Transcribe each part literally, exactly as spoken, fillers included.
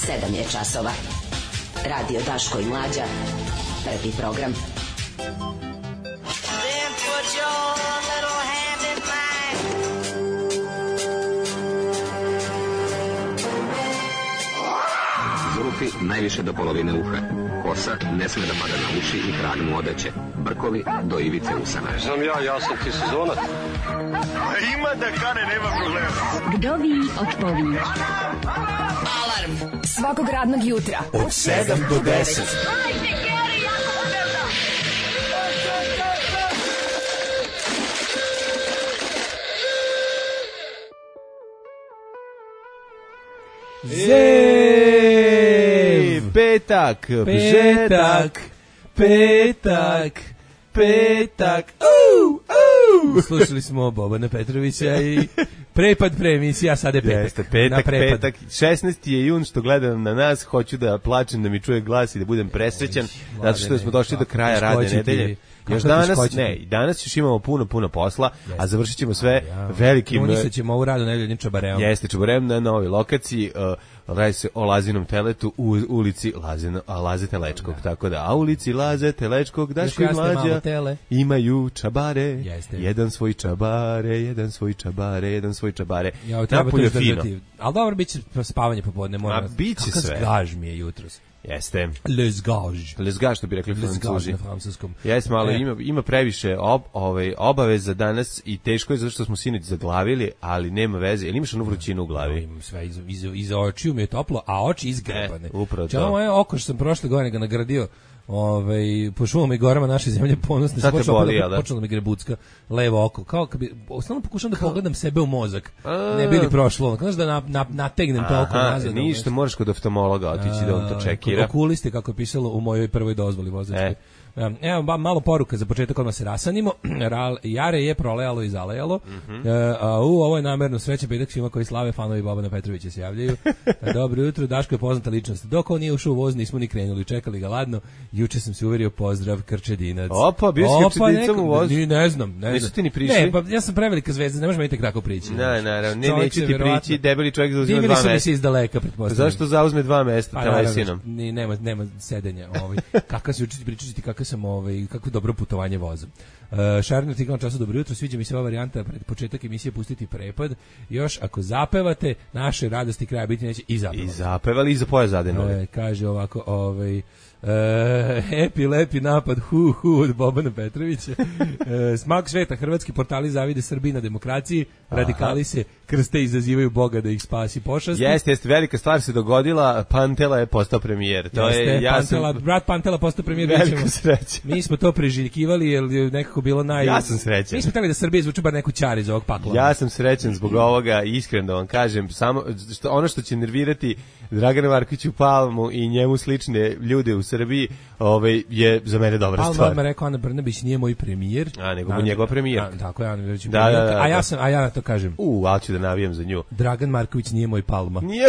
sedam je časova. Radio Daško i Mlađa. Prvi program. Zvuki najviše do polovine uha. Kosa ne sme da pada na uši i krag mu odeće. Brkovi do ivice usana. Znam ja, ja sam ti sezonac. Ima da kane, nema problema. Vdovi od pović. Alarm svakog radnog jutra od sedam do deset. Hajde, Geri, jako se velda. Zev! Petak, petak, petak, petak. Uuu, uuu. Slušali smo Bobana Petrovića i prepad pre emisija, sad je petak. Jeste, petak, petak. šesnaesti je jun, što gledam na nas, hoću da plačem, da mi čuje glas i da budem presrećan, zato što smo došli do kraja radne nedelje. Još danas, ne, danas još imamo puno, puno posla, jeste. A završit ćemo sve ja, velikim... Unisat ćemo ovu radu nedeljem čabareom. Jeste, čabareom na novoj lokaciji, uh, radi se o Lazinom teletu u ulici Lazina, Laze Telečkog, da. Tako da, a ulici Laze Telečkog, Daško i Mlađa imaju čabare, jeste. Jedan svoj čabare, jedan svoj čabare, jedan svoj čabare. Ja, napolje fino. Ali dobro, bit će spavanje popodne, moram. A bit će sve. Kakav zgaž mi je jutros. Jeste. Les gage. Les gage, što bi rekli Francuzi. Na francuskom. Jeste, malo e. ima, ima previše ob, ovaj, obaveza danas i teško je zato što smo sinoć zaglavili, ali nema veze. Jel imaš onu vrućinu u glavi? No, imam sve, iza, iza, iza očiju mi je toplo, a oči izgrebane. E, upravo to. Moje oko što sam prošle godine ga nagradio ovaj po šumama i gorama naše zemlje ponosne se počelo da počelo mi grebucka levo oko kao kad bi stalno pokušavam da pogledam sebe u mozak a, ne bi li prošlo znaš da na, na, nategnem to oko nazad ništa moraš kod oftalmologa otići da on to čekira okuliste kako je pisalo u mojoj prvoj dozvoli vozačke e. Evo, ba, malo poruka za početak odmah se rasanimo. Jare je prolejalo i zalejalo. Mm-hmm. E, a, u, ovo je namerno sreće petak svima koji slave, fanovi Bobana Petrovića se javljaju. Dobro jutro, Daško je poznata ličnost. Dok on nije ušao u voz, nismo ni krenuli, čekali ga ladno. Juče sam se uverio, pozdrav, Krčedinac. Opa, bio si Krčedincom u vozu? Ne, ne znam, ne znam. Nisu ti ni prišli? Ne, pa ja sam prevelika zvezda, ne možeš meni tek tako prići. Ne, ne, ne, neće ti prići, debeli čovjek zauzima dva mesta. Divili su mi se iz daleka, pretpostavljam. Zašto zauzme dva mesta, pa, telesinom? Nema, nema sedenja. Ovaj. Kakav si učiti pričati, kakav sam ovaj, kako dobro putovanje vozom. Uh, Šarno ti kao času dobro jutro, sviđa mi se ova varijanta pred početak emisije pustiti prepad. Još ako zapevate, naše radosti kraja biti neće i zapevali. I zapevali i za poja zadenuli. Uh, kaže ovako, ovaj Uh, epi lepi napad hu hu od Bobana Petrovića. Uh, smak sveta, hrvatski portali zavide Srbiji na demokraciji, radikali Aha. se krste i izazivaju Boga da ih spasi pošasti. Jeste, jeste, velika stvar se dogodila, Pantela je postao premijer. To jeste, je, ja Pantela, sam... brat Pantela postao premijer. Velika sreća. Mi smo to priželjkivali jer je nekako bilo naj... Ja sam srećan. Mi smo htjeli da Srbija zvuči bar neku čar iz ovog pakla. Ja sam srećan zbog ovoga, iskreno da vam kažem, samo što, ono što će nervirati Dragana Markoviću Palmu i njemu slične ljude u Srbiji, ovaj je za mene dobra Palma stvar. Palma rekao Ana Brnabić nije moj premijer, a nego mu njegova premijer. Tako je, Ana Brnabić. Da, da, da, a ja sam a ja to kažem. U, al ću da navijam za nju. Dragan Marković nije moj Palma. Nije.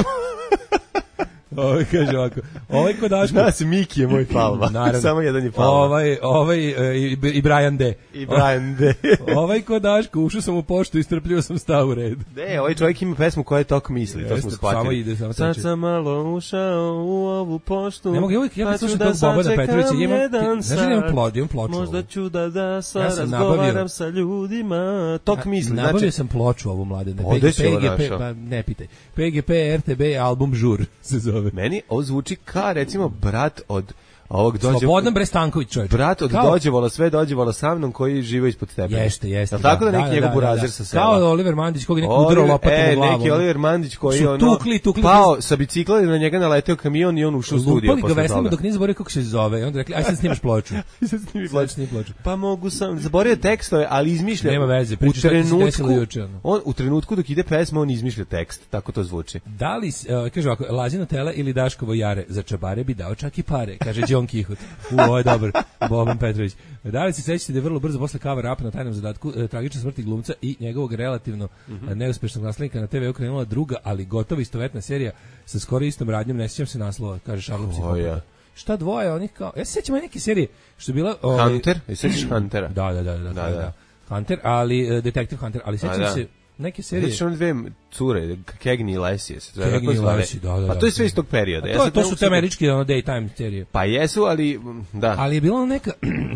Ovaj kaže ovako. Ovaj kod Daško. Zna se, Miki je moj Palma. Naravno. Samo jedan je Palma. Ovaj, ovaj i, i Brian D. I Brian D. Ovaj kod Daško, ušao sam u poštu i strpljivo sam stao u red. Ne, ovaj čovjek ima pesmu koja je tok misli, Jeste, to smo shvatili. Samo ide, samo Sad sam malo ušao u ovu poštu. Ne mogu, ja uvijek, ja kad slušam tog Bobana Petrovića, imam, znaš da imam plod, imam ploču. Možda ću da da sa ja razgovaram sa ljudima. Tok misli, znači. Nabavio sam ploču ovu mladene. Ode se ovo našao. Pa ne pitaj. P G P R T B album Žur se zove. Meni ovo zvuči kao recimo brat od ovog dođe Slobodan Brestanković, čovjek. Brat od kao... Dođevola, sve Dođevola sa mnom koji žive ispod tebe. Jeste, jeste. Da, tako da neki da, njegov da, burazer da, da. sa sela. Kao Oliver Mandić koji neko udarao lopatom e, u glavu. Neki Oliver Mandić koji su ono tukli, tukli, pao sa bicikla i na njega naleteo kamion i on ušao u studio posle toga. Lupali ga veslima dok nije zaboravio kako se zove. I onda rekli, aj sad snimaš ploču. sad snimi ploču. ploču. Pa mogu sam, zaboravio tekstove, ali izmišlja. Nema veze, u trenutku, juče, on, u trenutku dok ide pesma, on izmišlja tekst. Tako to zvuči. Da li, uh, kaže ovako, Lazino tele ili Daškovo jare, za čabare bi dao čak i pare, kaže John Kihut. Ovo je dobar, Boban Petrović. Da li se sećate da je vrlo brzo posle cover up na tajnom zadatku e, tragična smrti glumca i njegovog relativno mm-hmm. neuspešnog naslednika na te ve krenula druga, ali gotovo istovetna serija sa skoro istom radnjom, ne sjećam se naslova, kaže Šarlo Psihopata. Šta dvoje onih kao... Ja se sjećam neke serije što je bila... Ovaj, Hunter? I sećaš Huntera? Da, da, da, da, da, da. da. Hunter, ali uh, Detective Hunter, ali sećam da. se neke serije. Znači one dve cure, Cagney i Lacey, se zove, Cagney i Lacey, da, da, pa to je da. sve iz tog perioda. To, ja to su te američke ono, daytime serije. Pa jesu, ali da. Ali je bila neka...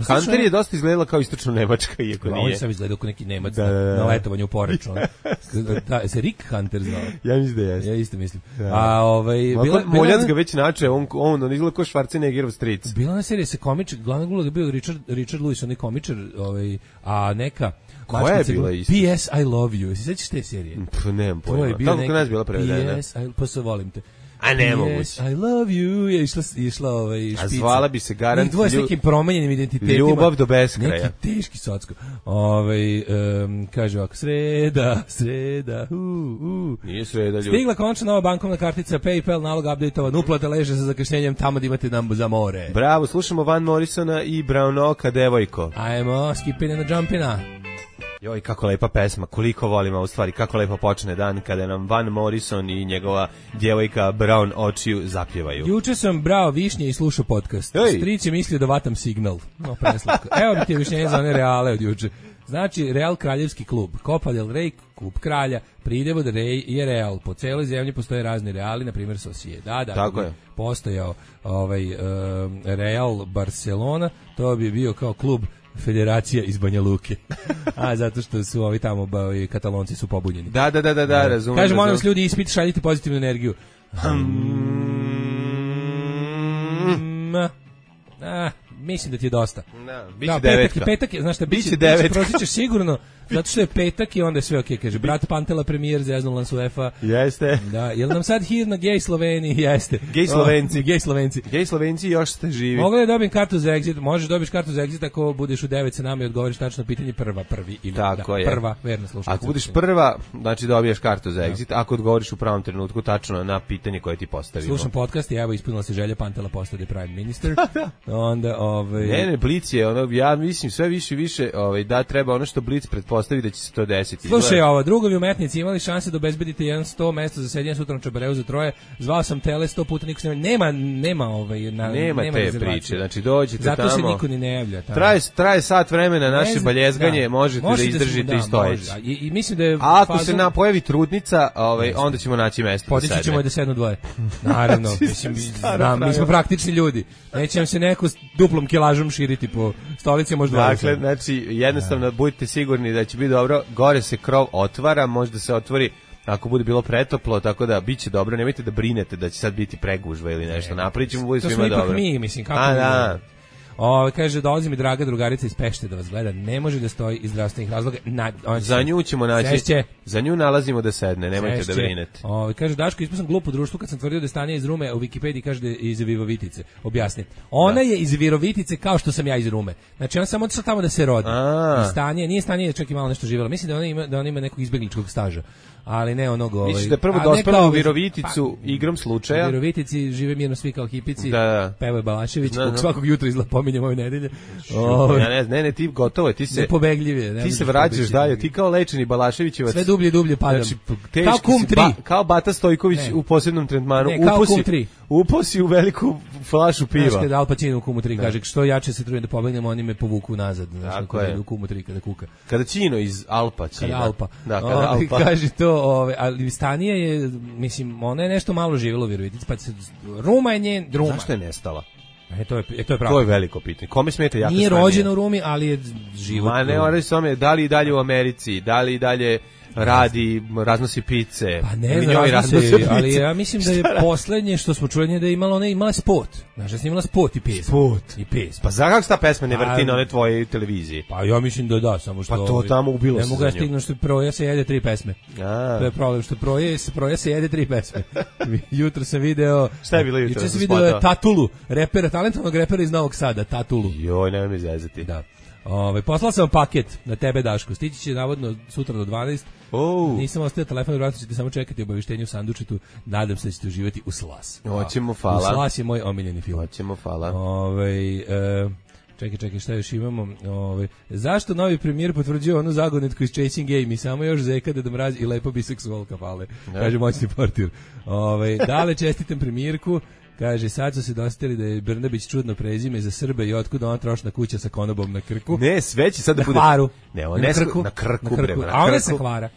Hunter je dosta izgledala kao istočno Nemačka, iako nije. Ovo je sam izgledao kao neki Nemac da, da, da. na letovanju u Poreču. Da, se Rick Hunter znao. Ja mislim da jeste. Ja isto mislim. Da. A ovaj bila Moljac ga već nače, on on on izgleda kao Schwarzeneggerov stric. Bila na serija se komič, glavna uloga bio Richard Richard Lewis, on je komičar, ovaj, a neka koja je bila isto? P S I love you. Se sećaš te serije? Pff, nemam pojma. Tako kod nas bila prevedena. P S I pa se volim te. A ne mogu. I love you. Je išla išla ovaj špica. A zvala bi se garant dvoje s nekim promenjenim identitetima. Ljubav do beskraja. Neki teški socko. Ovaj um, kaže ovako, sreda, sreda. U, u. Nije sreda, ljudi. Stigla končna nova bankovna kartica, PayPal, nalog updateovan, uplata leže sa zakašnjenjem tamo da imate nam za more. Bravo, slušamo Van Morrisona i Brown Oka, devojko. Ajmo, skipina na jumpina. Joj, kako lepa pesma, koliko volim ovu stvari, kako lepo počne dan kada nam Van Morrison i njegova djevojka Brown očiju zapjevaju. Juče sam brao višnje i slušao podcast. Ej. Stric je mislio da vatam signal. No, preslatko. Evo mi ti je višnjenje za one Reale od juče. Znači, Real kraljevski klub, Copa del Rey, klub kralja, Pridevod Rey je Real. Po celoj zemlji postoje razni Reali, na primjer Sociedad. Tako je. Postojao ovaj, um, Real Barcelona, to bi bio kao klub Federacija iz Banja Luke. A zato što su ovi tamo ba, i Katalonci su pobunjeni. Da, da, da, da, da, razumem. Kaže, molim vas ljudi, ispit, šaljite pozitivnu energiju. Hmm. Ah, mislim da ti je dosta. Da, biće da, devetka. Petak, petak je, znaš šta, biće, biće devetka. Prozićeš sigurno, zato što je petak i onda je sve okej, okay, kaže, brat Pantela premijer, zeznul nas UEFA. Jeste. Da, jel nam sad hir na gej Sloveniji? Jeste. Gej Slovenci. Oh, gej Slovenci. Gej Slovenci još ste živi. Mogu da dobijem kartu za exit, možeš dobiš kartu za exit ako budeš u devet sa nama i odgovoriš tačno pitanje prva, prvi ili tako da, je. Prva, verno slušaj. Ako budeš prva, znači dobijaš kartu za exit, ako odgovoriš u pravom trenutku tačno na pitanje koje ti postavimo. Slušam podcast i evo ispunila se želja Pantela postade prime minister. Onda ovaj Ne, ne, Blic je ono, ja mislim sve više i više, ovaj da treba ono što Blic pretpostavi da će se to desiti. Slušaj, ovo, drugovi umetnici imali šanse da obezbedite jedan sto mesta za sedenje sutra na Čabareu za troje. Zvao sam tele sto puta, niko se nema, nema ovaj na nema, nema te priče. Znači dođete zato tamo. Zato se niko ni ne javlja tamo. Traje traje sat vremena naše baljezganje, da. možete, možete da izdržite da, i stojeći. I, I mislim da je a ako fazom... se na pojavi trudnica, ovaj onda ćemo naći mesto. Podići ćemo da sednu dvoje. Naravno, mislim da mi smo praktični ljudi. Neće nam se neko s duplom kilažom širiti po stolici možda. Dakle, znači jednostavno budite sigurni da će biti dobro. Gore se krov otvara, možda se otvori ako bude bilo pretoplo, tako da biće dobro. Nemojte da brinete da će sad biti pregužva ili nešto. Napravit ćemo, bude svima dobro. To smo ipak mi, mislim, kako a, da. O, kaže, dolazi mi draga drugarica iz Pešte da vas gleda, ne može da stoji iz zdravstvenih razloga. Na, za nju ćemo naći, sešće. Za nju nalazimo da sedne, nemojte sešće. Da brinete. O, kaže, Daško, ispao sam glup u društvu kad sam tvrdio da je Stanija iz Rume, u Wikipediji kaže da je iz Virovitice. Objasni. Ona da. Je iz Virovitice kao što sam ja iz Rume. Znači, ona samo otišla tamo da se rodi. Stanija, nije Stanija čak i malo nešto živjela. Mislim da ona ima, da ona ima nekog izbegličkog staža. Ali ne onog ovaj. Misliš da prvo dospela u Viroviticu pa, igrom slučaja? U Virovitici žive mirno svi kao hipici. Da, da. Peva Balašević, da, da. Svakog jutra izla pominjem ove nedelje. O, ja ne, ne, ne, ti gotovo je, ti se nepobegljiv ne ti se vraćaš dalje, ti kao lečeni Balaševićevac. Sve dublje i dublje padam. Znači, kao kum tri, ba, kao Bata Stojković ne. U posebnom tretmanu, uposi. Uposi u veliku flašu piva. Znaš kada Al Pacino u Kumu tri kaže, što jače se trudim da pobegnem, oni me povuku nazad. Znaš, kada u Kumu tri kada kuka. Kada Cino iz Alpa, Cino. Kada Alpa. Da, kada Alpa. Kaže to, ove, ali Stanija je, mislim, ona je nešto malo živjela u Virovitici, pa se, Ruma je njen, Ruma. Zašto je nestala? E, to je, e, to je pravo. To je veliko pitanje. Kome smeta jaka Nije rođena u Rumi, ali je život. Ma ne, ona je da li i dalje u Americi, da li i dalje radi, raznosi pice. Pa ne znam, raznosi, ali ja mislim da je poslednje što smo čuli da je imala, ona je imala spot. Znaš, da je imala spot i pesma. Spot. I pesma. Pa za kako se ta pesma ne vrti na one tvoje televiziji? Pa ja mislim da da, samo što... Pa to ovi, tamo ubilo se za nju. Ne mogu ja stignu što proja se jede tri pesme. A. To je problem, što proja se, proja se jede tri pesme. Jutro sam video... Šta je bilo jutro? Jutro sam video Tatulu, repera, talentovnog repera iz Novog Sada, Tatulu. Joj, nemoj mi zezati. Da. Ove, poslao sam paket na tebe, Daško. Stići će navodno sutra do dvanaest. Oh. Nisam ostavio telefon, vjerojatno ćete samo čekati obavještenje u sandučetu. Nadam se da ćete uživati u Slas. Hoćemo, hvala. U Slas je moj omiljeni film. Hoćemo, hvala. Ove, e, čekaj, čekaj, šta još imamo? Ove, zašto novi premijer potvrđuje onu zagonetku iz Chasing Game i samo još zeka da mraz i lepo biseksualka pale? Kaže moćni portir. Ove, dale čestitam premijerku. Kaže, sad su se dostali da je Brnabić čudno prezime za Srbe i otkud ona trošna kuća sa konobom na krku. Ne, sve će sad da na bude... Hvaru. Ne, on na ne krku. Na krku, na krku. Bre, na A ona krku. sa Hvara.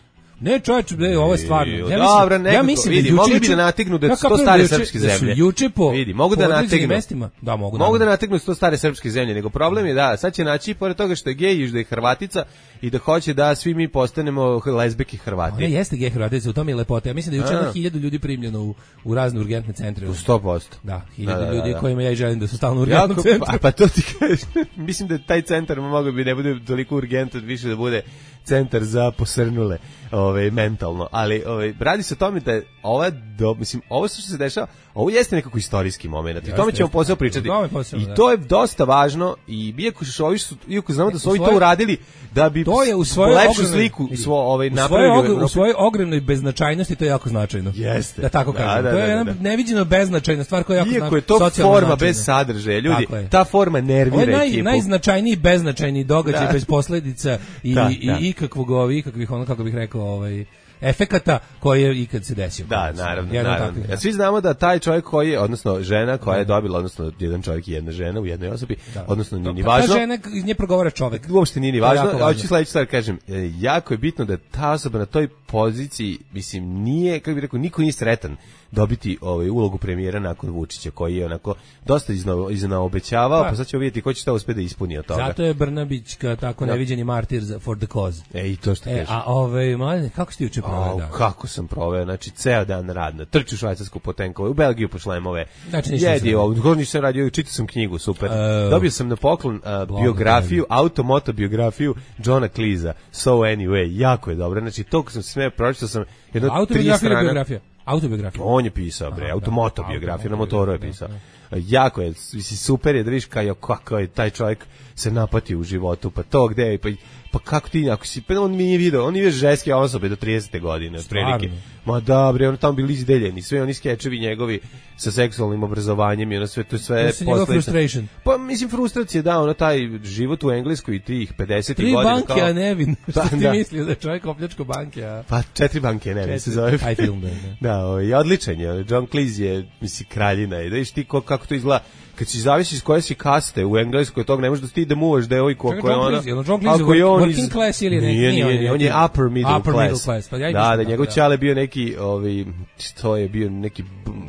Ne, čovječe, ne, ovo je stvarno. Ja mislim, Dobra, nekako, ja mislim vidi, da mogli juče, bi da nategnu da ja su to kapiram stare da juče- srpske da su zemlje. Juče po, vidi, mogu po da određenim nategnu. mestima. Da, mogu, Mogu da. da nategnu sto stare srpske zemlje, nego problem je da sad će naći pored toga što je gej i što je Hrvatica i da hoće da svi mi postanemo lezbeki Hrvati. Ona jeste gej Hrvatica, u tome je lepota. Ja mislim da je juče A. na hiljadu ljudi primljeno u, u razne urgentne centre. U sto posto. Da, hiljadu Da, da, da, ljudi da. kojima ja i želim da su stalno u urgentnom Jako, centru. pa, pa to ti kažem. Mislim da taj centar mogao bi ne bude toliko urgentan, više da bude centar za posrnule, ovaj mentalno, ali ovaj radi se o tome da je ova do, mislim ovo što se dešava, ovo jeste nekako istorijski momenat. I o tome ćemo posebno pričati. I to je dosta važno i iako što ovi su iako znamo da su ovi to uradili da bi to je u svojoj lepšu sliku svo ovaj napravili u svojoj ogromnoj beznačajnosti, to je jako značajno. Jeste. Da tako kažem. Da, da, to je da, jedna da. neviđeno beznačajna stvar koja je jako iako je to forma bez sadržaja, ljudi, ta forma nervira naj, ekipu. Najznačajniji beznačajni događaj Da. bez posledica i, Da, i, da. i ikakvog ovi, ikakvih ono, kako bih rekao, ovaj, efekata koji je ikad se desio. Da, naravno, Jedan naravno. takvih, Ja, svi znamo da taj čovjek koji je, odnosno žena koja je dobila, odnosno jedan čovjek i jedna žena u jednoj osobi, Da. odnosno nije ni Ta važno. Ta žena iz nje progovara čovjek. Uopšte nije ni To je važno. jako A važno. hoću sledeću stvar kažem, e, jako je bitno da ta osoba na toj poziciji, mislim, nije, kako bih rekao, niko nije sretan dobiti ovaj ulogu premijera nakon Vučića, koji je onako dosta izna, iznaobećavao, Pa. pa sad ćemo vidjeti ko će šta uspjeti da ispuni od toga. Zato je Brnabić ka tako Da. neviđeni martir za for the cause. E, i to što E, kažeš. a ovaj mladen, kako ste juče proveli Au, dan? kako sam proveo, znači ceo dan radno. Trču u Švajcarsku po tenkove, u Belgiju po šlemove. Znači, ništa Jedi, nisam ovo, gore nisam radio, čitao sam knjigu, super. E, Dobio sam na poklon uh, biografiju, automotobiografiju Johna Cleesa, So Anyway, jako je dobro. Znači, to kad sam se smeo, pročitao sam jedno tri Autobiografija ili strana. biografija? Autobiografija. On je pisao, bre, Aha, automotobiografiju, da, na motoru je da, pisao. da. Jako je, mislim, super je da vidiš kao, kako je taj čovjek se napati u životu, pa to gde je, pa, pa kako ti, ako si, pa on mi nije video, on nije ženske osobe do tridesete godine, otprilike. Ma da, bre, on tamo bili izdeljeni, sve oni skečevi njegovi sa seksualnim obrazovanjem i ono sve, to je sve posljedica. Pa, mislim, frustracija, da, ono, taj život u Engleskoj i tih pedesetih Tri godina. banke, kao, a Nevin. Što ti da. mislio da je čovjek opljačko banke, a... Pa četiri banke, ne, se zove. Taj film, da. Da, ovaj, odličan je. John Cleese je, misli, kraljina. I da viš ti ko, kako to izgleda. Kad si zavisi iz koje si kaste u Engleskoj, tog ne možeš da ti da muvaš devojku ako je ona. John Cleese je working class ili neki? Nije, nije, nije, on je upper middle upper class. Middle class. Pa ja da, da, njegov ćale bio neki, ovaj, što je bio neki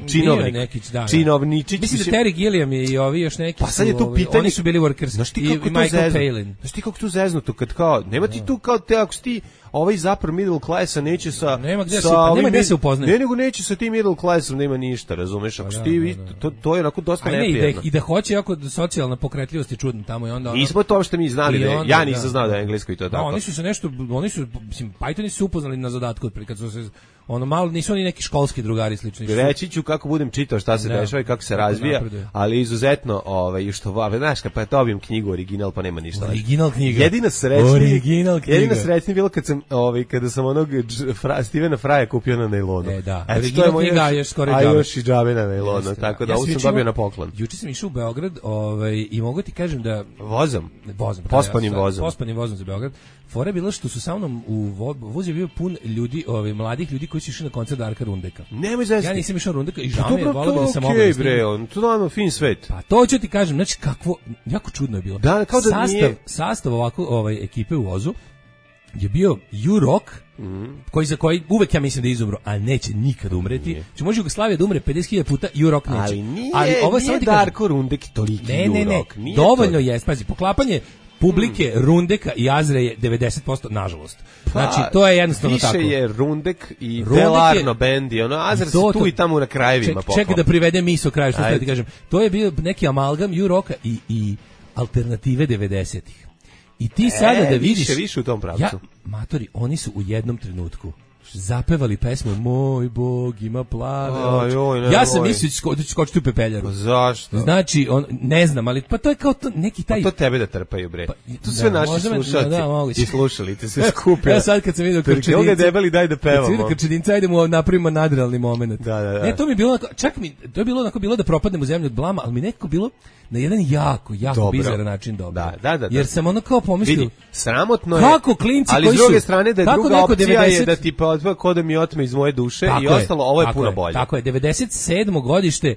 činovnik. Neki, da, činovničić. Mislim da Terry Gilliam i ovi još neki. Pa sad je tu ovi, pitanje. Oni su bili workers. Znaš ti i, kako i to Michael zeznu? Palin. Znaš ti kako tu zeznuto kad kao, nema ti tu kao te, ako si ti ovaj upper middle classa neće sa nema gde sa se, pa ovim nema gde mid- se upoznaje. Ne, nego neće sa tim middle classom, nema ništa, razumeš? Ako si ti, to, to je onako dosta A ne, i da, neprijatno. i da hoće jako socijalna pokretljivost je čudna tamo i onda ono, Nismo to što mi znali, i da je, onda, ja nisam da. znao da je englesko i to Da, tako. oni su se nešto, oni su, mislim, Pythoni su upoznali na zadatku otprilike, kad su se, ono malo, nisu oni neki školski drugari slični. su- Reći ću kako budem čitao šta se Da. dešava i kako se Kako razvija, napreduje. ali izuzetno, ovaj, što va, znaš, kad pa dobijem knjigu original, pa nema ništa. Original knjiga. Jedina srećni, Original knjiga. jedina srećni bilo kad sam, ovaj, kada sam onog dž- fra, Stevena Fraja kupio na nailonu. E, da. Eto, Original to je moj knjiga, još- a još skoro i a džabe. još i džabe na nailonu, Jeste, tako da. da Ja ovo sam sam juče dobio imao- na poklon. Juče sam išao u Beograd, ovaj, i mogu ti kažem da Vozom. vozom, Pospanim ja sam- vozom. Pospanim vozom za Beograd. Fora je bilo što su sa mnom u vo, voz je bio pun ljudi, ovaj mladih ljudi koji su išli na koncert Darka Rundeka. Nemoj zezati. Ja nisam išao Rundeka i žao Pa mi je, dobro, voleo to bih da sam okej, mogao da snimim. bre, on, to nama fin svet. Pa to ću ti kažem, znači kakvo, jako čudno je bilo. Da, kao da sastav, nije- sastav ovako ovaj, ekipe u vozu je bio U-Rock, koji za koji uvek ja mislim da je izumro, a neće nikad umreti. Znači može Jugoslavija da umre pedeset hiljada puta, U-Rock neće. Ali nije, ovo je samo nije ti kažem- Darko Rundek toliki Ne, ne, ne, urok. Nije dovoljno to. je, pazi, poklapanje publike Rundeka i Azre je devedeset posto, nažalost. Znači, to je jednostavno više tako. Više je Rundek i Rundek je- Delarno band i ono, Azar se to- tu i tamo na krajevima Ček, pokao. čekaj da privede misao kraju, što Ajde. da ti kažem. To je bio neki amalgam U-Rocka i, i alternative devedesetih. I ti sada da vidiš... više, više u tom pravcu. Ja, matori, oni su u jednom trenutku zapevali pesmu Moj Bog ima plave Aj, oči. oj, ne, Ja sam oj. mislio da ću sko- da ću skočiti u pepeljaru. Pa zašto? Znači, on, ne znam, ali pa to je kao to, neki taj... Pa to tebe da trpaju, bre. Pa, to sve da, naši možda me- slušalci da, moguće. i slušalice se skupili. Ja sad kad sam vidio Krčedinca. Krčedinca... Evo ga debeli, daj da Kad sam vidio pevamo. Krčedinca, ajde mu napravimo nadrealni moment. Da, da, da. Ne, to mi je bilo onako, čak mi, to je bilo onako bilo da propadnem u zemlju od blama, ali mi nekako bilo na jedan jako, jako Dobro. bizaran način dobro. Da, da, da, da. Jer sam ono kao pomislio... Vidi, sramotno je. Kako klinci ali koji s druge su- strane da je kako druga neko opcija devedeset je da ti pa odva ko da mi otme iz moje duše Tako i je, ostalo, ovo je tako puno bolje. Tako je, devedeset sedmo godište,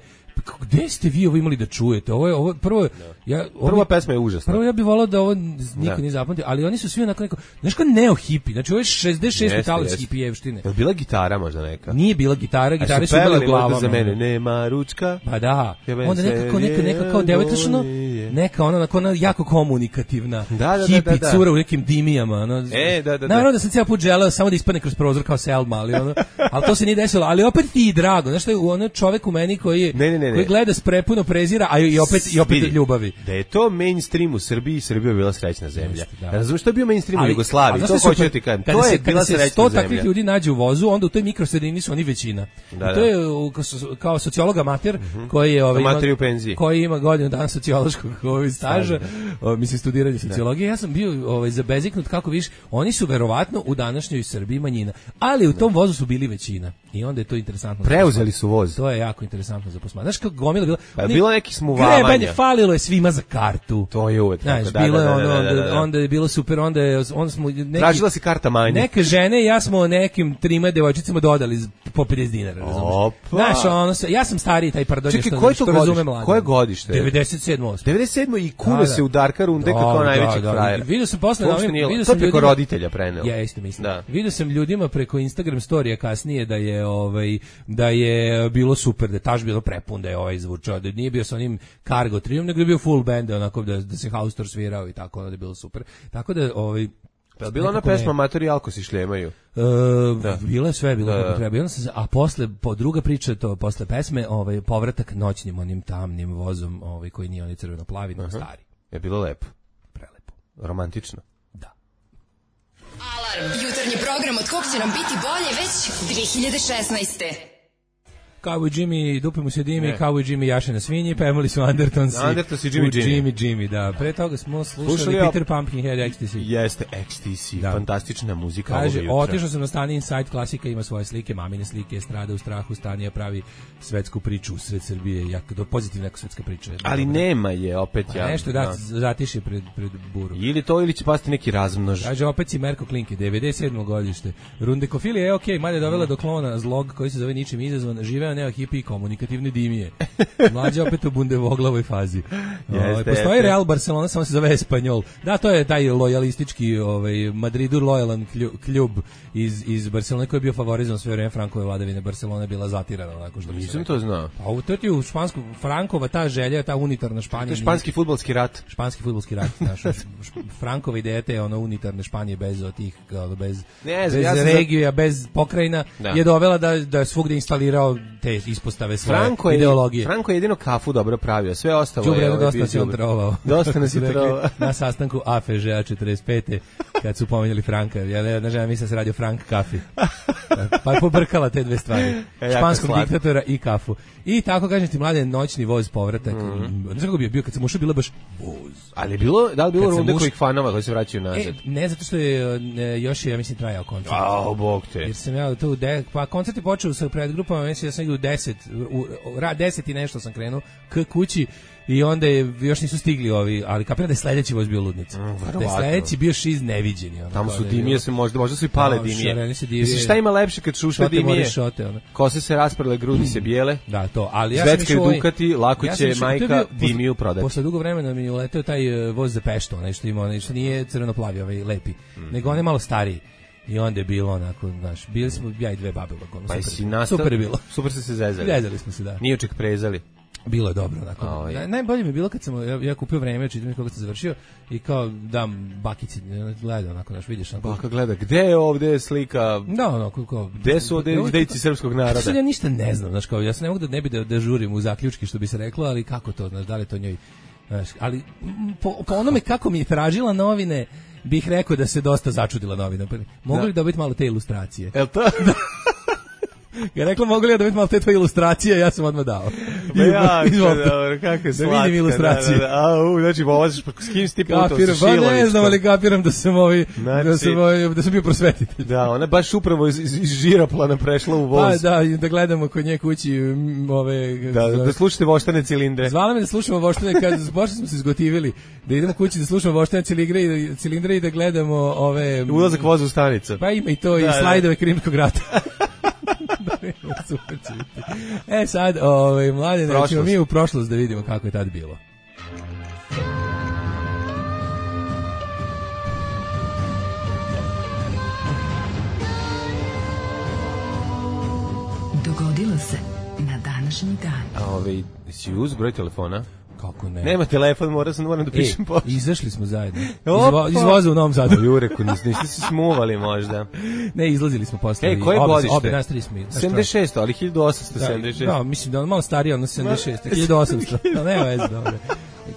gde ste vi ovo imali da čujete? Ovo je ovo prvo da. ja ovo, prva pesma je užasna. Prvo ja bih voleo da ovo niko nije zapamtio, ali oni su svi onako neko, znaš kao neo hipi. Znači ovo je šezdeset šeste talas hipijevštine. Je bila gitara možda neka? Nije bila gitara, gitare su bile u glavama. Za mene nema ručka. Pa da. Onda nekako neka neka kao devojčično, neka ona onako ona jako komunikativna. Da, da, hipi da, da. cura u nekim dimijama, ono. E, da, da. Naravno da sam cijeli put želeo samo da ispadne kroz prozor kao Selma, ali ono, ali to se nije desilo, ali opet ti drago. Znaš šta je ono čovjek u meni koji je ne, ne, ne, koji gleda s prepuno prezira, a i opet i opet ljubavi. Da je to mainstream u Srbiji, Srbija je bila srećna zemlja. Jeste, da. Razumeš što je bio mainstream u Jugoslaviji? To hoću ti kažem. To je bila srećna zemlja. Sto takvih ljudi nađe u vozu, onda u toj mikrosredini su oni većina. Da, to je kao sociolog amater uh-huh. koji je ovaj amater u penziji. Koji ima godinu dana sociološkog ovaj staža, o, mislim studiranje sociologije. Ja sam bio ovaj zabeziknut kako viš, oni su verovatno u današnjoj Srbiji manjina, ali u tom vozu su bili većina. I onda je to interesantno. Preuzeli su voz. To je jako interesantno za posmatranje. Znaš kako gomila bila? Pa bilo neki smuvavanja. Grebanje, falilo je svima za kartu. To je uvek. Znaš, da, bilo je ono, da, da, da, da. Onda je bilo super, onda je, onda smo neki, tražila si karta manje. Neke žene i ja smo nekim trima devojčicama dodali po pedeset dinara, razumeš? Znaš, ono, ja sam stariji taj pardon, čekaj, što, koje što razume mlade. Koje godište? devedeset sedam. devedeset sedam i kuno da, se u Darka Runde da, kako najvećeg da, da. frajera. Vidio sam posle, da, vidio sam preko roditelja preneo. Ja isto mislim. Da. Vidio sam ljudima preko Instagram storija kasnije da je ovaj da je bilo super, da je taš bilo prepun, da je ovaj zvučao, da nije bio sa onim cargo triom, nego je bio full band, onako da, da se Haustor svirao i tako, da je bilo super. Tako da, ovaj, pa bila ona pesma Matori Alko si šljemaju? E, da. Bilo je sve, bilo da, kako treba. Onda se, a posle, po druga priča, to posle pesme, ovaj, povratak noćnim, onim tamnim vozom, ovaj, koji nije oni crveno-plavi, nego stari. Je bilo lepo? Prelepo. Romantično? Da. Alarm, jutarnji program od kog će nam biti bolje već dve hiljade šesnaeste. Cowboy Jimmy, dupe mu se dimi, Cowboy Jimmy jaše na svinji, pevali su Undertons Undertons i Jimmy Jimmy. Jimmy Jimmy, da. Pre toga smo slušali, slušali Peter Pumpkinhead Ecstasy. Jeste, Ecstasy, da. Fantastična muzika. Kaže, otišao sam na stani Inside Klasika, ima svoje slike, mamine slike, strada u strahu, Stanija pravi svetsku priču u sred Srbije, jako do pozitivna svetska priča. Ali dobro. Nema je, opet ja. Nešto da, da. Zatiši pred, pred buru. Ili to, ili će pasti neki razmnož. Kaže, opet si Merko Klinke, devedeset sedmo godište. Rundekofilija je okej, okay, mada je dovela do klona zlog koji se zove ničim izazvan, živeo neo hipi komunikativne dimije. Mlađe opet u bundevoglavoj fazi. Jeste, postoji jeste. Real Barcelona, samo se zove Espanjol. Da, to je taj lojalistički, ovaj, Madridu lojalan kljub iz, iz Barcelone koji je bio favorizovan sve vreme Frankove vladavine. Barcelona je bila zatirana. Onako što nisam to znao. A u toti u špansku, Frankova ta želja, ta unitarna Španija. Španski fudbalski rat. Španski fudbalski rat. Znaš, Frankova ideja te ono unitarne Španije bez otih, bez, ne, bez ja regija, za... bez pokrajina da. Je dovela da, da je svugde instalirao te ispostave svoje Franko ideologije. Je, Franko je jedino kafu dobro pravio, sve ostalo Đubre, je... Đubre, dosta si on trovao. Dosta nas je trovao. Na sastanku A F Ž A četrdeset pete kad su pomenjali Franka. Ja ne znam, mislim da se radio Frank kafi. Pa je pobrkala te dve stvari. E, španskog diktatora i kafu. I tako, kažem ti, mlade, noćni voz povratak. Mm. Ne znam kako bi je bio, kad sam ušao, bilo baš voz. Ali je bilo, da li bilo runde uš... kojih fanova koji se vraćaju nazad? E, ne, zato što je ne, još je, ja mislim, trajao koncert. Ao, bog te. Jer sam ja tu, de, pa koncert je počeo sa predgrupama, mislim da sam u deset, u, ra, deset i nešto sam krenuo k kući. I onda je, još nisu stigli ovi, ali kapiram da je sledeći voz bio ludnica. Mm, da je sledeći bio šiz neviđeni. Ono, tamo su dimije, se možda, možda su i pale no, dimije. Mislim, šta ima lepše kad šušle dimije? Šote, ono. Kose se rasprle, grudi se bijele. Da, to. Ali ja Svetska sam i Dukati, lako ja će išao, majka bio, dimiju prodati. Posle dugo vremena mi je uleteo taj uh, voz za Peštu, onaj što ima, onaj što nije crveno-plavi, ovaj lepi, mm. nego on je malo stariji. I onda je bilo onako, znaš, bili smo ja i dve babe u vagonu. Pa super, super je bilo. Super ste se zezali. Zezali smo se, da. Nije oček prezali. Bilo je dobro, onako. Oh, ja. Najbolje mi je bilo kad sam ja, ja kupio vreme, čitam kako sam završio i kao dam bakici, gleda onako, znaš, vidiš onako. Baka gleda, gde je ovde slika? Da, onako, kao. Gde su ovde dejci srpskog naroda? Sad ja ništa ne znam, znaš, kao, ja se ne mogu da ne bi da, da žurim u zaključki, što bi se reklo, ali kako to, znaš, da li to njoj, znaš, ali po, po onome kako mi je tražila novine, bih rekao da se dosta začudila novina. Mogu da. li dobiti malo te ilustracije? Jel to? Ja rekla, mogu li ja dobiti malo te tvoje ilustracije, ja sam odmah dao. Pa ja, dobro, kako je slatka. Da vidim ilustracije. Da, da, da. A, u, znači, voziš, s kim si ti putao? Kapiram, pa ne znam, ali kapiram da sam, ovi, znači, da sam, ovi, da sam bio prosvetitelj. Da, ona baš upravo iz, iz Žiroplana prešla u voz. Pa da, da gledamo kod nje kući ove... Da, da, da slušate voštane cilindre. Zvala me da slušamo voštane, kad pošto smo se izgotivili, da idemo kući da slušamo voštane cilindre i da, cilindre i da gledamo ove... Ulazak voza u stanicu. Pa ima i to, da, i slajdove da. Krimskog rata. Super će biti. E sad, ovaj, mlade, nećemo mi u prošlost da vidimo kako je tad bilo. Dogodilo se na današnji dan. A ovaj, si uz broj telefona? Kako ne? Nema telefon, moram, sam, moram da pišem e, pošto. Izašli smo zajedno. Izvo, izvoza u Novom Sadu. Jureku, niste se smuvali možda. Ne, izlazili smo posle. E, koje godište? Obe nas tri smo. sedamdeset šest, ali hiljadu osamsto sedamdeset šest. Da, mislim da on malo stariji, ono sedamdeset šest, hiljadu osamsto. No, nema veze, dobro.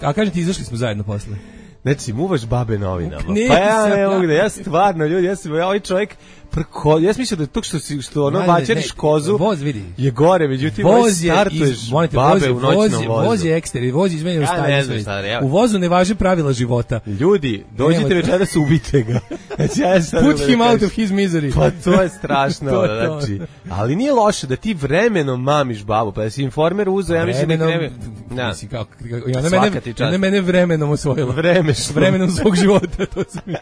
A kažem ti, izašli smo zajedno posle. Znači, muvaš babe novinama. Nisam, pa ja ne mogu da, ja stvarno, ljudi, ja sam, ja ovaj čovjek, prko, ja sam mislio da to što, si, što ono bačeriš kozu voz, vidi. Je gore, međutim, voz je, startuješ iz, monite, babe voz, u noćnom voz, vozu. Voz je ekster, voz izmenjeno ja stanje sve. Šta, ja. U vozu ne važe pravila života. Ljudi, dođite večeras, ubite ga. Znači, ja sam Put him out of his misery. Pa to je strašno, to, znači. Ali nije loše da ti vremenom mamiš babu, pa da si informer uzeo, ja mislim da kreve. Da. Kako, kako, ona mene, ona mene vremenom osvojila. Vremešno. Vremenom svog života, to se mi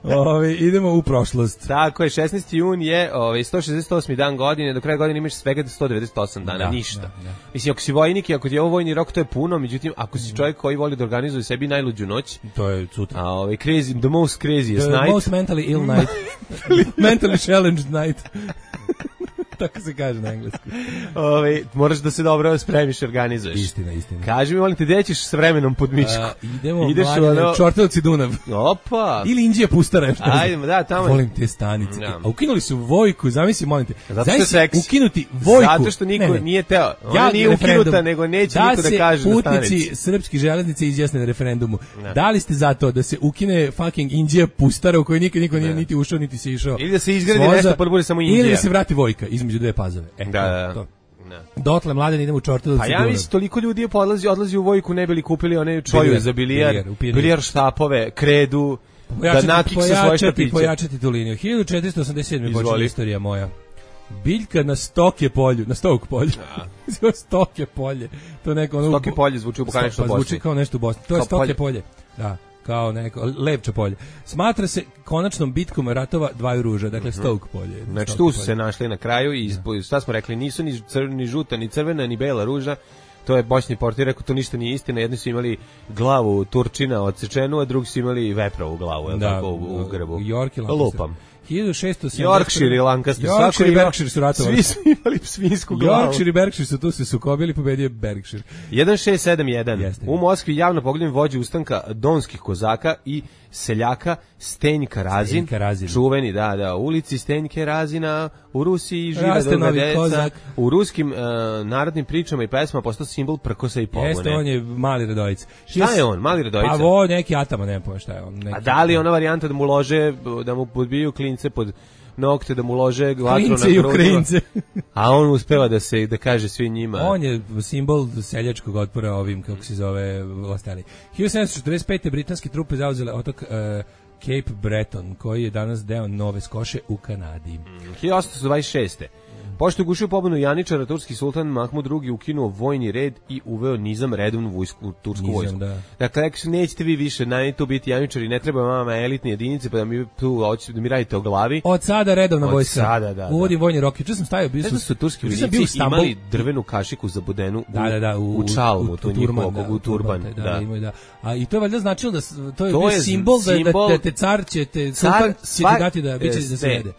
Ove, idemo u prošlost. Tako je, šesnaesti jun je ove, sto šezdeset osmi dan godine, do kraja godine imaš svega sto devedeset osam dana, da, ništa. Da, da. Mislim, ako si vojnik i ako ti je ovo vojni rok, to je puno, međutim, ako si čovjek koji voli da organizuje sebi najluđu noć, to je sutra. A ove, crazy, the most craziest the night. The most mentally ill night. Mentally challenged night. Tako se kaže na engleskom. Ove, moraš da se dobro spremiš i organizuješ. Istina, istina. Kaži mi, molim te, gde ćeš s vremenom pod mišku? Uh, idemo, ideš mladine, ono... Čortelovci Dunav. Opa! Ili Indija Pustara. Ajdemo, da, tamo. Volim te stanice. Ja. A ukinuli su Vojku, zamisli, molim te. Zato što je seksi. Ukinuti Vojku. Zato što niko ne, ne. nije teo. Ona ja, nije ukinuta, nego neće da niko da kaže na stanici. Da se putnici srpskih železnica izjasne na referendumu. Ne. Da li ste za to da se ukine fucking Indija Pustara u kojoj nikad niko nije niti ušao, niti se išao? Ili da se izgradi nešto, pa bude samo Indija. Ili da se vrati Vojka između dve Pazove. E, da, da. To. Dotle mladen idemo u Čortelovci. Pa ja mislim toliko ljudi je podlazi, odlazi u Vojku, ne bili kupili one čoju za bilijar, bilijar štapove, kredu, pojačati, da nakiksa svoje štapiće. Pojačati tu liniju. hiljadu četiristo osamdeset sedme počela istorija moja. Biljka na Stoke polju, na Stok polju. Ja. Stoke polje. To neko ono Stoke polje zvuči u Bosni. Pa zvuči kao nešto u Bosni. To je Stoke polje. Da. Kao neko Lepče polje. Smatra se konačnom bitkom ratova dvaju ruža, dakle mm-hmm. Stoke polje. Znači tu su polje se našli na kraju i ja. Šta smo rekli, nisu ni, cr, ni žuta, ni crvena, ni bela ruža. To je bošnji portir rekao, to ništa nije istina. Jedni su imali glavu Turčina odsečenu, a drugi su imali veprovu glavu, je da, tako, u, u grbu. York i Lupam. hiljadu šeststo sedamdeset Yorkshire i Lancaster. Yorkshire i Berkshire su ratovali. Svi su imali svinsku glavu. Yorkshire i Berkshire su tu se sukobili, pobedio Berkshire. šezdeset šest sedamdeset jedan. U Moskvi javno pogledam vođe ustanka donskih kozaka i seljaka Stenjka Razin. Stenjka Razin. Čuveni, da, da. U ulici Stenjke Razina u Rusiji žive Raste dobra deca. Kozak. U ruskim uh, narodnim pričama i pesmama postao simbol prkosa i pobune. Jeste, on je Mali Radojica. Šta je on, Mali Radojica? Pa ovo neki atama, ne pojma šta je on. Neki... A da li ona varijanta da mu lože, da mu podbiju klince pod nokte, da mu lože vatru na Klince i Ukrajince. A on uspeva da se da kaže svi njima. On je simbol seljačkog otpora ovim, kako se zove, vlastari. hiljadu sedamsto četrdeset pete britanske trupe zauzele otok uh, Cape Breton, koji je danas deo Nove Skoše u Kanadi. Mm, hiljadu osamsto dvadeset šeste. Pošto je gušio pobunu Janičara, turski sultan Mahmud drugi ukinuo vojni red i uveo nizam redovnu vojsku, tursku nizam, vojsku. Da. Dakle, rekli su, nećete vi više na tu biti Janičari, ne treba vama elitne jedinice, pa da mi tu da mi radite o glavi. Od sada redovna Od vojska. Sada, da, Uvodim vojni rok. Juče sam stavio, bio sam, su turski vojnici imali drvenu kašiku zabudenu u, da, da, da, u, u čalmu, u, tu u turban, njihovog, u turban. Da, da, da. da. A i to je valjda značilo da to je, to bio je simbol, simbol da, da te car će te sultan će ti dati da biće da se jede.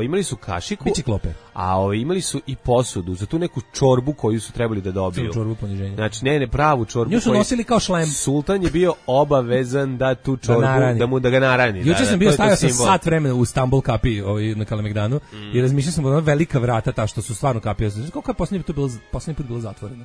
Imali su kašiku. Biciklope. A o, imali su i posudu za tu neku čorbu koju su trebali da dobiju. Čorbu poniženja. Znači, ne, ne, pravu čorbu. Nju su nosili kao šlem. Sultan je bio obavezan da tu čorbu, da, da mu da ga narani. Juče da, sam da, bio stavio sa sat vremena u Stambul kapi ovaj, na Kalemegdanu mm. i razmišljao sam o ona velika vrata, ta što su stvarno kapije. Koliko je posljednji put bilo, posljednji put bilo zatvoreno?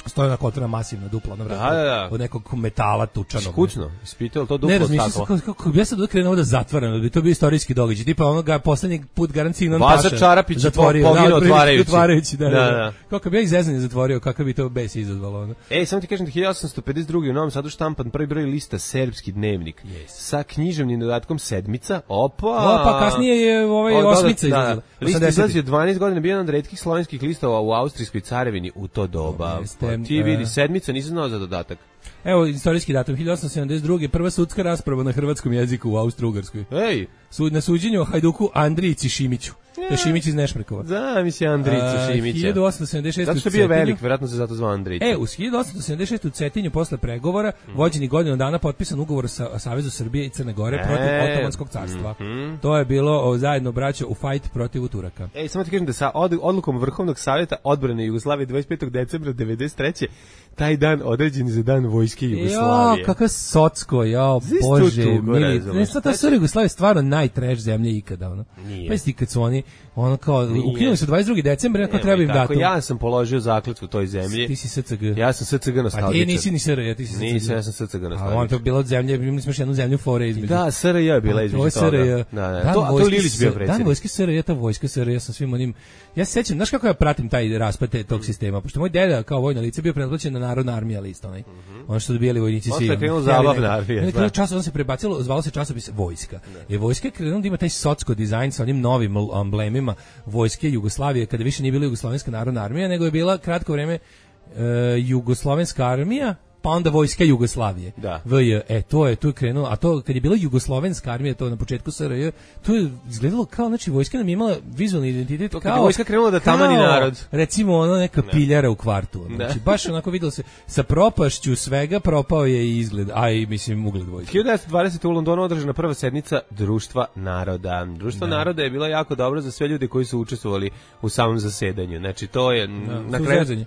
Stoje na kotora masivna dupla na vratu, da, da, da. od nekog metala tučanog. Skučno, ispitao to duplo ne, razmišljam staklo. Ne, razmišljam kako, ja sam krenuo da zatvaram, da bi to bio istorijski događaj. Tipa onoga posljednji put garancijno Vaza Čarapić zatvorio, po, pogino otvarajući. otvarajući da, da, da, da. Kako bi ja izrezanje zatvorio, kako bi to bes izazvalo. Ono. Ej, samo ti kažem da hiljadu osamsto pedeset druge u Novom Sadu štampan prvi broj lista Serbski dnevnik yes. sa književnim dodatkom Sedmica. Opa! Opa, kasnije je ovaj o, Osmica izlazila. List izlazio dvanaest godina, bio jedan od retkih slovenskih listova u Austrijskoj carevini u to doba. Pa, ti vidi, Sedmica, nisam znao za dodatak. Evo, istorijski datum, hiljadu osamsto sedamdeset druge. prva sudska rasprava na hrvatskom jeziku u Austro-Ugarskoj. Ej! Sud, na suđenju o Hajduku Andrijici Šimiću. To je Šimić iz Nešmrkova. Da, mislim Andrića Šimića. hiljadu osamsto sedamdeset šeste zato što je bio velik, vjerojatno se zato zvao Andrić. E, u hiljadu osamsto sedamdeset šeste u Cetinju posle pregovora, mm. vođeni godinu dana potpisan ugovor sa Savezu Srbije i Crne Gore e, protiv Otomanskog carstva. Mm-hmm. To je bilo o, zajedno braćo u fajt protiv Turaka. Ej, samo ti kažem da sa od, odlukom Vrhovnog savjeta odbrane Jugoslavije dvadeset petog decembra devedeset treće taj dan određen za dan vojske Jugoslavije. Jo, kakav socko, jo, bože, mili. Ne, sad ta Srbija Jugoslavija je stvarno najtreš zemlje ikada, ono. Pa isti kad su oni, ono kao, ukinuli su dvadeset drugog decembra, ako treba im datum. Ja sam položio zakletvu toj zemlji. Ti si S C G. Ja sam S C G nostalgičan. Pa ti nisi ni S R J, ti si S C G. Nisam, ja sam S C G nostalgičan. A on to bilo od zemlje, imali smo još jednu zemlju fore između. Da, S R J je bila između toga. Da, da. To, to Lilić bio predsjednik. Dan vojske S R J, ta vojska S R J sa svim onim. Ja se sećam, znaš kako ja pratim taj raspad tog sistema, pošto moj deda kao vojno lice bio pretplaćen na Narodna armija list, onaj. Mm-hmm. Ono što dobijali vojnici svi. Posle krenuo zabavna armija. Ne, čas on se prebacilo, zvalo se časopis Vojska. Ne. I vojska krenuo da ima taj socsko dizajn sa onim novim emblemima vojske Jugoslavije, kada više nije bila Jugoslovenska narodna armija, nego je bila kratko vreme uh, Jugoslovenska armija, pa onda vojska Jugoslavije. Da. V J, e, to je, tu je krenulo, a to kad je bila Jugoslovenska armija, to na početku S R J, to je izgledalo kao, znači, vojska nam je imala vizualni identitet, to, kao... vojska krenula da tamani narod. Recimo, ono, neka ne. piljara u kvartu. Znači, baš onako videlo se, sa propašću svega propao je i izgled, a i, mislim, ugled vojske. hiljadu devetsto dvadesete u Londonu održana prva sednica Društva naroda. Društvo da. naroda je bilo jako dobro za sve ljude koji su učestvovali u samom zasedanju. Znači, to je... Da, na kraju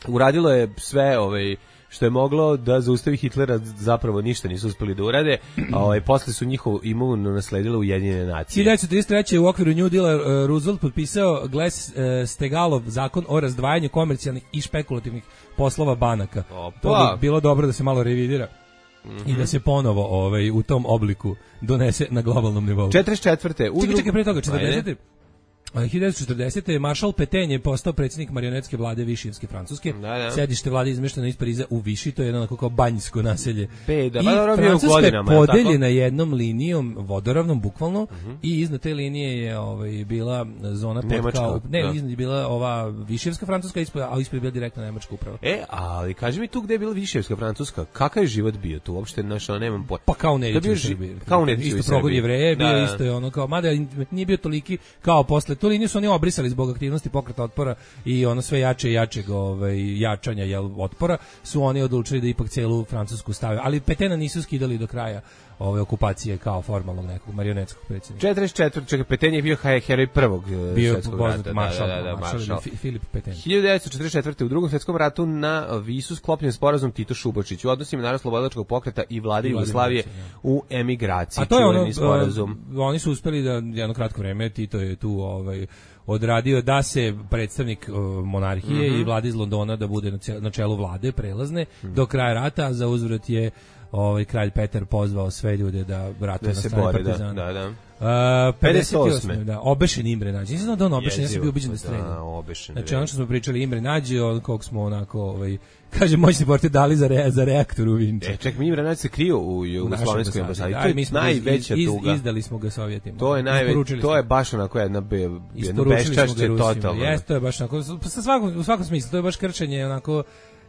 uradilo je sve, ovaj... što je moglo da zaustavi Hitlera, zapravo ništa nisu uspeli da urade, a ovaj, posle su njihovu imovinu nasledile Ujedinjene nacije. hiljadu devetsto trideset treće u okviru New Deala uh, Roosevelt potpisao Glass-Steagallov zakon o razdvajanju komercijalnih i špekulativnih poslova banaka. Opa. To bi bilo dobro da se malo revidira. Mm-hmm. I da se ponovo ovaj, u tom obliku donese na globalnom nivou. četrdeset četvrte Čekaj, čekaj, pre toga, četrdesete hiljadu devetsto četrdesete maršal Petain je postao predsjednik marionetske vlade Višijevske Francuske. Da, da. Sedište vlade izmešteno iz Pariza u Viši, to je jedno kao banjsko naselje. Peda, I Francuska je podeljena jednom linijom vodoravnom, bukvalno, uh-huh. i iznad te linije je ovaj, bila zona pod kao... Ne, da. iznad je bila ova Višijevska Francuska, a ispred je bila direktna nemačka uprava. E, ali kaži mi tu gde je bila Višijevska Francuska, kakav je život bio tu? Uopšte našao, nemam pojma. Pa kao Nedić u Srbiji. Kao Nedić u Srbiji. Isto progon Jevreje, bio isto je ono kao, mada nije bio toliki kao posle. Tu liniju su oni obrisali zbog aktivnosti Pokreta otpora i ono sve jače i jačeg ovaj, jačanja jel, otpora, su oni odlučili da ipak celu Francusku stave. Ali Petena nisu skidali do kraja ove okupacije kao formalnog nekog marionetskog predsjednika. četrdeset četvrte čekaj, Petain je bio heroj prvog svjetskog rata. Maršal, da, da, da, maršal. Filip Petain. hiljadu devetsto četrdeset četvrte u drugom svjetskom ratu na Visu sklopljen sporazum Tito Šubačić u odnosima Narodnooslobodilačkog pokreta i vlade Jugoslavije u emigraciji. A to je ono, sporazum. Oni su uspeli da jedno kratko vreme, Tito je tu ovaj odradio da se predstavnik uh, monarhije mm-hmm. i vlade iz Londona da bude na, cijel, na čelu vlade prelazne mm-hmm. do kraja rata, a za uzvrat je ovaj kralj Petar pozvao sve ljude da ratuju na strani partizana. Da, da, da. Uh, pedeset osme da, obešen Imre Nađ. Nisam znao da on obešen, ja sam bio ubiđen da strelja. Da, obešen. Znači, ono što smo pričali, Imre Nađ, on kog smo onako, ovaj, kaže, moćni portir dali za, re, za reaktor u Vinče. E, ček, mi Imre Nađ se krio u Jugoslovenskoj ambasadi. To je najveća iz, tuga. Izdali smo ga Sovjetima. To je najveća, to je baš onako jedna, be, jedno beščašće totalno. Jeste, to je baš onako, sa svakom, u svakom smislu, to je baš krčenje onako.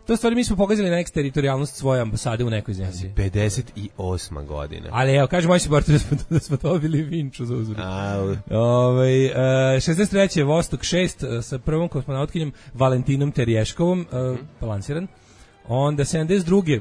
To stvari mi smo pogazili na eksteritorijalnost svoje ambasade u nekoj zemlji. pedeset osma godina. Ali evo, kaže moj supporter da smo, da smo dobili Vinču za uzvrat. Ovaj uh, šezdeset treće Vostok šest uh, sa prvom kosmonautkinjom Valentinom Terješkovom, uh, mm. balansiran. Onda sedamdeset druge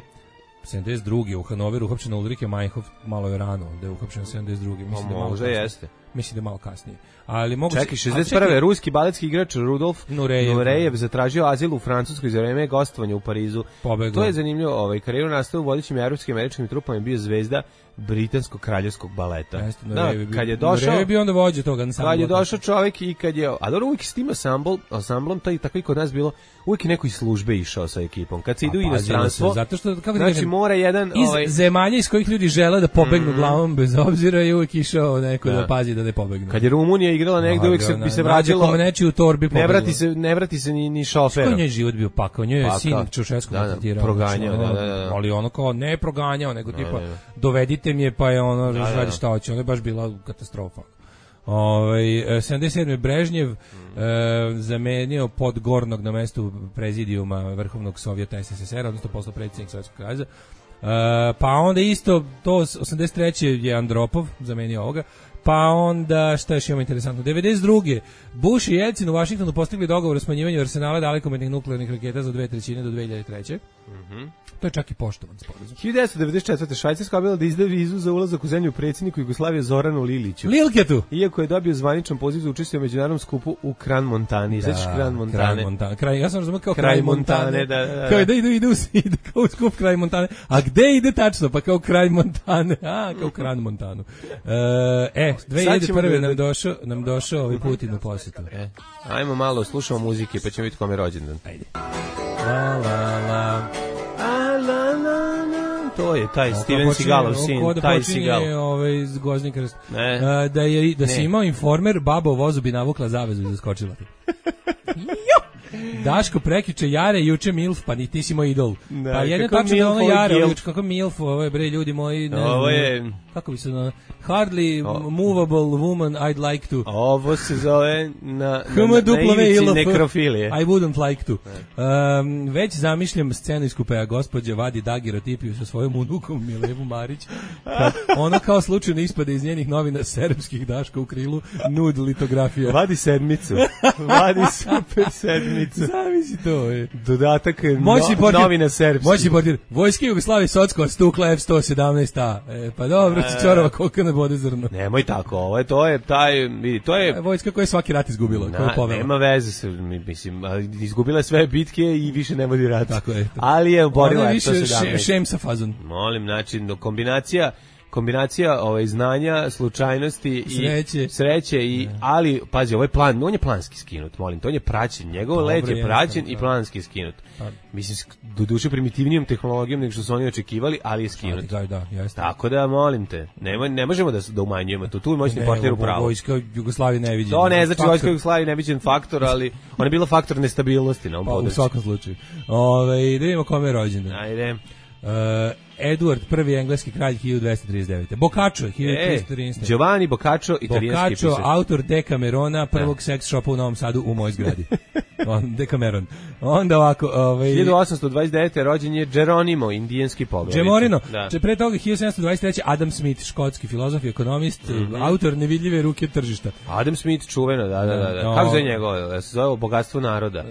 sedamdeset druge u Hanoveru uhapšena Ulrike Meinhof, malo je rano, da je uhapšena sedamdeset druge Mislim, da možda jeste. Mislim da je malo kasnije. Ali mogu čekaj, šezdeset prve ruski baletski igrač Rudolf Nurejev, Nurejev zatražio azil u Francuskoj za vreme gostovanja u Parizu. Pobegao. To je zanimljivo, ovaj karijeru nastavio u vodećim evropskim i američkim trupama, bio zvezda britanskog kraljevskog baleta. Jeste, da, kad je došao, Nurejev je bio onda vođa toga ansambla. Kad je došao čovjek i kad je, a dobro uvijek s tim ansambl, ansamblom, to i tako i kod nas bilo, uvijek je neko iz službe išao sa ekipom. Kad se idu u inostranstvo, zato što kako znači mora jedan iz ovaj, zemalja iz kojih ljudi žele da pobegnu mm, glavom bez obzira i uvijek išao neko da, da pazi da ne pobegnu. Kad je Rumunija igrala negde, uvijek se bi se vraćalo. U torbi ne vrati se, ne vrati se ni ni šofer. Kako je život bio pakao, njoj je sin Čaušesku maltretirao. Proganjao, da, da, da. Ali ono kao ne proganjao, nego tipa dovedite me pa je ono radi šta hoće, ono je baš bila katastrofa. Ovaj sedamdeset sedme Brežnjev mm. e, zamenio Podgornog na mestu prezidijuma Vrhovnog Sovjeta S S S R, odnosno postao predsjednik Sovjetskog saveza. E, pa onda isto to osamdeset treće je Andropov zamenio ovoga. pa onda, šta još imamo interesantno, devedeset druge Bush i Jelcin u Vašingtonu postigli dogovor o smanjivanju arsenala dalekometnih nuklearnih raketa za dve trećine do dve hiljade treće. Mhm. To je čak i poštovan sporazum. hiljadu devetsto devedeset četvrte Švajcarska obavila da izda vizu za ulazak u zemlju predsjedniku Jugoslavije Zoranu Liliću. Lilketu. Iako je dobio zvaničan poziv za učešće u međunarodnom skupu u Kran Montani. Sećaš Kran Montane? Kraj Montane. Kraj, ja sam razumio kao kraj, kraj Montane. Montane. Da, da, da. Kao da ide, ide, ide, kao u skup kraj Montane. A gde ide tačno? Pa kao kraj Montane. A, kao Kran Montanu. E, dve hiljade prve nam došao, nam došao ovaj Putin u posjetu. E, ajmo malo, slušamo muzike pa ćemo vidjeti kome je rođendan. Ajde. La, la, la. To je taj Steven Seagalov sin, taj Seagal. Ovaj Gozni krst. Uh, da je da se imao informer, baba u vozu bi navukla zavezu i zaskočila ti. Daško prekiče Jare, juče Milf, pa ni ti si moj idol. Da, pa jedno tačno da ono Jare, juče kako Milf, ovo je bre ljudi moji, ne ovo je kako bi se na hardly o, movable woman I'd like to. Ovo se zove na na, na ivici nekrofilije. I wouldn't like to. Um, već zamišljam scenu iz kupea, gospođa vadi dagerotipiju sa svojom unukom Milevu Marić. Kad ona kao slučajno ispade iz njenih novina serbskih Daška u krilu, nud litografija. Vadi sedmicu. Vadi super sedmicu. Zavisi to, je. Dodatak moćni no, portir, novine srpski. Moćni portir. Vojske Jugoslavije Socko stukla F sto sedamnaest A. E, pa dobro, e, Čorova koliko ne bode zrno. Nemoj tako, ovo je, to je, taj, vidi, to je... Vojska koja je svaki rat izgubila, koja je povela. Nema veze, se, mislim, izgubila je sve bitke i više ne vodi rat. Tako je. Ali je oborila F sto sedamnaest. Ona je više šem sa fazon. Molim, znači, kombinacija... kombinacija ovaj znanja, slučajnosti i sreće, sreće i ne. Ali pazi, ovaj plan, on je planski skinut, molim, to on je praćen, njegov let je praćen i planski skinut. Pa. Mislim do duše primitivnijom tehnologijom nego što su oni očekivali, ali je skinut. Da, da, jeste. Tako da molim te, ne, ne možemo da da umanjujemo to. Tu je moćni portir u pravu. Vojska Jugoslavije neviđen. To ne znači vojska Jugoslavije neviđen faktor, ali ona je bila faktor nestabilnosti na ovom području. Pa, u svakom slučaju. Ovaj, da vidimo kome je rođendan. Ajde. Uh, Edward, prvi engleski kralj hiljadu dvesta trideset devete. Boccaccio, hiljadu trista trinaeste. E, Giovanni Boccaccio, italijanski pisac. Boccaccio, autor Decamerona, prvog ja. Seks shopa u Novom Sadu u mojoj zgradi. On, Decameron. Onda ovako... Ovaj, hiljadu osamsto dvadeset devete. rođen je Geronimo, indijanski poglavnik. Gemorino. Da. Pre toga hiljadu sedamsto dvadeset treće. Adam Smith, škotski filozof i ekonomist, mm-hmm. autor Nevidljive ruke tržišta. Adam Smith, čuveno, da, da, da. da. No, kako zove njegovo? Se zove Bogatstvo naroda.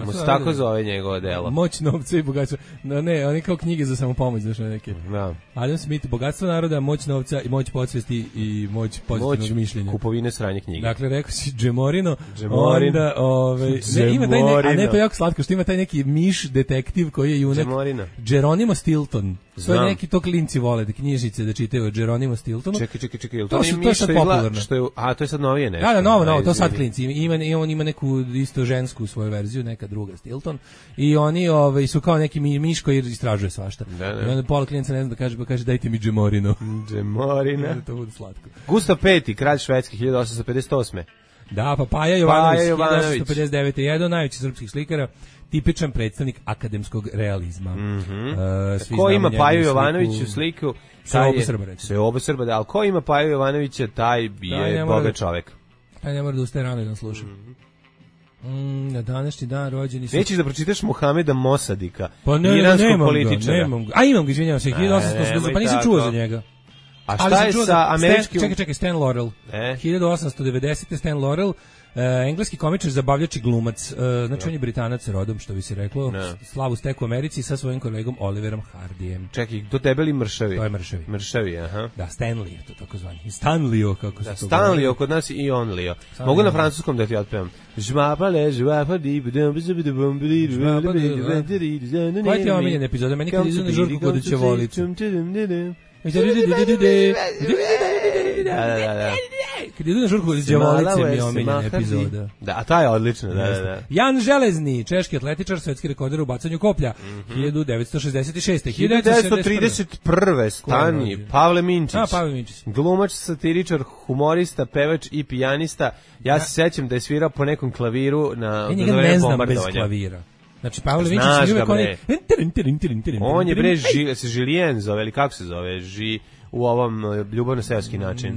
Mu se tako zove njegovo delo. Moć novca i bogatstvo. No, ne, oni kao knjige za samopomoć, znaš neke. Da. Adam Smith, Bogatstvo naroda, moć novca i moć podsvesti i moć pozitivnog mišljenja. Kupovine sranje knjige. Dakle, rekao si Gemorino, onda, ovaj, ne, ima taj ne, a ne to je jako slatko, što ima taj neki miš detektiv koji je junak. Gemorino. Geronimo Stilton. To je neki, to klinci vole, da knjižice da čitaju o Geronimo Stiltonu. Čekaj, čekaj, čekaj, to, to, su, to je sad popularno. Što je, a, to je sad novije nešto. Da, da, novo, novo, to sad klinci. Ima, ima, on ima neku isto žensku svoju verziju, neka druga Stilton. I oni ovaj, su kao neki miš koji istražuje svašta. Da, da. I onda pola klijenca ne zna da kaže, pa kaže dajte mi Gemorino. Gemorino. To bude slatko. Gustav peti, kralj Švedski, hiljadu osamsto pedeset osme. Da, pa Paja Jovanović, hiljadu osamsto pedeset devete. jedan najveći srpskih slikara, tipičan predstavnik akademskog realizma. Mm-hmm. uh, ko ima Paju Jovanoviću sliku? Sve oba Srba, reći. Sve oba Srba, da, ali ko ima Paju Jovanovića, taj je bogat čovek. Taj ne mora da ustaje rano i da sluša. Mm, na današnji dan rođeni su... Nećeš da pročitaš Muhameda Mosadika, pa ne, iranskog nemam političara. Ga, nemam ga. A imam ga, izvinjavam se, hiljadu osamsto, pa nisam čuo za njega. A šta je sa američkim... Čekaj, čekaj, Stan Laurel. E? hiljadu osamsto devedesete. Stan Laurel, Uh, engleski komičar, zabavljač i glumac, uh, znači no. on je Britanac rodom, što bi se reklo, no. slavu steku u Americi sa svojim kolegom Oliverom Hardijem. Čekaj, to debeli mršavi? To je mršavi. Mršavi, aha. Da, Stanley je to tako zvani. Stanlio, kako se da, to Stanlio, kod nas i Onlio. Mogu na francuskom da ti otpevam? Žmapale, žmapadi, koja ti je omiljena epizoda? Meni kad izu na žurku kod će voliti. Da, da, da. Kad idu na žurku iz Đavolice mi je omiljena epizoda. Da, a ta je odlična, da, da, da. Jan Železni, češki atletičar, svetski rekorder u bacanju koplja, mm-hmm. hiljadu devetsto šezdeset šeste. hiljadu devetsto trideset prve. Stani, Pavle Minčić. A, Pavle Minčić. Glumač, satiričar, humorista, pevač i pijanista. Ja se sećam da je svirao po nekom klaviru na... Ja njega ne znam bez klavira. Znači, Pavle Minčić je uvijek oni... On je bre, ži, se Žilijen zove, ili kako se zove, ži... u ovom ljubavno-seoski način.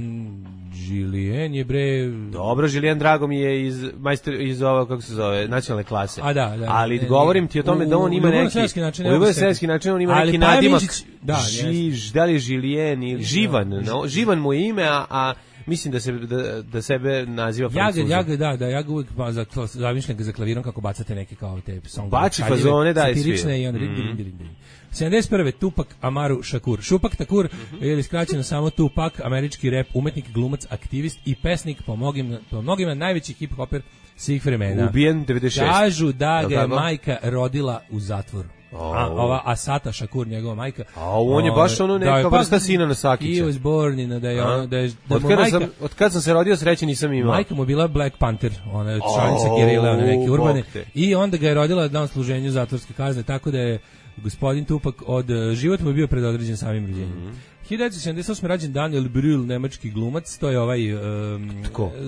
Žilijen je bre... Dobro, Žilijen drago mi je iz, majster, iz ovo, kako se zove, nacionalne klase. A da, da. Ali ne, govorim ti o tome da on ima neki... Način, u ljubavno-seoski način on ima ali neki nadimak. Da, Ži, da li je Žilijen ili Živan. No, Živan mu je ime, a, mislim da se da, da sebe naziva Francuzom. Ja ga, da, da, ja ga uvijek pa, za, zamišljam ga za klavirom kako bacate neke kao te song. Bači fazone, da, satirične i onda mm. din, din, din. sedamdeset prve Tupac Amaru Shakur. Šupak Takur, mm-hmm. ili skraćeno samo Tupac, američki rap, umetnik, glumac, aktivist i pesnik, po mnogim, po mnogima najveći hip-hoper svih vremena. Ubijen devedeset šeste. Kažu da ga je majka rodila u zatvoru. Oh. A, ova Asata Shakur, njegova majka. A on je baš ono neka da, vrsta pa, sina Nasakića. He was born in, da je ono, da je, da od, kada majka, sam, od kad sam se rodio sreće nisam imao. Majka mu bila Black Panther, ona je članica oh, gerile, one neke urbane. I onda ga je rodila na služenju zatvorske kazne, tako da je gospodin Tupac od život mu je bio predodređen samim rođenjem. Mm -hmm. hiljadu devetsto sedamdeset osme rođen Daniel Brühl, nemački glumac, to je ovaj um,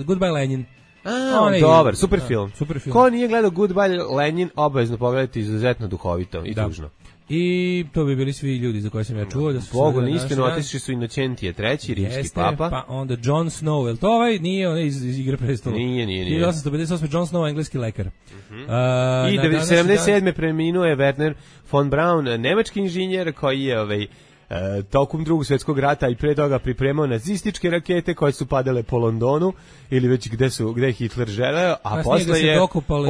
Goodbye Lenin. A, on dobar, super da, film. Super film. Ko nije gledao Goodbye Lenin, obavezno pogledati, izuzetno duhovito i da. tužno. I to bi bili svi ljudi za koje sam ja čuo da su Bogu na istinu otišli su Inocentije treći, rimski Jeste, papa. Pa onda Jon Snow, el to ovaj nije on iz, iz Igre prestola. Nije, nije, nije. hiljadu osamsto pedeset osme Jon Snow, engleski lekar. Uh -huh. uh, I sedamdeset sedme dan... preminuo je Werner von Braun, nemački inženjer koji je ovaj E, tokom drugog svjetskog rata i pre toga pripremao nazističke rakete koje su padale po Londonu ili već gde su gde je Hitler želeo, a Kasnije posle je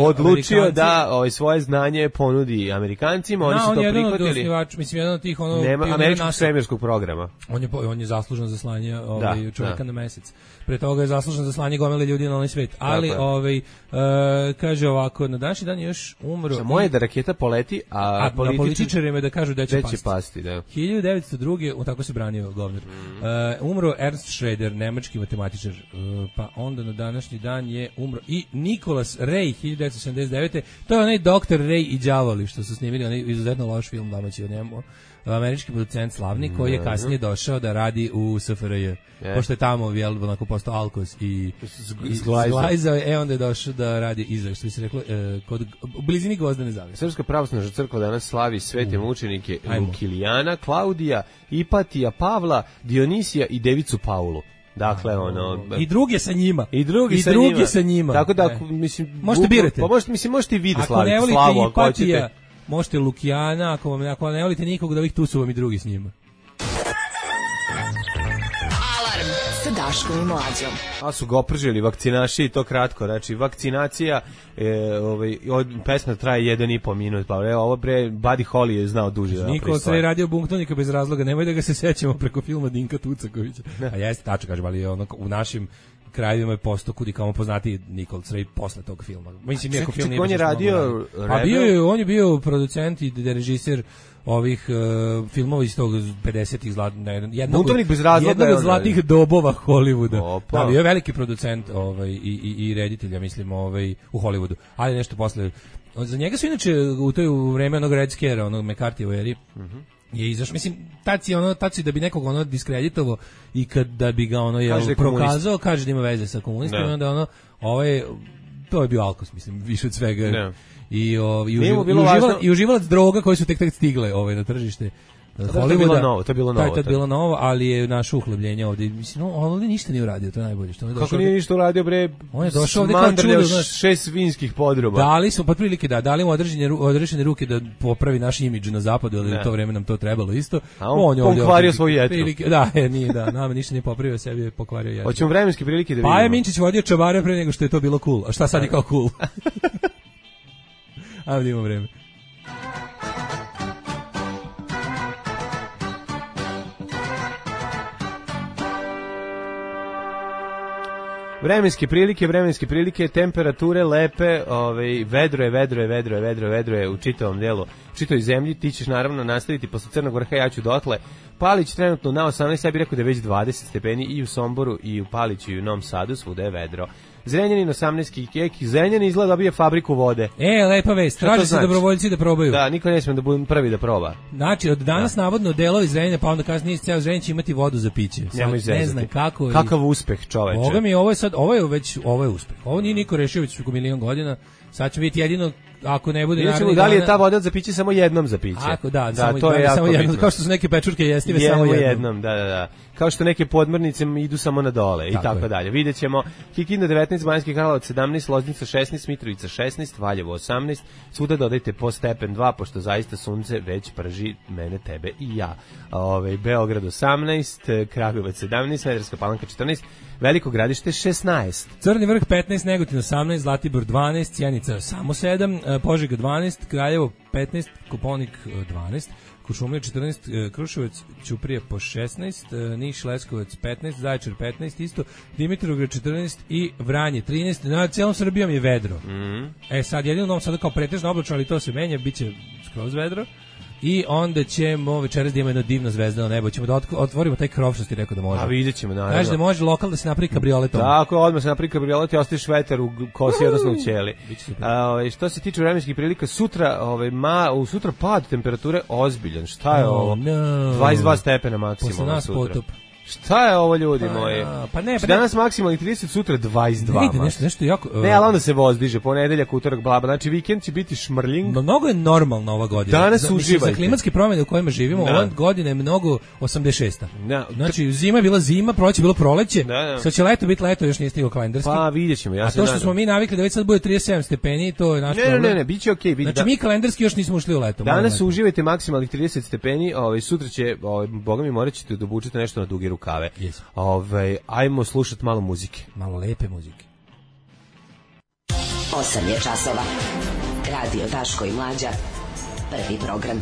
odlučio Amerikanci. da ovaj svoje znanje ponudi Amerikancima, oni da, su on to prihvatili. Osnivač, mislim jedan od tih ono Nema američkog svemirskog programa. On je on je zaslužan za slanje ovaj da, čovjeka da. na mesec. Pre toga je zaslužan za slanje gomile ljudi na onaj svet. Ali ovaj uh, kaže ovako, na današnji dan je još umro. Za moje da raketa poleti, a, a političar, političarima da kažu da će pasti. pasti da. hiljadu devetsto druge on tako se branio govnar. Mm. Uh, umro Ernst Schroeder, nemački matematičar. Uh, pa onda na današnji dan je umro i Nicholas Ray, hiljadu devetsto sedamdeset devete. To je onaj doktor Ray i đavoli što su snimili, onaj izuzetno loš film domaći o njemu. Američki producent slavni koji je kasnije došao da radi u S F R J. Yeah. Pošto je tamo jel, onako postao alkos i, i zglajzao je, e onda je došao da radi iza, što bi se reklo, e, kod, u blizini Gvozdene zavese. Srpska pravoslavna crkva danas slavi svete mučenike Lukilijana, Klaudija, Ipatija, Pavla, Dionisija i Devicu Paulu. Dakle, ono... I druge sa njima. I drugi, I sa, drugi njima. sa njima. Tako da, mislim... Možete birati. Pa možete, mislim, možete i vi da slavite slavu, ako hoćete. Možete Lukijana, ako, vam, ako ne volite nikog od ovih, tu su vam i drugi s njima. Alarm sa Daškom i Mlađom. A su ga opržili vakcinaši, to kratko, znači vakcinacija, e, ovaj, od, pesma traje jedan i po minut, pa evo, ovo bre, Buddy Holly je znao duže. Da Niko se je radio Bunktonika bez razloga, nemoj da ga se sećamo preko filma Dinka Tucakovića. A jeste, tačno kažem, ali ono, u našim krajevima je postao kudi kao poznati Nikol Crej posle tog filma. Mislim, iako film nije on je radio... Pa bio je, on je bio producent i režiser ovih uh, filmova iz tog pedesetih zlat, ne, jednog, jednog od zlatih dobova Hollywooda. Da, bio je veliki producent ovaj, i, i, i reditelj, ja mislim, ovaj, u Hollywoodu. Ali nešto posle... Za njega su inače u toj u vreme onog Red Scare, onog McCarthy u eri, mm-hmm. je izašao, mislim, tad si, ono, tad si da bi nekog ono diskreditovao i kad da bi ga ono jel, kaže prokazao, kaže da ima veze sa komunistima, no. onda ono, ovaj, to je bio alkos, mislim, više od svega. No. I, o, i, uživ, i, uživala, i uživalac droga koji su tek tek stigle ovaj, na tržište. To je bilo novo, to je bilo novo. To je bilo novo, ali je naše uhlebljenje ovdje. Mislim, on ovdje ništa nije uradio, to je najbolje. Što on je Kako nije ništa uradio, bre? On je došao ovdje kao čudo, znaš. Šest vinskih podruba. Dali smo, pa prilike da, dali mu određene, određene ruke da popravi naš imidž na zapadu, ali u to vreme nam to trebalo isto. A on, on je ovdje pokvario svoju jetru. Prilike, da, je, nije, da, nama ništa nije popravio, sebi je pokvario jetru. Hoćemo vremenske prilike da vidimo. Pa je Minčić vodio čabare pre nego što je to bilo cool. A šta sad je kao cool? A vidimo vreme. Vremenske prilike, vremenske prilike, temperature lepe, ovaj, vedro je, vedro je, vedro je, vedro je, vedro je u čitavom delu, u čitavoj zemlji. Ti ćeš naravno nastaviti posle Crnog Vrha, ja ću dotle. Palić trenutno na osamnaest, ja bih rekao da je već dvadeset stepeni i u Somboru i u Paliću i u Novom Sadu, svuda je vedro. Zrenjanin osamnaest kiki, Zrenjanin izgleda dobije fabriku vode. E, lepa vest, traže se dobrovoljci da probaju. Da, niko ne smije da bude prvi da proba. Znači, od danas da. navodno delovi Zrenjanina, pa onda kasnije ceo Zrenjanin će imati vodu za piće. Sad, ne znam kako. Kakav i... uspeh, čoveče. Boga mi, ovo je sad, ovo je već, ovo je uspeh. Ovo nije niko rešio već preko milion godina. Sad će biti jedino ako ne bude Vidjet ćemo narednih da li je dana- ta voda za piće samo jednom za piće. Ako da, da samo, to je da, jako samo jednom, bitno. kao što su neke pečurke jestive samo Jednom, jednom. jednom, da, da, da. Kao što neke podmornice idu samo na dole i Tako tako je. dalje. Vidjet ćemo Kikinda devetnaest, Banjski Karlovac sedamnaest, Loznica šesnaest, Mitrovica šesnaest, Valjevo osamnaest. Svuda dodajte po stepen dva, pošto zaista sunce već prži mene, tebe i ja. Ove, Beograd osamnaest, Kragujevac sedamnaest, Smederevska Palanka četrnaest, Veliko Gradište šesnaest. Crni vrh petnaest, Negotin osamnaest, Zlatibor dvanaest, Sjenica samo sedam, e, Požega dvanaest, Kraljevo petnaest, Koponik e, dvanaest, Kuršumlija četrnaest, e, Kruševac, Ćuprije po šesnaest, e, Niš, Leskovac petnaest, Zaječar petnaest isto, Dimitrovgrad četrnaest i Vranje trinaest. Na celom Srbijom je vedro. Mm. E sad jedino u Novom Sadu kao pretežno oblačno, ali to se menja, biće skroz vedro. I onda ćemo večeras da imamo jedno divno zvezdano nebo. Ćemo da otk- otvorimo taj krov što ti rekao da može. A vidjet ćemo, naravno. Kaže da može lokal da se napravi kabrioletom. Tako, odmah se napravi kabriolet i ostaviš vetar u kosi, odnosno u ćeli. Biće super. A, ovaj, što se tiče vremenskih prilika, sutra, ovaj, ma, u sutra pad temperature ozbiljan. Šta je Oh, ovo? no. dvadeset dva stepena Posle maksimalno nas sutra. potop. Šta je ovo, ljudi Pa, moji? pa ne, pa ne. Danas maksimalni trideset, sutra dvadeset dva. Ne ide max. nešto, nešto jako... Ne, ali onda se voz diže, ponedeljak, utorak, blaba. Znači, vikend će biti šmrling. No, mnogo je normalno ova godina. Danas za, mislim, uživajte. za klimatske promjene u kojima živimo, Da. ova godina je mnogo osamdeset šesta. Da. Znači, zima je bila zima, proleće je bilo proleće, Da, da. sad će leto biti leto, još nije stiglo kalendarski. Pa, vidjet ćemo, ja A se to što nadam. smo mi navikli da već sad bude trideset sedam stepeni, to je naš Ne, ne, problem. ne, ne, bit će okej. Okay, Znači, mi kalendarski još nismo ušli u leto. molim Danas leto. uživajte maksimalnih trideset stepeni, ovaj sutra će, ovaj boga mi morat ćete da obučete nešto na duge rukave. Yes. Ovaj ajmo slušati malo muzike. Malo lepe muzike. osam je časova. Radio Daško i Mlađa. Prvi program.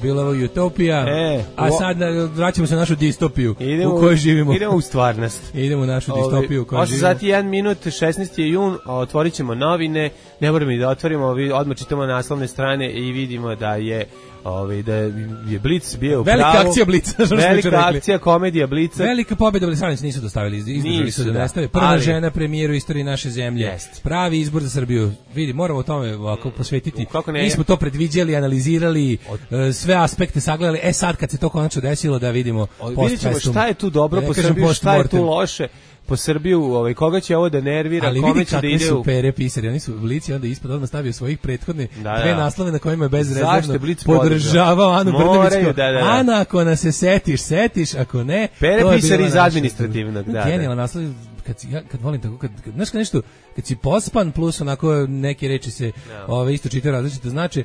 Bila je ovo utopija, E, a o- sad e, vraćamo se na našu distopiju Idemo u kojoj živimo. Idemo u stvarnost. Idemo u našu distopiju u kojoj osam živimo. sati jedan minut, šesnaesti je jun, otvorit ćemo novine, ne moramo ni da otvorimo, vi odmah čitamo naslovne strane i vidimo da je ovaj da je Blic bio u Velika pravu. akcija Blica, što smo juče Velika rekli. akcija, komedija Blica. Velika pobjeda, Blisanić nisu dostavili, izdržali Nisu, su da da. nestave. Prva Ali- žena premijeru u istoriji naše zemlje. Jest. Pravi izbor za Srbiju. Vidi, moramo o tome ovako posvetiti. Kako ne? Mi smo to predviđali, analizirali, e, sve aspekte sagledali. E sad kad se to konačno desilo da vidimo Vidjet post ćemo festum. šta je tu dobro Da ne po kažem Srbiju, šta je tu post-mortem. loše po Srbiju, ovaj, koga će ovo da nervira, Ali kome vidi će da kakvi ide su u... pere pisari, oni su Blici onda ispod odmah stavio svojih prethodne Da, dve da. naslove na kojima je bezrezervno Zašto je Blic podržavao Anu Moraju, Brnabić. da, da, da. Ana, ako nas se setiš, setiš, ako ne... Pere to je pisari bila iz naša- administrativnog, da, da. Genijalan naslov, kad, si, ja, kad volim tako, kad, kad, znaš kad nešto, kad si pospan plus onako neke reči se ove, isto čitaju različito, znači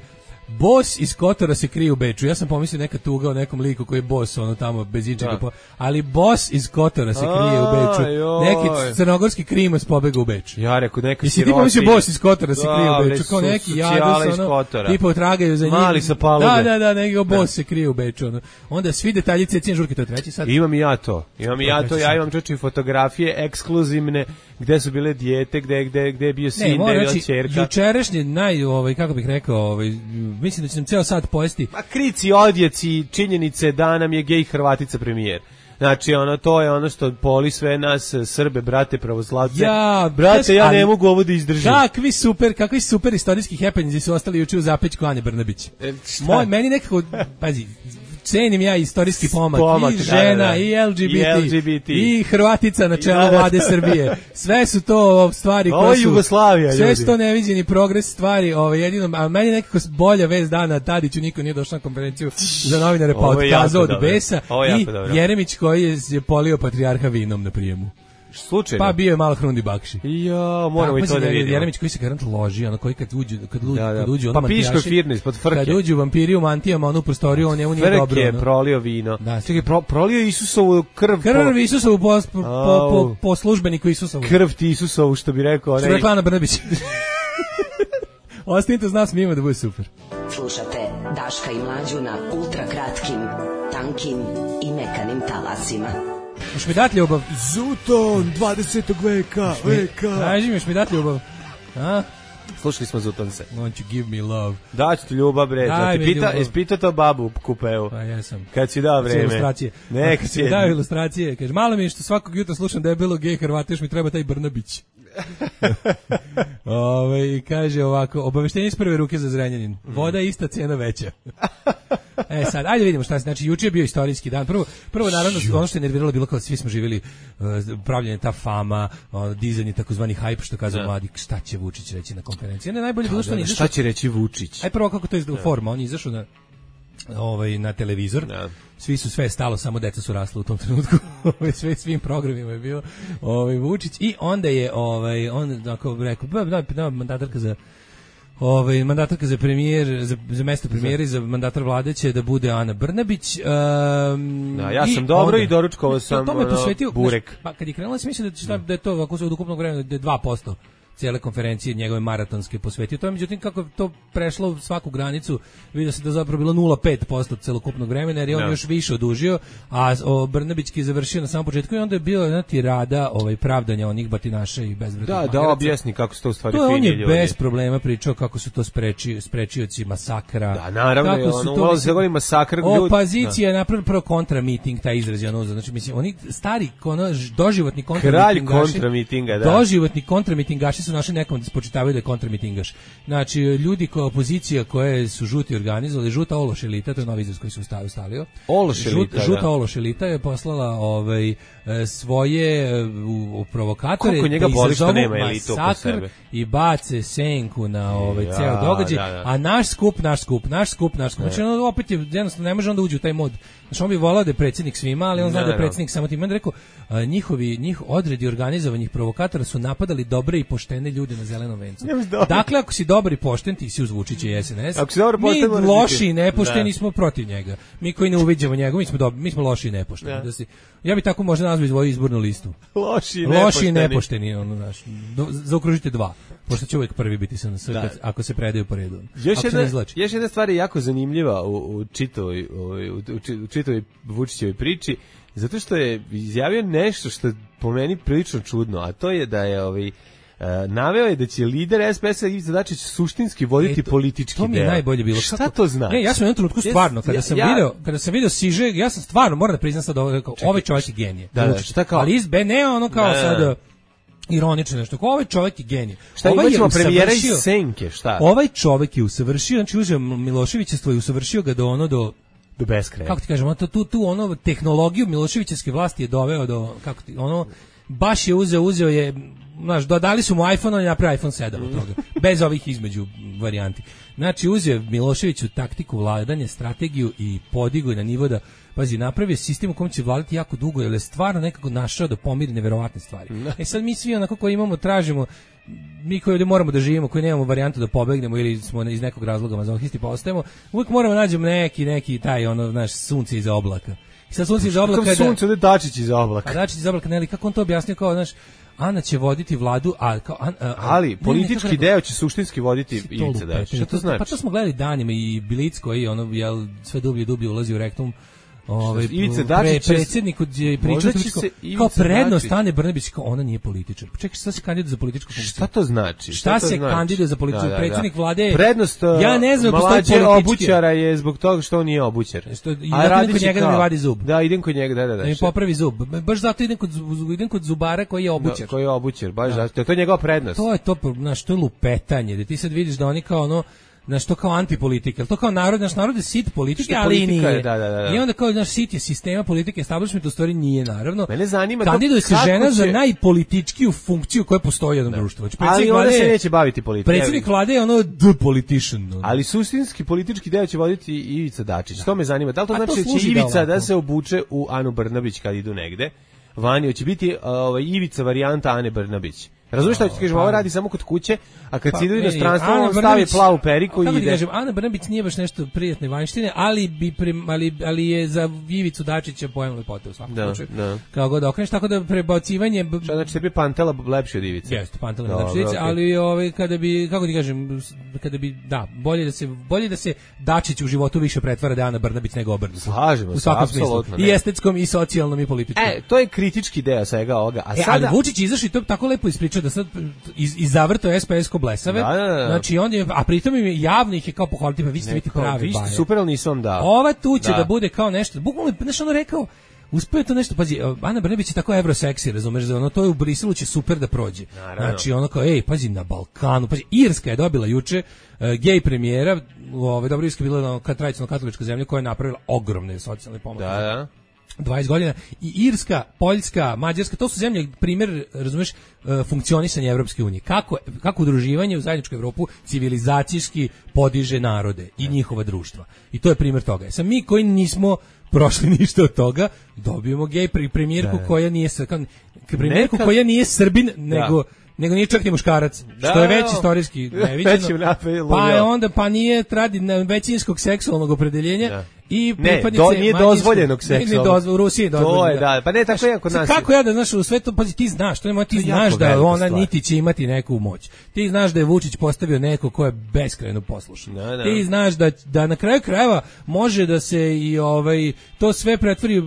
Bos iz Kotora se krije u Beču. Ja sam pomislio neka tuga o nekom liku koji je bos, ono tamo bez ičega. Da. Po... Ali Bos iz Kotora se krije u Beču. Ajoj. Neki crnogorski krimos pobega u Beč. Ja rekao neka Jesi ti pomislio Bos iz Kotora se krije u Dobre, Beču? Kao su- neki socijale jados, iz ono, Kotora. tipa tragaju za njim. Mali sa palube. Da, da, da, neki Bos se krije u Beču. Ono. Onda svi detalji cecine žurke, to je treći sad. Imam i ja to. Imam i ja to. treći Ja sat. imam čeči fotografije ekskluzivne gde su bile dijete, gde gde gde je bio sin, Ne, gde moram je bila reći, ćerka. jučerašnji naj, ovaj, kako bih rekao, ovaj, mislim da će nam ceo sad pojesti. Ma krici, odjeci, činjenice da nam je gej Hrvatica premijer. Znači, ono, to je ono što poli sve nas, Srbe, brate, pravoslavce. Ja, brate, ja ali- ne mogu ovo da izdržim. Kakvi super, kakvi super istorijski happenings su ostali juče u zapećku Ane Brnabić. E, šta? Moj, meni nekako, pazi, cenim ja istorijski pomak, Pomak, i da, žena, da, da. i L G B T, I L G B T. i Hrvatica na čelu Da, da, da. vlade Srbije. Sve su to stvari Ovo koje je su... Jugoslavija, Sve ljudi. su to neviđeni progres stvari, ovaj, jedino, a meni nekako bolja vez dana, Tadiću niko nije došao na konferenciju za novinare, pa Ovo je otkazao jako od dobro. besa, Ovo je i jako dobro. Jeremić koji je, je polio patrijarha vinom na prijemu. Slučajno. Pa bio je malo hrundi bakši. Ja, moramo i to da vidimo. Jeremić koji se garant loži, ono koji kad uđu, kad uđu, Da, da. kad uđu, ono Pa piško mantijaši, firne ispod frke. kad uđu vampiri u mantijama, onu prostoriju, on njemu nije dobro. Frke, Ono. prolio vino. Da. Čekaj, pro, prolio Isusovu krv. Krv Isusovu po, po, po, po, Au. po službeniku Isusovu. Krv ti Isusovu, što bi rekao. Što onaj- rekla Ana Brnabić. Ostanite s nas, mi ima da bude super. Slušate Daška i Mlađu na ultra kratkim, tankim i mekanim talasima. Još mi dat ljubav. Zuton dvadesetog veka, veka. Kaži mi, još mi dat ljubav. A? Slušali smo Zutonse. Won't you give me love? Daću ti ljubav, bre. Daj Da ti mi pita, ljubav. jesi pitao to babu u kupeu? Pa jesam. Kad si dao Sve vreme. ilustracije. Neka Kad si si dao ilustracije. Kaže, malo mi je što svakog jutra slušam da je bilo gej Hrvata, još mi treba taj Brnabić. Ove, i kaže ovako, obaveštenje iz prve ruke za Zrenjanin. Voda je ista, cena veća. E sad, ajde vidimo šta se, znači juče je bio istorijski dan. Prvo, prvo naravno ono što je nerviralo bilo kao svi smo živjeli uh, pravljenje ta fama, uh, dizanje takozvani hype što kažu mladi, šta će Vučić reći na konferenciji. Ne najbolje bilo što on izašao. Šta će reći Vučić? Aj prvo kako to izgleda forma, on je izašao na ovaj na televizor. Da. Svi su sve stalo, samo deca su rasla u tom trenutku. Ovaj sve svim programima je bio ovaj Vučić i onda je ovaj on tako rekao, da, da mandatarka za ovaj mandatarka za premijer za, za mesto premijera i za mandatar vlade će da bude Ana Brnabić. Um, da, ja sam dobro onda, i doručkovao sam to me posvetio burek. Pa kad je krenulo se misli da šta, da je to ako se od ukupnog vremena da je dva posto cijele konferencije njegove maratonske posvetio. To je međutim kako to prešlo svaku granicu, vidio se da zapravo bilo nula zarez pet posto celokupnog vremena jer je on no. još više odužio, a o, Brnabićki je završio na samom početku i onda je bilo jedna tirada ovaj, pravdanja onih batinaša i bezvrednih da, magaraca. Da, objasni kako se to u stvari to fini on je ljudi. Bez problema pričao kako su to spreči, sprečioci masakra. Da, naravno, kako su ono, to, mislim, govori masakr. Opozicija je napravila prvo kontra miting, taj izraz je ono, znači mislim, oni stari, ono, doživotni kontra Kralj kontra mitinga, da. Doživotni kontra mitingaši su našli nekom da spočitavaju da je kontramitingaš. Znači, ljudi kao opozicija koje su žuti organizovali, žuta ološ elita, to je novi izraz koji su stavio. Ološ elita, Žut, Žuta da. ološ elita je poslala ovaj, svoje u, u provokatore koliko njega boli što nema elitu oko sebe i bace senku na ovaj ja, ceo događaj, da, da. A naš skup, naš skup, naš skup, naš skup. Znači, on opet je, jednostavno, ne može onda uđi u taj mod. Znači, on bi volao da je predsjednik svima, ali on zna da je predsjednik samo tim. On rekao, a, njihovi, njih odredi organizovanih provokatora su napadali dobre i poštene ljude na zelenom vencu. Dakle, ako si dobar i pošten, ti si uz Vučića i S N S. Mi loši i nepošteni smo protiv njega. Mi koji ne uviđamo njega, mi smo, dobri, mi smo loši i nepošteni. Da. Da si, ja bih tako možda nazvao svoju izbornu listu. Loši i nepošteni. Loši i nepošteni, ono, naš, do, zaokružite dva. Pošto će uvijek prvi biti S N S ako se predaju po redu. Još jedna, još jedna stvar je jako zanimljiva u, u čitovoj, u, u čitovoj Vučićevoj priči, zato što je izjavio nešto što je po meni prilično čudno, a to je da je ovaj Uh, naveo je da će lider S P S-a Ivica Dačić suštinski voditi e, to, politički deo. To mi je deo. Najbolje bilo. Šta kako, to znači? Ne, ja sam u jednom trenutku stvarno, kada sam ja, video, kada sam video Siže, ja sam stvarno, moram da priznam sad ovo, ovaj čovjek je genije. Da, da, šta kao? Ali izbe, ne ono kao da, sad ironično nešto. Ovaj čovjek je genije. Šta ovaj imaćemo premijera iz Senke, šta? Ovaj čovjek je usavršio, znači uzeo Miloševićevstvo i usavršio ga do ono do do beskraja. Kako ti kažemo, to tu tu ono tehnologiju Miloševićevske vlasti je doveo do kako ti ono baš je uzeo, uzeo je, znaš, dodali su mu iPhone, on je napravio iPhone sedam od toga, bez ovih između varijanti. Znači, uzeo Miloševiću taktiku vladanja, strategiju i podigo na nivo da, pazi, napravio sistem u kojem će vladati jako dugo, jer je stvarno nekako našao da pomiri neverovatne stvari. E sad mi svi onako koji imamo, tražimo, mi koji ovdje moramo da živimo, koji nemamo varijantu da pobegnemo ili smo iz nekog razloga mazohisti pa ostajemo, uvijek moramo nađemo neki, neki taj, ono, znaš, sunce iza oblaka. I sad sunce iza oblaka... Kako sunce, ovdje Dačić iza oblaka. A Dačić iza oblaka, ne, ali kako on to objasnio, kao, znaš, Ana će voditi vladu, a kao... A, a, ali, ne, politički ne, deo će suštinski voditi Ivica Dačić. Šta to znači? Pa to smo gledali danima i Bilic koji, ono, jel, sve dublje i dublje ulazi u rektum. Ovaj Ivica Dačić pre, predsjednik je pričao kao prednost Ane Brnabić, kao ona nije političar. Čekaj, šta se kandiduje za političku funkciju? Šta to znači? Šta, šta to se znači? Kandiduje za političku? Da, da, da. Predsjednik vlade. Prednost ja ne znam mlađe obućara je zbog toga što on nije obućar. Što ja radi kod njega da mi vadi zub. Da, idem kod njega, da, da, da. Da mi popravi zub. Baš zato idem kod idem kod zubara koji je obućar. Da, koji je obućar, baš zato. To je njegova prednost. To je to, znaš, to je lupetanje. Da ti sad vidiš da oni kao ono znaš, to kao antipolitika, to kao narod, naš narod je sit politike, ali politika nije. Je, da, da, da. I onda kao naš sit je sistema politike, establishment u stvari nije, naravno. Mene zanima kandiduje se žena će... za najpolitičkiju funkciju koja postoji u jednom društvu. Ali ona se neće baviti politikom. Predsjednik vlade je ono the politician. Ono. Ali suštinski politički deo će voditi Ivica Dačić. Da. To me zanima. Da li to znači da će Ivica da, da se obuče u Anu Brnabić kad idu negde? Vani će biti ovaj Ivica varijanta Ane Brnabić. Razumiješ šta ću ti kažem, ovo radi samo kod kuće, a kad pa, si idu inostranstvo, on stavi plavu periku i ide. Kako ti kažem, Ana Brnabić nije baš nešto prijatne vanjštine, ali, bi prim, ali, ali je za Ivicu Dačića pojem lepote u svakom da, slučaju. Da. Kao god okreneš, tako da prebacivanje... Šta znači tebi Pantela lepši od Ivice? Jeste, Pantela lepši od Ivice, okay. Ali ovaj, kada bi, kako ti kažem, kada bi, da, bolje da se, bolje da se Dačić u životu više pretvara da Ana Brnabić nego obrnuto. Slažemo se, apsolutno. I estetskom, i socijalnom, i političkom. E, to je kritički deo svega ovoga. A e, sada... ali Vučić izašao i to tako lepo ispričao da sad iz, izavrto S P S ko blesave. Da, da, da. Znači on je, a pritom im javno ih je kao pohvaliti, pa vi ste biti pravi baje. Super, ali nisam dao. Ova tu će da. da bude kao nešto, bukvalno, znaš ono rekao, uspeo to nešto, pazi, Ana Brnabić je tako evroseksi, razumeš, da ono to je u Briselu će super da prođe. Naravno. Znači ono kao, ej, pazi, na Balkanu, pazi, Irska je dobila juče uh, gej premijera, ovaj dobro, Irska je bila ono, tradicionalno katolička zemlja koja je napravila ogromne socijalne pomake. Da, da. dvadeset godina i Irska, Poljska, Mađarska, to su zemlje primjer, razumeš, funkcionisanja Evropske unije. Kako kako udruživanje u zajedničku Evropu civilizacijski podiže narode i njihova društva. I to je primjer toga. Sam mi koji nismo prošli ništa od toga, dobijemo gej premijerku da. koja nije premijerku Neka... koja nije Srbin, nego da. nego nije čak ni muškarac, da, što je već istorijski neviđeno. Pa je onda pa nije tradi većinskog seksualnog opredeljenja. Da. I ne, do, nije dozvoljenog seksualnog. U Rusiji je dozvoljeno. To je, da, pa ne tako je kod nas. Kako ja da znaš u svetu, pazi, ti znaš, to je, ti znaš da ona stvar. Niti će imati neku moć. Ti znaš da je Vučić postavio neko ko je beskrajno poslušan. Da, da. Ti znaš da da na kraju krajeva može da se i ovaj to sve pretvori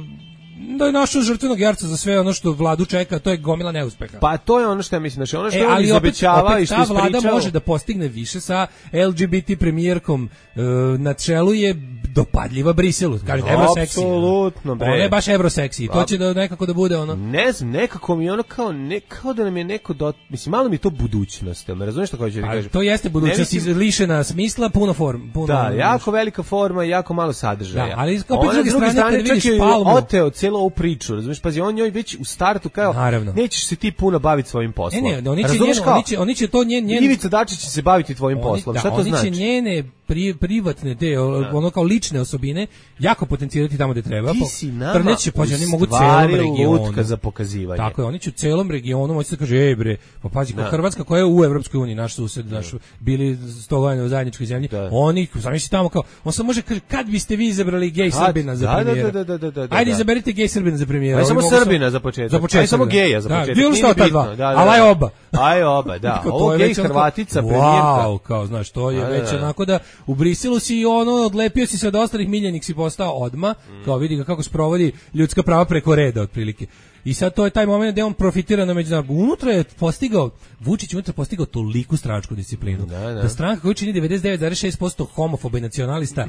da je našao žrtvenog jarca za sve ono što vladu čeka, to je gomila neuspeha. Pa to je ono što ja mislim, znači ono što e, on izobećava i što ta vlada ispričao... može da postigne više sa L G B T premijerkom e, na čelu je dopadljiva Briselu, kaže evroseksi. Apsolutno, bre. Ona je baš evroseksi, to će da nekako da bude ono. Ne znam, nekako mi ono kao ne kao da nam je neko do, mislim malo mi to budućnost, jel me razumeš šta hoćeš da kažem? To jeste budućnost mislim... lišena smisla, puno form, puno. Da, jako velika forma i jako malo sadržaja. Da, ali kao s druge strane, strane kad vidiš Palmu, oteo celo ovu priču, razumeš, pazi, on njoj već u startu kao, naravno. Nećeš se ti puno baviti svojim poslom. Ne, ne, oni će, njeno, oni će, oni će to njen, njen... Ivica Dačić će se baviti tvojim oni, poslom, da, šta to znači? Oni će njene pri, privatne, te, ono kao lične osobine, jako potencirati tamo gde treba. Ti si nama će, pa, oni mogu celom regionu. Za pokazivanje. Tako je, oni će u celom regionu moći da kaže, ej bre, pa pazi, kao Hrvatska koja je u Evropskoj uniji, naš sused, naš, bili sto godina u zajedničkoj zemlji, da. Oni, zamisli tamo kao, on samo može kaže, kad biste vi izabrali gej Srbina za premijera? Da, da, da, da, da, ajde, izaberite gej Srbina za premijera. Aj samo Srbina za početak. Za početak. Aj samo geja za početak. Bilo šta ta dva, ali aj oba. Aj oba, da. Ovo gej Hrvatica premijerka. Wow, kao, znaš, to je već onako da u Briselu si ono, odlepio si se od ostalih miljenik si postao odma, kao vidi ga kako sprovodi ljudska prava preko reda otprilike. I sad to je taj moment gde on profitira na međunarodnom. Unutra je postigao, Vučić unutra postigao toliku stranačku disciplinu. Da, da. da stranka koja čini devedeset devet zarez šest posto homofoba i nacionalista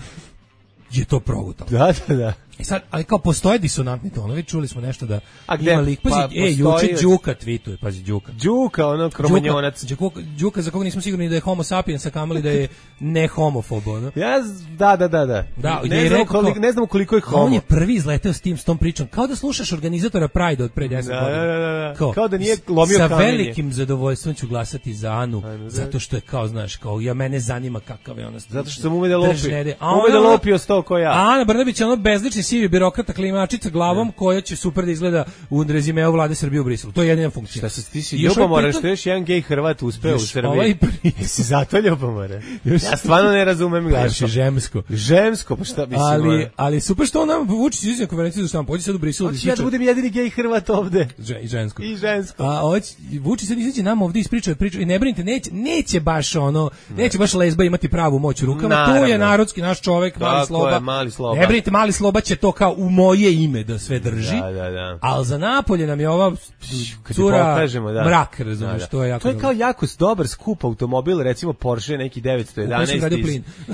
je to progutalo. Da, da, da. I sad, ali kao postoje disonantni tonovi, čuli smo nešto da a gde, ima lik, pazi, pa, e, juče Đuka tweetuje, pazi, Đuka. Đuka, ono, kromanjonac. Đuka, Đuka za koga nismo sigurni da je homo sapiens, a kamali da je ne homofob, ono. Ja, da, da, da, da. da ne, znam koliko, ne znam koliko je homo. On je prvi izleteo s tim, s tom pričom, kao da slušaš organizatora Pride od pre deset da, godina. Da, da, da. Kao, kao da nije lomio sa kamenje. Sa velikim zadovoljstvom ću glasati za Anu, Ajde, zato što je kao, znaš, kao, ja mene zanima kakav je ona. Zato što sam ume da lopi. Ume da lopio sto ko ja. Ana Brnabić je ono bezlični sivi birokrata klimačica glavom ne. koja će super da izgleda u rezimeu vlade Srbije u Briselu. To je jedina funkcija. Šta se ti si ljubomora što još jedan gej Hrvat uspeo u Srbiji? Ovaj si zato ljubomora. Ja stvarno ne razumem glasno. Žemsko. Žemsko, pa šta mislim? Ali, ali super što on nam Vučić izvija konferenciju za štampu. Pođi sad u Briselu. Hoće ja da budem jedini gej Hrvat ovde. I žensko. I žensko. A hoće Vučić sad izaći nam ovde ispričao priču i ne brinite, neće, neće baš ono, neće baš lezba imati pravu moć u rukama. Tu je narodski naš čovjek, mali Sloba. Mali Sloba. Ne brinite, mali Sloba će to kao u moje ime da sve drži, da, da, da. ali za Napolje nam je ova cura pokažemo, da. Mrak, razumiješ, da, da. to je jako to je kao jako dobar skup automobil, recimo Porsche neki devetsto jedanaest iz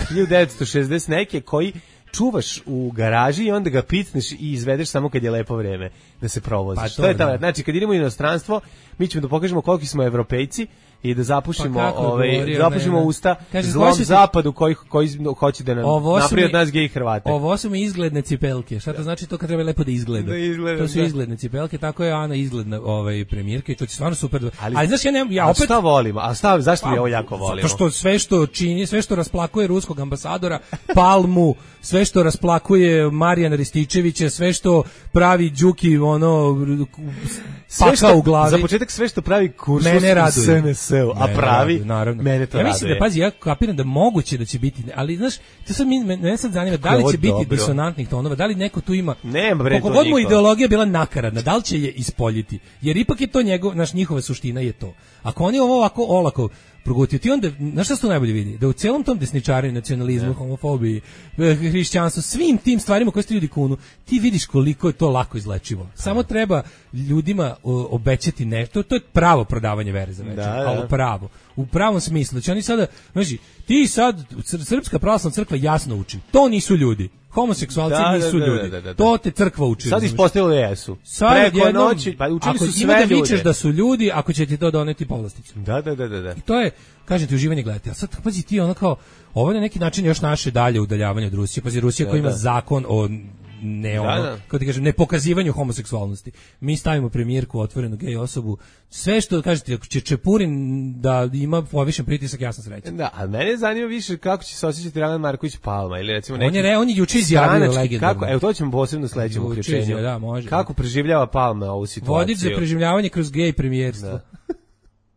hiljadu devetsto šezdeset neke koji čuvaš u garaži i onda ga picneš i izvedeš samo kad je lepo vreme da se provoziš. Pa to, to je ta, znači kad idemo u inostranstvo, mi ćemo da pokažemo koliki smo evropejci i da zapušimo pa ovaj govorio, zapušimo ne, usta kaže, zlom ti... zapadu koji koji hoće da nam napravi od nas gej Hrvate. Ovo su mi izgledne cipelke. Šta to znači to kad treba lepo da izgleda? Da izgleda to su da. izgledne cipelke, tako je Ana izgledna ovaj premijerka i to će stvarno super. Ali, ali znaš ja ne ja opet šta volimo? A šta zašto mi ovo jako volimo? Zato što sve što čini, sve što rasplakuje ruskog ambasadora, Palmu, sve što rasplakuje Marijana Rističevića, sve što pravi Đuki ono sve što u glavi. Za početak sve što pravi kurs S N S U, a pravi radu, naravno. Mene to ja mislim raduje. da pazi, ja kapiram da moguće da će biti, ali znaš, to sad mene sad zanima da li će biti dobro. Disonantnih tonova, da li neko tu ima. Nema bre. Koliko god mu ideologija bila nakaradna, da li će je ispoljiti? Jer ipak je to njegov, naš njihova suština je to. Ako oni ovo ovako olako progutio, ti onda, znaš šta se to najbolje vidi? Da u celom tom desničarenju, nacionalizmu, homofobiji, hrišćanstvu, svim tim stvarima koje ste ljudi kunu, ti vidiš koliko je to lako izlečivo. Samo treba ljudima obećati nešto, to je pravo prodavanje vere za večer, ali pravo. U pravom smislu. Znači oni sada, znači, ti sad, Srpska pravoslavna crkva jasno uči, to nisu ljudi. Homoseksualci Da, nisu da, da, ljudi. da, da, da. To te crkva uči. Sad ispostavilo jesu. Sad Preko jednom, noći, pa učili su sve ako ima da ljude. vičeš da su ljudi, ako će ti to doneti povlasticu. Da, da, da, da, da. I to je, kažem ti, uživanje gledati. A sad, pazi ti, ono kao, ovo je na neki način još naše dalje udaljavanje od Rusije. Pazi, Rusija Da, koja ima da. zakon o ne ono, Da, da. kako ti kažem, ne pokazivanju homoseksualnosti. Mi stavimo premijerku, otvorenu gej osobu, sve što kažete, ako će Čepurin da ima povišen pritisak, ja sam srećan. Da, a mene zanima više kako će se osjećati Dragan Marković Palma ili recimo neki On je re, on je juče izjavio stranački, legendarno. kako, evo to ćemo posebno u sledećem Juče uključenju. izjavio, da, može. Kako preživljava Palma ovu situaciju? Vodič za preživljavanje kroz gej premijerstvo. Da.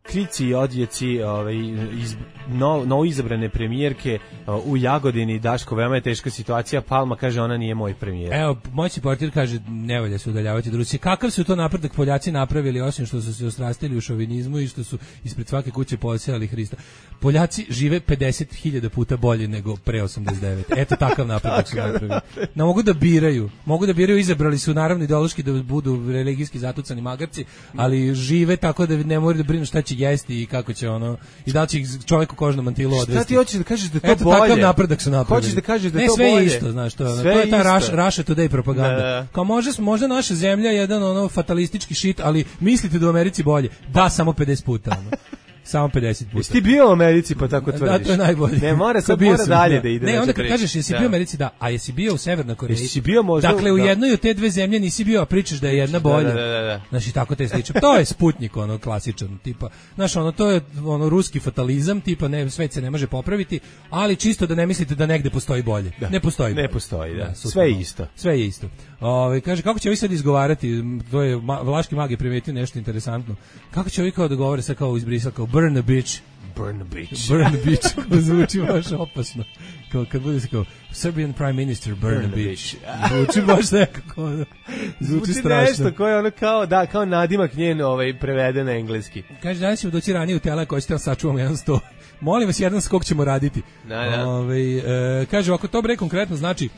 Krici i odjeci ovaj, iz no, novo izabrane premijerke uh, u Jagodini. Daško, veoma je teška situacija. Palma kaže ona nije moj premijer. Evo, moćni portir kaže ne valja se udaljavati od Rusije. Kakav su to napredak Poljaci napravili osim što su se ostrastili u šovinizmu i što su ispred svake kuće posejali Hrista? Poljaci žive pedeset hiljada puta bolje nego pre osamdeset devet. Eto takav napredak su napravili. Ne mogu da biraju. Mogu da biraju, izabrali su naravno ideološki da budu religijski zatucani magarci, ali žive tako da ne moraju da brinu šta će jesti i kako će ono i da li će ih čovjek u kožnom mantilu odvesti. Šta ti hoćeš da kažeš da je to Eto, bolje? Eto takav napredak su napravili. Hoćeš da kažeš da je ne, to sve bolje? Je isto, znaš, to, sve to je ta isto. Russia Today propaganda. Da. Kao može, možda naša zemlja je jedan ono fatalistički shit, ali mislite da u Americi bolje. Da, samo pedeset puta. Ono. Samo pedeset puta. Jesi ti bio u Americi pa tako tvrdiš? Da, to je najbolje. Ne, mora sad bio mora sam, dalje da, da ide. Ne, onda kad priča. kažeš jesi Da. bio u Americi, da, a jesi bio u Severnoj Koreji. Jesi bio možda? Dakle, u da. jednoj od te dve zemlje nisi bio, a pričaš da je jedna bolja. Da, da, da, da. Znači, tako te sliče. To je Sputnik, ono, klasičan, tipa, znaš, ono, to je, ono, ruski fatalizam, tipa, ne, svet se ne može popraviti, ali čisto da ne mislite da negde postoji bolje. Da. Ne postoji bolje. Ne postoji, da. Da, Sve je isto. Sve je isto. Ove, kaže, kako će ovi sad izgovarati, to je, ma, Vlaški mag je primetio nešto interesantno, kako će ovi kao da govore sad kao izbrisao, kao burn a bitch, Burn a bitch. burn a bitch, kao zvuči baš opasno. Kao kad bude se kao Serbian Prime Minister burn, burn a bitch. Zvuči baš nekako, ono, zvuči strašno. Nešto koje ono kao, da, kao nadimak njen ovaj, prevede na engleski. Kaže, danas ćemo doći ranije u tela koji ćete vam sačuvamo jedan sto. Molim vas, jedan skok ćemo raditi. Da, da. Ove, e, kaže, ako to bre konkretno znači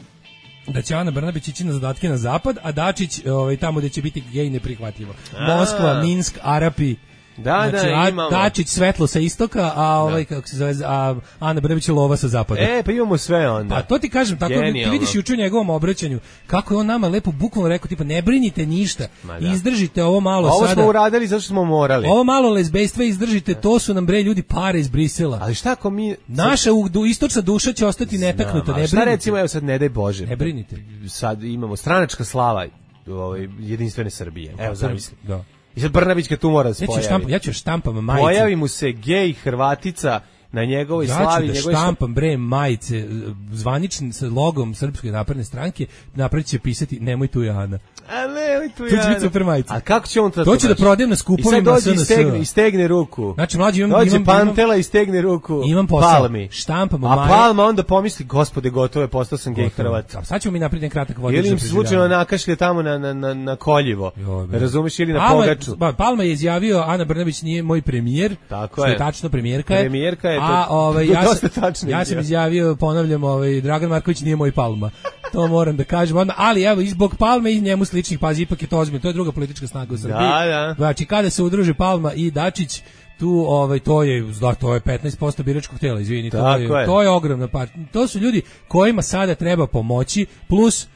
da će Ana Brnabić ići na zadatke na zapad, a Dačić ovaj, tamo gde će biti gej neprihvatljivo. Moskva, Minsk, Arapi. Da, znači, da, imamo. Dačić svetlo sa istoka, a ovaj, kako se zove, a Ana Brnabić je lova sa zapada. E, pa imamo sve onda. Pa to ti kažem, tako ti vidiš juče u njegovom obraćanju, kako je on nama lepo bukvalno rekao, tipa, ne brinite ništa, izdržite ovo malo ovo sada. Ovo smo uradili zato što smo morali. Ovo malo lezbejstva izdržite, to su nam bre ljudi pare iz Brisela. Ali šta ako mi... Naša u, istočna duša će ostati netaknuta, ne brinite. Šta recimo, evo sad, ne daj Bože. Ne brinite. Sad imamo stranačka slava ovaj, jedinstvene Srbije. Evo, zamisli. Da. I sad Brnabić kad tu mora se ja ću pojavi. štampam, ja ću štampam majice. Pojavi mu se gej Hrvatica na njegovoj ja slavi. Ja ću da štampam bre majice zvanični sa logom Srpske napredne stranke, napred će pisati nemoj tu Jana. A ne, tu to će biti super majica. A kako će on to? To će da prodajem na skupovima S N S. I sad dođe i stegne, i stegne ruku. Znači, mlađi imam... Dođe imam, Pantela i stegne ruku imam posao. Palmi. Štampamo A maje. Palma onda pomisli, gospode, gotovo je, postao sam gej Hrvat. A sad ćemo mi napraviti kratak vodič. Ili im se slučajno nakašlje tamo na, na, na, na koljivo. Razumeš, ili na Palma, pogaču. Palma je izjavio, Ana Brnabić nije moj premijer. Tako je. Tačno, premijerka je. Premijerka je. A, ovaj, ja, tačno ja sam izjavio, ponavljam, ovaj, Dragan Marković nije moj Palma. To moram da kažem odmah, ali evo, i zbog Palme i njemu sličnih, pazi, ipak je to ozbiljno, to je druga politička snaga u Srbiji. Da, da. Znači, kada se udruže Palma i Dačić, tu ovaj to je da to je petnaest posto biračkog tela, izvini, to je, je to je ogromna partija. To su ljudi kojima sada treba pomoći, plus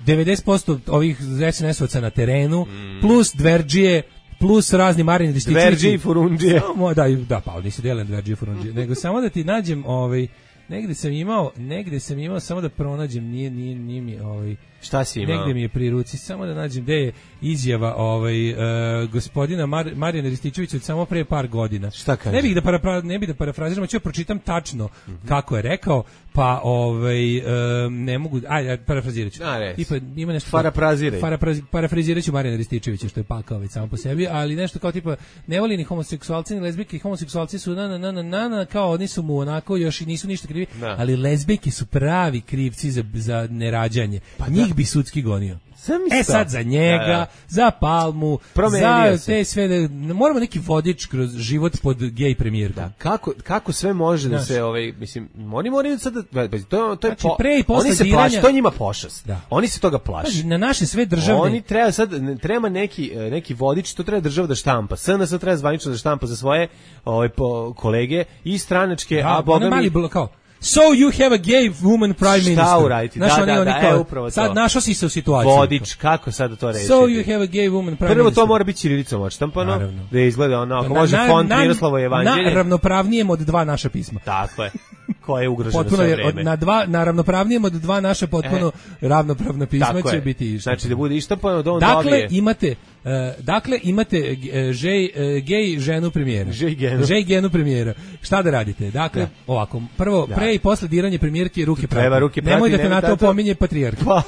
devedeset posto ovih es en es-ovaca na terenu, mm. plus dverdžije, plus razni Marini Rističevići. Dverdžije i furundžije. Samo da, da, pa nisi delen dverdžije i furundžije, nego samo da ti nađem ovaj negde sam imao, negde sam imao samo da pronađem, nije nije nije mi ovaj šta si imao? Negde mi je pri ruci, samo da nađem gde je izjava ovaj uh, gospodina Mar, Marijana Rističevića od samo pre par godina. Šta kaže? Ne bih da parafra, ne bih da parafraziram, ću pročitam tačno mm-hmm. kako je rekao, pa ovaj uh, ne mogu, aj parafraziraću. Tipa ima nešto parafraziraj. Parafraziraću Marijana Rističevića što je pakao već samo po sebi, ali nešto kao tipa ne voli ni homoseksualci ni lezbijke, homoseksualci su na na na na na kao oni su mu onako još i nisu ništa krivi, da. Ali lezbijke su pravi krivci za za nerađanje. Pa njih bi sudski gonio. E sad za njega, da, da. za Palmu, Promenio za se. Te sve, da, moramo neki vodič kroz život pod gej premijerkom. Da, kako, kako sve može Znaš, da se, ovaj, mislim, oni moraju sad, da, to, to je znači, po, pre i posle oni se diranja, plaši, to njima pošast. Da. Oni se toga plaši. Znači, na naše sve državne... Oni treba sad, treba neki, neki vodič, to treba država da štampa. S N S treba zvanično da štampa za svoje ovaj, po, kolege i stranačke, da, a boga mi... Mali, kao, So you have a gay woman prime minister. Šta uraditi? Da, da, da, da, kao, e, upravo to. Sad našao si se u situaciji. Vodič, kako sad to reći? So you have a gay woman prime Prvo minister. to mora biti ćirilicom odštampano, da izgleda ono, ako na, može na, font na, Miroslavo Evanđelje. Na ravnopravnijem od dva naša pisma. Tako je. Koje je ugroženo potpuno sve vreme. Od, na, dva, na ravnopravnijem od dva naša potpuno e, ravnopravna pisma će je. biti ištampano. Znači da bude ištampano, da on dakle, dobije. Imate, uh, dakle, imate uh, žej, uh, gej ženu premijera. Žej genu. Žej genu premijera. Šta da radite? Dakle, da. ovako, prvo, da. pre i posle diranje premijerke ruke prati. Ruke prati. Nemoj da te nemoj na to tato... pominje patrijarh. Pa,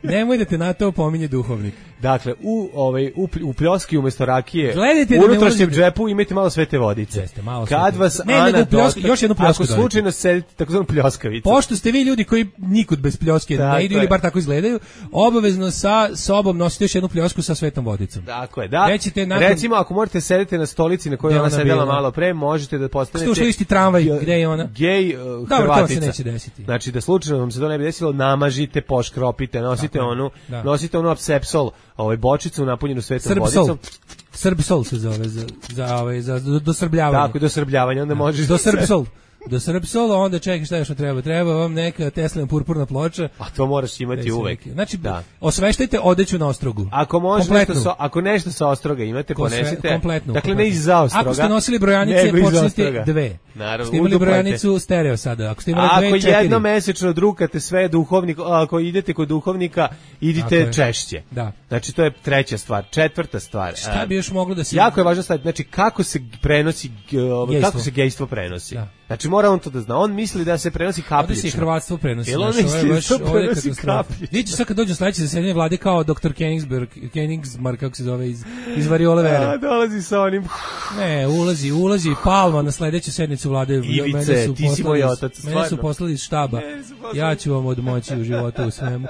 Nemoj da te na to pominje duhovnik. Dakle, u ovaj u, u pljoski umesto rakije, gledajte u unutrašnjem džepu imate malo svete vodice. Jeste, malo Kad svete. vas ne, Ana pljoska, još jednu pljosku. Ako slučajno sedite takozvanu pljoskavicu. Pošto ste vi ljudi koji nikud bez pljoske ne idu ili bar tako izgledaju, obavezno sa sobom nosite još jednu pljosku sa svetom vodicom. Tako je, da. Nakon... Recimo, ako morate sedeti na stolici na kojoj ona sedela malo pre, možete da postanete... Što isti tramvaj, gde je ona? Gej uh, Dobro, Hrvatica. To se neće desiti. Znači, da slučajno vam se to ne bi desilo, namažite, poškropite, nosite tako, onu, da. nosite onu apsepsol, ovaj bočicu napunjenu svetom Srbsol. vodicom. Srbsol se zove za za ovaj za dosrbljavanje. Tako, dosrbljavanje, onda možeš do Srbsol. Do Srbsola, onda čekaj šta još treba. Treba vam neka Teslina purpurna ploča. A to moraš imati uvek. Znači, da. osveštajte odeću na ostrogu. Ako može nešto sa, ako nešto sa ostroga imate, Ko ponesite. Sve, kompletnu. Dakle, kompletnu. ne iza ostroga. Ako ste nosili brojanice, počnite dve. Naravno, ste imali brojanicu stereo sada. Ako ste imali ako dve, četiri. Ako jedno mesečno drukate sve duhovnik, ako idete kod duhovnika, idite češće. Da. Znači, to je treća stvar. Četvrta stvar. Šta bi još moglo da se... Jako je važno staviti, znači, kako se prenosi, gejstvo. kako se gejstvo prenosi. Da. Znači, mora on to da zna. On misli da se prenosi kapljično. Ovdje se i hrvatstvo prenosi. Jel on misli da se prenosi kapljično? Vidite sad kad dođu sledeće zasedanje vlade kao doktor Kenigsberg, Kenigsmark, kako se zove, iz, iz Variole Vere. A, dolazi sa onim... Ne, ulazi, ulazi Palma na sledeću sednicu vlade. Ivice, su ti si moj otac, stvarno. Mene su poslali iz štaba. Ja ću vam odmoći u životu u svemu.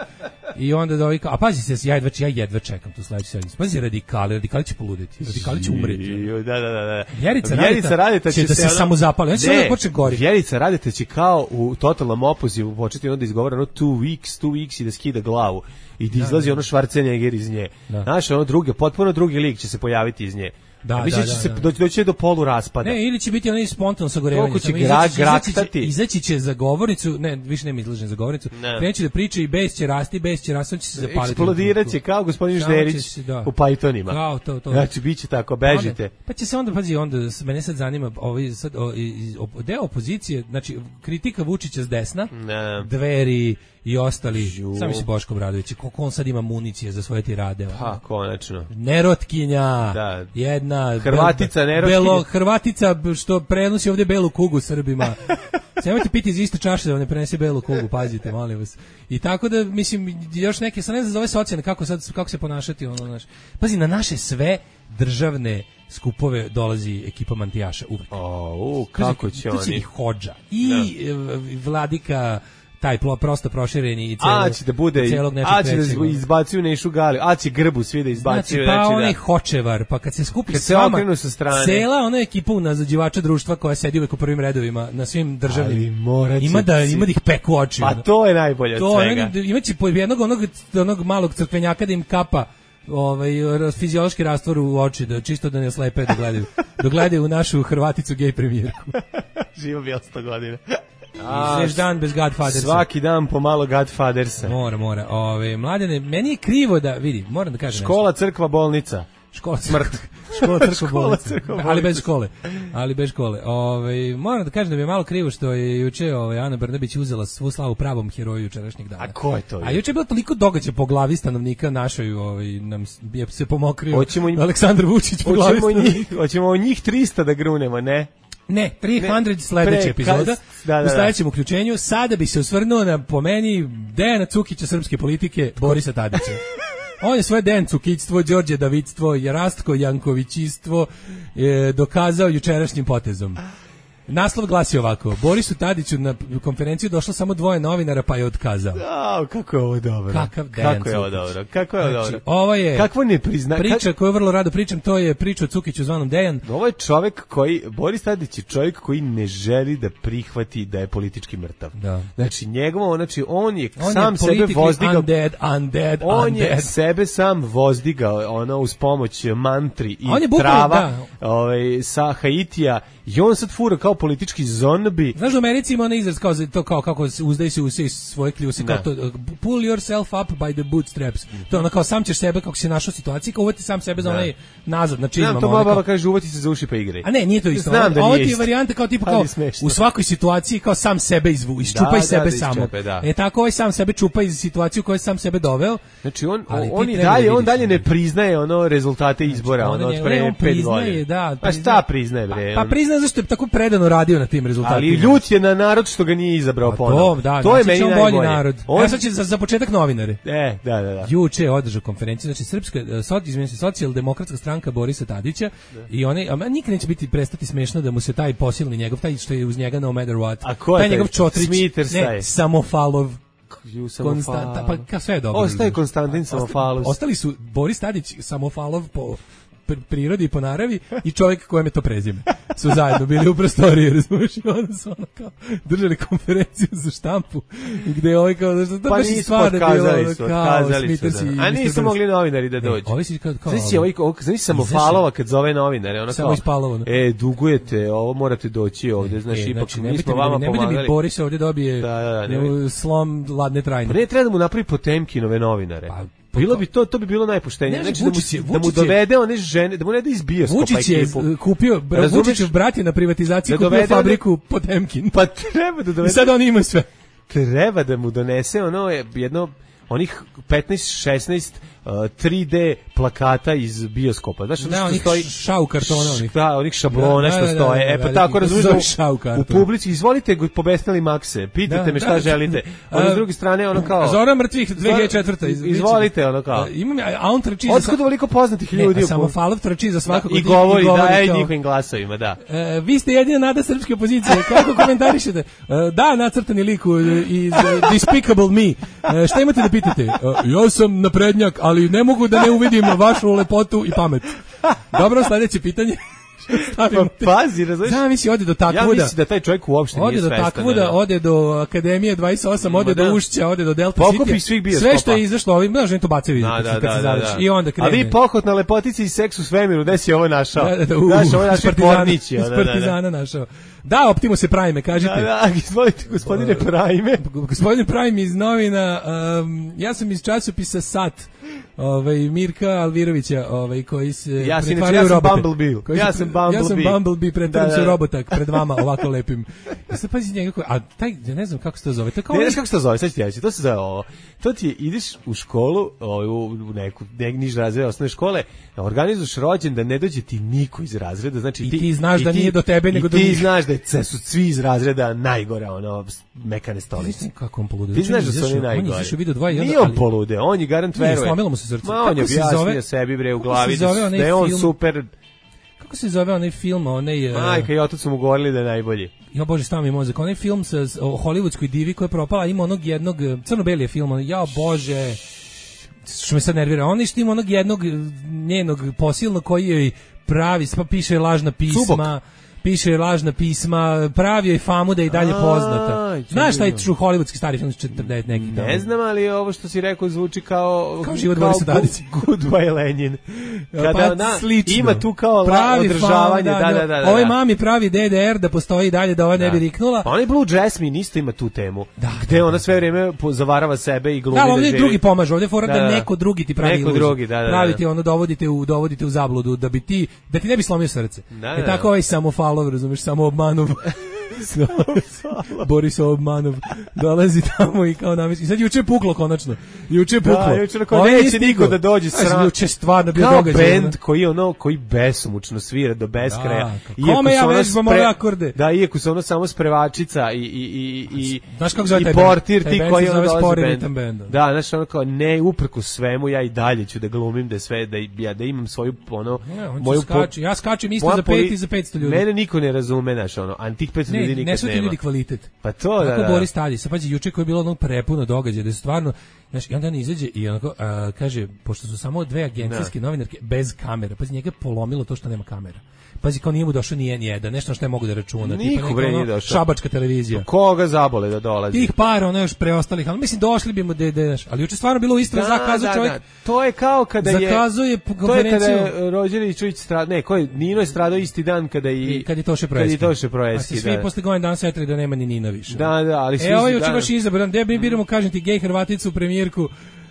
I onda da ovi kao, a pazi se, ja jedva, ja jedva čekam tu sledeću sednicu. Pazi, radikali, radikali će poludeti, radikali će umreti. Da, da, da, da. Vjerica, Vjerica Radeta će, će da se ono, samo zapali. Ja će da počne gori. Vjerica Radeta će kao u totalnom opozivu početi onda izgovara ono two weeks, two weeks i da skida glavu. I da izlazi da, da. ono Schwarzenegger iz nje. Da. Znaš, ono druge, potpuno drugi lik će se pojaviti iz nje. Da, mislim da, da, će se da. doći do polu raspada. Ne, ili će biti onaj spontano sagorevanje. Koliko će gra, izaći, će, izaći će za govornicu, ne, više nema izlažen za govornicu, kreće da priča i bes će rasti, bes će rasti, on će se zapaliti. Eksplodirat će kao gospodin Žderić da. u Pythonima. Kao to, to. Znači, bit će tako, bežite. Onda, pa će se onda, pazi, onda, mene sad zanima, ovaj, sad, o, o, deo opozicije, znači, kritika Vučića s desna, ne. Dveri i ostali, sami si Boško Obradović, koliko on sad ima municije za svoje tirade. Pa, konačno. Nerotkinja, da. jedna... Hrvatica, nerotkinja. Belo, Hrvatica što prenosi ovdje belu kugu Srbima. Nemojte piti iz iste čaše da ne prenese belu kugu, pazite, molim vas. I tako da, mislim, još neke, sad ne znam za ove socijalne, kako, sad, kako se ponašati, ono, znaš. Pazi, na naše sve državne skupove dolazi ekipa mantijaša uvek. O, u, kako će oni? Tu će i Hodža, i no. Vladika, taj prosto prošireni i celog, a će da bude, celog nečeg a će da izbacuju Nešu Gali, a će grbu svi da izbacuju. Znači, pa znači, onaj da. Hočevar, pa kad se skupi kad s vama, se sa strane. Cela ona ekipa unazađivača društva koja sedi uvek u prvim redovima na svim državnim, ima da, ima da ih peku oči. Pa to je najbolje od svega. Imaće po jednog onog, onog malog crkvenjaka da im kapa ovaj fiziološki rastvor u oči, da čisto da ne oslepe da gledaju, da gledaju u našu Hrvaticu gej premijerku. Živo bi sto godina. Sveš dan bez Godfathersa. Svaki dan pomalo Godfathersa. Mora, mora. Ove, mladene, meni je krivo da, vidi, moram da kažem škola, nešto. Crkva, bolnica. Škola, smrt. Škola, crkva, bolnica. Crkva, ali bez škole. Ali bez škole. Ove, moram da kažem da mi je malo krivo što je juče ove, Ana Brnabić uzela svu slavu pravom heroju jučerašnjeg dana. A ko je to? A juče je bilo toliko događaja po glavi stanovnika našoj, ovaj, nam je se pomokrio Aleksandar Vučić po glavi stanovnika. Hoćemo o njih trista da grunemo, ne? Ne, tristo sledeća epizoda, da, da, u sledećem uključenju. Sada bi se osvrnuo na, po meni, Dejana Cukića srpske politike, Borisa Tadića. On je svoje Dejan Cukictvo, Đorđe Davidstvo, Rastko Jankovićistvo je dokazao jučerašnjim potezom. Naslov glasi ovako: Borisu Tadiću na konferenciju došlo samo dvoje novinara, pa je otkazao. A, kako je ovo dobro. Kakav kako je ovo dobro. Kako je ovo znači, dobro. Ovo je Kakvo ne prizna... priča koju vrlo rado pričam, to je priča o Cukiću zvanom Dejan. Ovo je čovjek koji, Boris Tadić je čovjek koji ne želi da prihvati da je politički mrtav. Da. Znači, njegovo, znači, on je on sam je sebe vozdigao. Undead, undead, on undead. je sebe sam vozdigao, ono, uz pomoć mantri i on je bukvalno, trava da. ovaj, sa Haitija I on sad fura kao politički zombi. Znaš, u Americi ima onaj izraz kao to kao kako se uzdaj se u sve svoje kljuse, kao to pull yourself up by the bootstraps. To je ono kao sam ćeš sebe kako si našao situaciju, kao uvati sam sebe za onaj nazad, znači imam to moja baba kaže uvati se za uši pa igraj. A ne, nije to isto. Znam da ovo nije ti je isto. varijanta kao tipa kao u svakoj situaciji kao sam sebe izvu, iščupaj da, sebe da, da, samo. Iščepe, da. E tako ovaj sam sebe čupa iz situacije u kojoj sam sebe doveo. Znači on on i dalje on dalje ne priznaje ono rezultate izbora, znači, ono od pre pet godina. Da, pa šta priznaje bre? Pa, pa priznaje zašto je tako predano radio na tim rezultatima. Ali ljut je na narod što ga nije izabrao ponovo. To, da, to je znači meni bolji najbolje. narod. On... Ja sad će za, za početak novinare. E, da, da, da. Juče je održao konferenciju, znači srpska izmeni se socijaldemokratska stranka Borisa Tadića da. I one, a nikad neće biti prestati smešno da mu se taj posilni njegov, taj što je uz njega no matter what. A ko je taj njegov Čotrić, ne, Samofalov. Konstanta, pa ka sve je dobro. Ostaje Konstantin Samofalov. Ostali su Boris Tadić, Samofalov po prirodi i po naravi i čovjek kojem je to prezime. Su zajedno bili u prostoriji, razumiješ, i onda su ono kao držali konferenciju za štampu gde je ovaj kao, da što to pa baš i stvarno bilo su, kao Smithers i... A nisu mogli novinari da dođu. Ovi si kao... Znači, ovaj, znači Samofalova kad zove novinare, ono kao, Spalova, e, dugujete, ovo morate doći ovde, znači, e, ipak mi smo vama ne pomagali. Ne bude mi Boris ovdje dobije da, da, da, slom ladne trajne. Pa ne treba da mu napravi Potemkinove novinare. Pa, bilo bi to, to bi bilo najpoštenije. Znači da mu, je, da mu dovede one žene, da mu ne da iz bioskopa Vučić je kupio, Vučićev brat je na privatizaciji da kupio fabriku Potemkin. Pa treba da dovede. I sad on ima sve. Treba da mu donese ono jedno onih petnaest šesnaest uh, tri D plakata iz bioskopa. Znaš, da, onih stoji šau kartona, onih. Da, onih šablona što stoje. E pa tako razumiješ, u publici izvolite pobesnali Makse, pitajte me šta želite. Ono s druge strane ono kao Zora mrtvih dve hiljade četvrte izvolite ono kao. Imam a on trči za otkud ovoliko poznatih ljudi. Samo Falov trči za svakog i govori da je njihovim glasovima, da. Vi ste jedina nada srpske opozicije. Kako komentarišete? Da, nacrtani lik iz Despicable Me. Šta imate da pitate? Ja sam naprednjak, ali ne mogu da ne uvidim vašu lepotu i pamet. Dobro, sledeće pitanje. Pa pazi, razumiješ? Da, misli, ode do Takvuda. Ja mislim da taj čovjek uopšte nije svestan. Ode do Takvuda, ode do Akademije dvadeset osam, ode do Ušća, ode do Delta City. Pokupi svih bioskopa. Sve što je izašlo ovim, znaš, to bacaju da, da, kad se završi. I onda krene. A vi pohod na lepotici i seks u svemiru, gde si ovo našao? Da, da, da, u, znaš, ovo je naši pornići. Iz Partizana našao. Da, Optimus je Prime, kažite. Da, da, izvolite, gospodine Prime. Gospodine Prime iz novina, um, ja sam iz časopisa Sat, ovaj Mirka Alvirovića, ovaj koji se ja pretvaraju ja u robote. Bumblebee. Ja sam Bumblebee. Ja sam Bumblebee, pretvaram se u robotak pred vama ovako lepim. Ja se pazi njega, a taj ja ne znam kako se to zove. To kao ne znaš kako se to zove, sad ti reći. To se zove ovo. To ti je, ideš u školu, u neku niž razred osnovne škole, organizuješ rođendan, ne dođe ti niko iz razreda, znači i ti ti znaš da ti, nije do tebe nego do njih. Ti znaš da je, su svi iz razreda najgore, ono mekane stolice. Kako on polude. Ti znaš da su oni najgori. On je video dva i onda. Nije on polude, on je garant veruje. Slomilo mu se srce. Ma, on je objasnio sebi bre u glavi da je on super. Kako se zove onaj film, onaj... Majka i otac su mu govorili da je najbolji. Jo bože, stav mi mozak. Onaj film sa, o hollywoodskoj divi koja je propala, ima onog jednog, crno-beli je film, ja bože, što me sad nervira, on što ima onog jednog njenog posilnog koji joj pravi, pa piše lažna pisma... Cubok. Piše lažna pisma, pravio je famu da je i dalje poznata. Znaš taj true hollywoodski stari film četrdeset neki tamo? Ne znam, ali ovo što si rekao zvuči kao... Kao život Borisa Tadića. Goodbye Lenin. Kada pa na, ima tu kao pravi održavanje. Fam, da, da, da, da, da. Ovoj mami pravi D D R da postoji dalje, da ova da. ne bi riknula. Pa onaj Blue Jasmine isto ima tu temu. Da, gde da, ona sve vrijeme zavarava sebe i glumi da, da, da živi. drugi pomaže, ovdje fora da, da neko drugi ti pravi neko drugi, da, da, pravi ti ono, dovodite u, dovodite u zabludu, da bi ti, da ti ne bi slomio srce. Da, e tako ovaj Samofalov, razumiješ, samo obmanov. Borisov obmanov dolazi tamo i kao namesti. I sad juče je puklo konačno. Juče je puklo. Da, juče kao neće niko da dođe sram. Juče stvarno bio događaj. Kao bend koji ono koji besomučno svira do beskraja. Kome ja vežbam ove akorde? Da, iako su ono samo sprevačica i i i i znaš kako zove i taj portir taj ti koji ono dolazi bend. Da, znaš ono kao ne uprko svemu ja i dalje ću da glumim da sve da ja da imam svoju ono moju skaču. Ja skačem isto za pet i za petsto ljudi. Mene niko ne razume, znaš ono, a tih petsto ljudi nikad nema. Kvalitet. Pa to da. Kako Boris Tadić, sa pazi juče koji je bilo ono prepuno događaja, da su stvarno Znaš, i onda on izađe i onako a, kaže, pošto su samo dve agencijske novinarke bez kamera, pazi, njega polomilo to što nema kamera. Pazi, kao nije mu došao ni jedan, nešto što ne mogu da računa. Niko bre nije došao. Šabačka televizija. Koga zabole da dolazi? Tih para, ono još preostalih, ali mislim došli bi mu da ideš. Ali juče stvarno bilo isto, da, zakazao da, čovjek. Da. To je kao kada je zakazuje konferenciju. To je kada je Rođerić stradao, ne, ko je Nino je stradao isti dan kada i, I kad je Toše Proeski. Kad je Toše Proeski, da. A svi posle godina dana setili da nema ni Nina više. Da, da, ali svi. E, ovo je juče baš izabran, gde mi biramo, kažem ti, gej Hrvaticu premijerku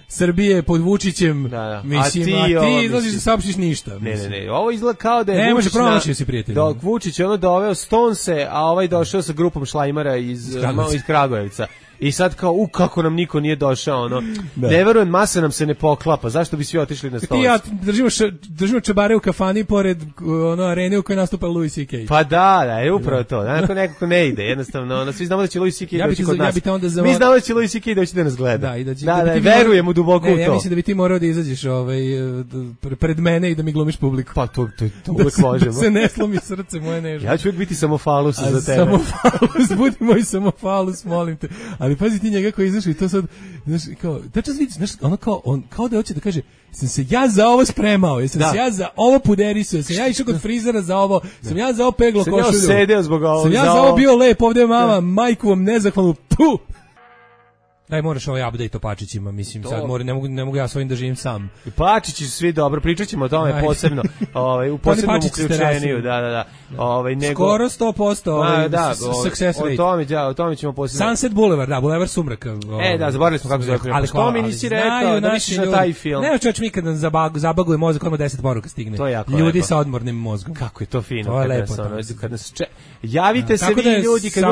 Srbije pod Vučićem, da, da. Mislim, a ti, a ti izlaziš da saopštiš ništa. Ne, ne, ne, ovo izgleda kao da je ne, Vučić... Ne, može promašio si prijatelj. Dok Vučić je ono doveo Stonese, a ovaj došao sa grupom šlajmara iz, iz, iz Kragujevca. I sad kao, u, kako nam niko nije došao, ono, da. Ne verujem, masa nam se ne poklapa, zašto bi svi otišli na Stonese? Ti ja držimo, š, držimo čabare u kafani pored ono, arene u kojoj nastupa Louis C K. Pa da, da, je upravo to, da, nekako ne ide, jednostavno, ono, svi znamo da će Louis C K ja doći kod za, nas. Ja onda za... Mi znamo da će Louis C K doći da nas gleda. Da, i da, će, da, da, da, da verujemo duboko ne, u to. Ja mislim da bi ti morao da izađeš ovaj, pred mene i da mi glumiš publiku. Pa to, to, to uvek da možemo. Da se ne slomi srce moje nežno. Ja ću uvijek biti samofalus za tebe. Samofalus, budi moj samofalus, molim te. Ali pazi ti njega koji izašao i to sad, znaš, kao, tačno vidiš, znaš, ono kao, on, kao da hoće da kaže, sam se ja za ovo spremao, jesam da. se ja za ovo puderisao, sam ja išao kod frizera za ovo, da. sam ja za ovo peglo sam košulju. Sam ja sedeo zbog ovo. Sam ja za ovo bio lep, ovdje je mama, da. majku vam nezahvalnu, puh! Daj, moraš ovaj update o Pačićima, mislim, to... sad mora, ne mogu, ne mogu ja svojim da živim sam. I Pačići su svi dobro, pričat ćemo o tome Aj. posebno, ovaj, u posebnom uključeniju, da, da, da. Ovaj, nego... Skoro sto posto ovaj, da, success rate. O tome, da, o tome ćemo posebno. Sunset Boulevard, da, Boulevard Sumraka. Ovaj, e, da, zaboravili smo kako se zove. Ali što mi nisi rekao da misliš na taj film? Ne, čovječ, mi kad nam zabaguje mozak, odmah deset poruka stigne. To je jako ljudi lepo. Sa odmornim mozgom. Kako je to fino. To je lepo. Kad nas če... Javite se vi ljudi kad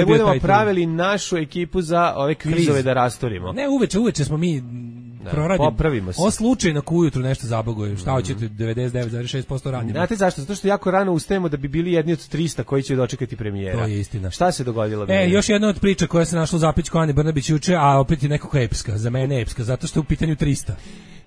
budemo pravili našu ekipu za ove kvizove da rastorimo. Ne, uveče, uveče smo mi da, proradimo. Popravimo se. O slučajno ko ujutru nešto zabaguje. Šta hoćete, devedeset devet zarez šest posto radimo. Znate zašto? Zato što jako rano ustajemo da bi bili jedni od trista koji će dočekati premijera. To je istina. Šta se dogodilo? E, je? Još jedna od priča koja se našla u zapećku Ane Brnabić juče, a opet je nekako epska. Za mene epska, zato što je u pitanju trista.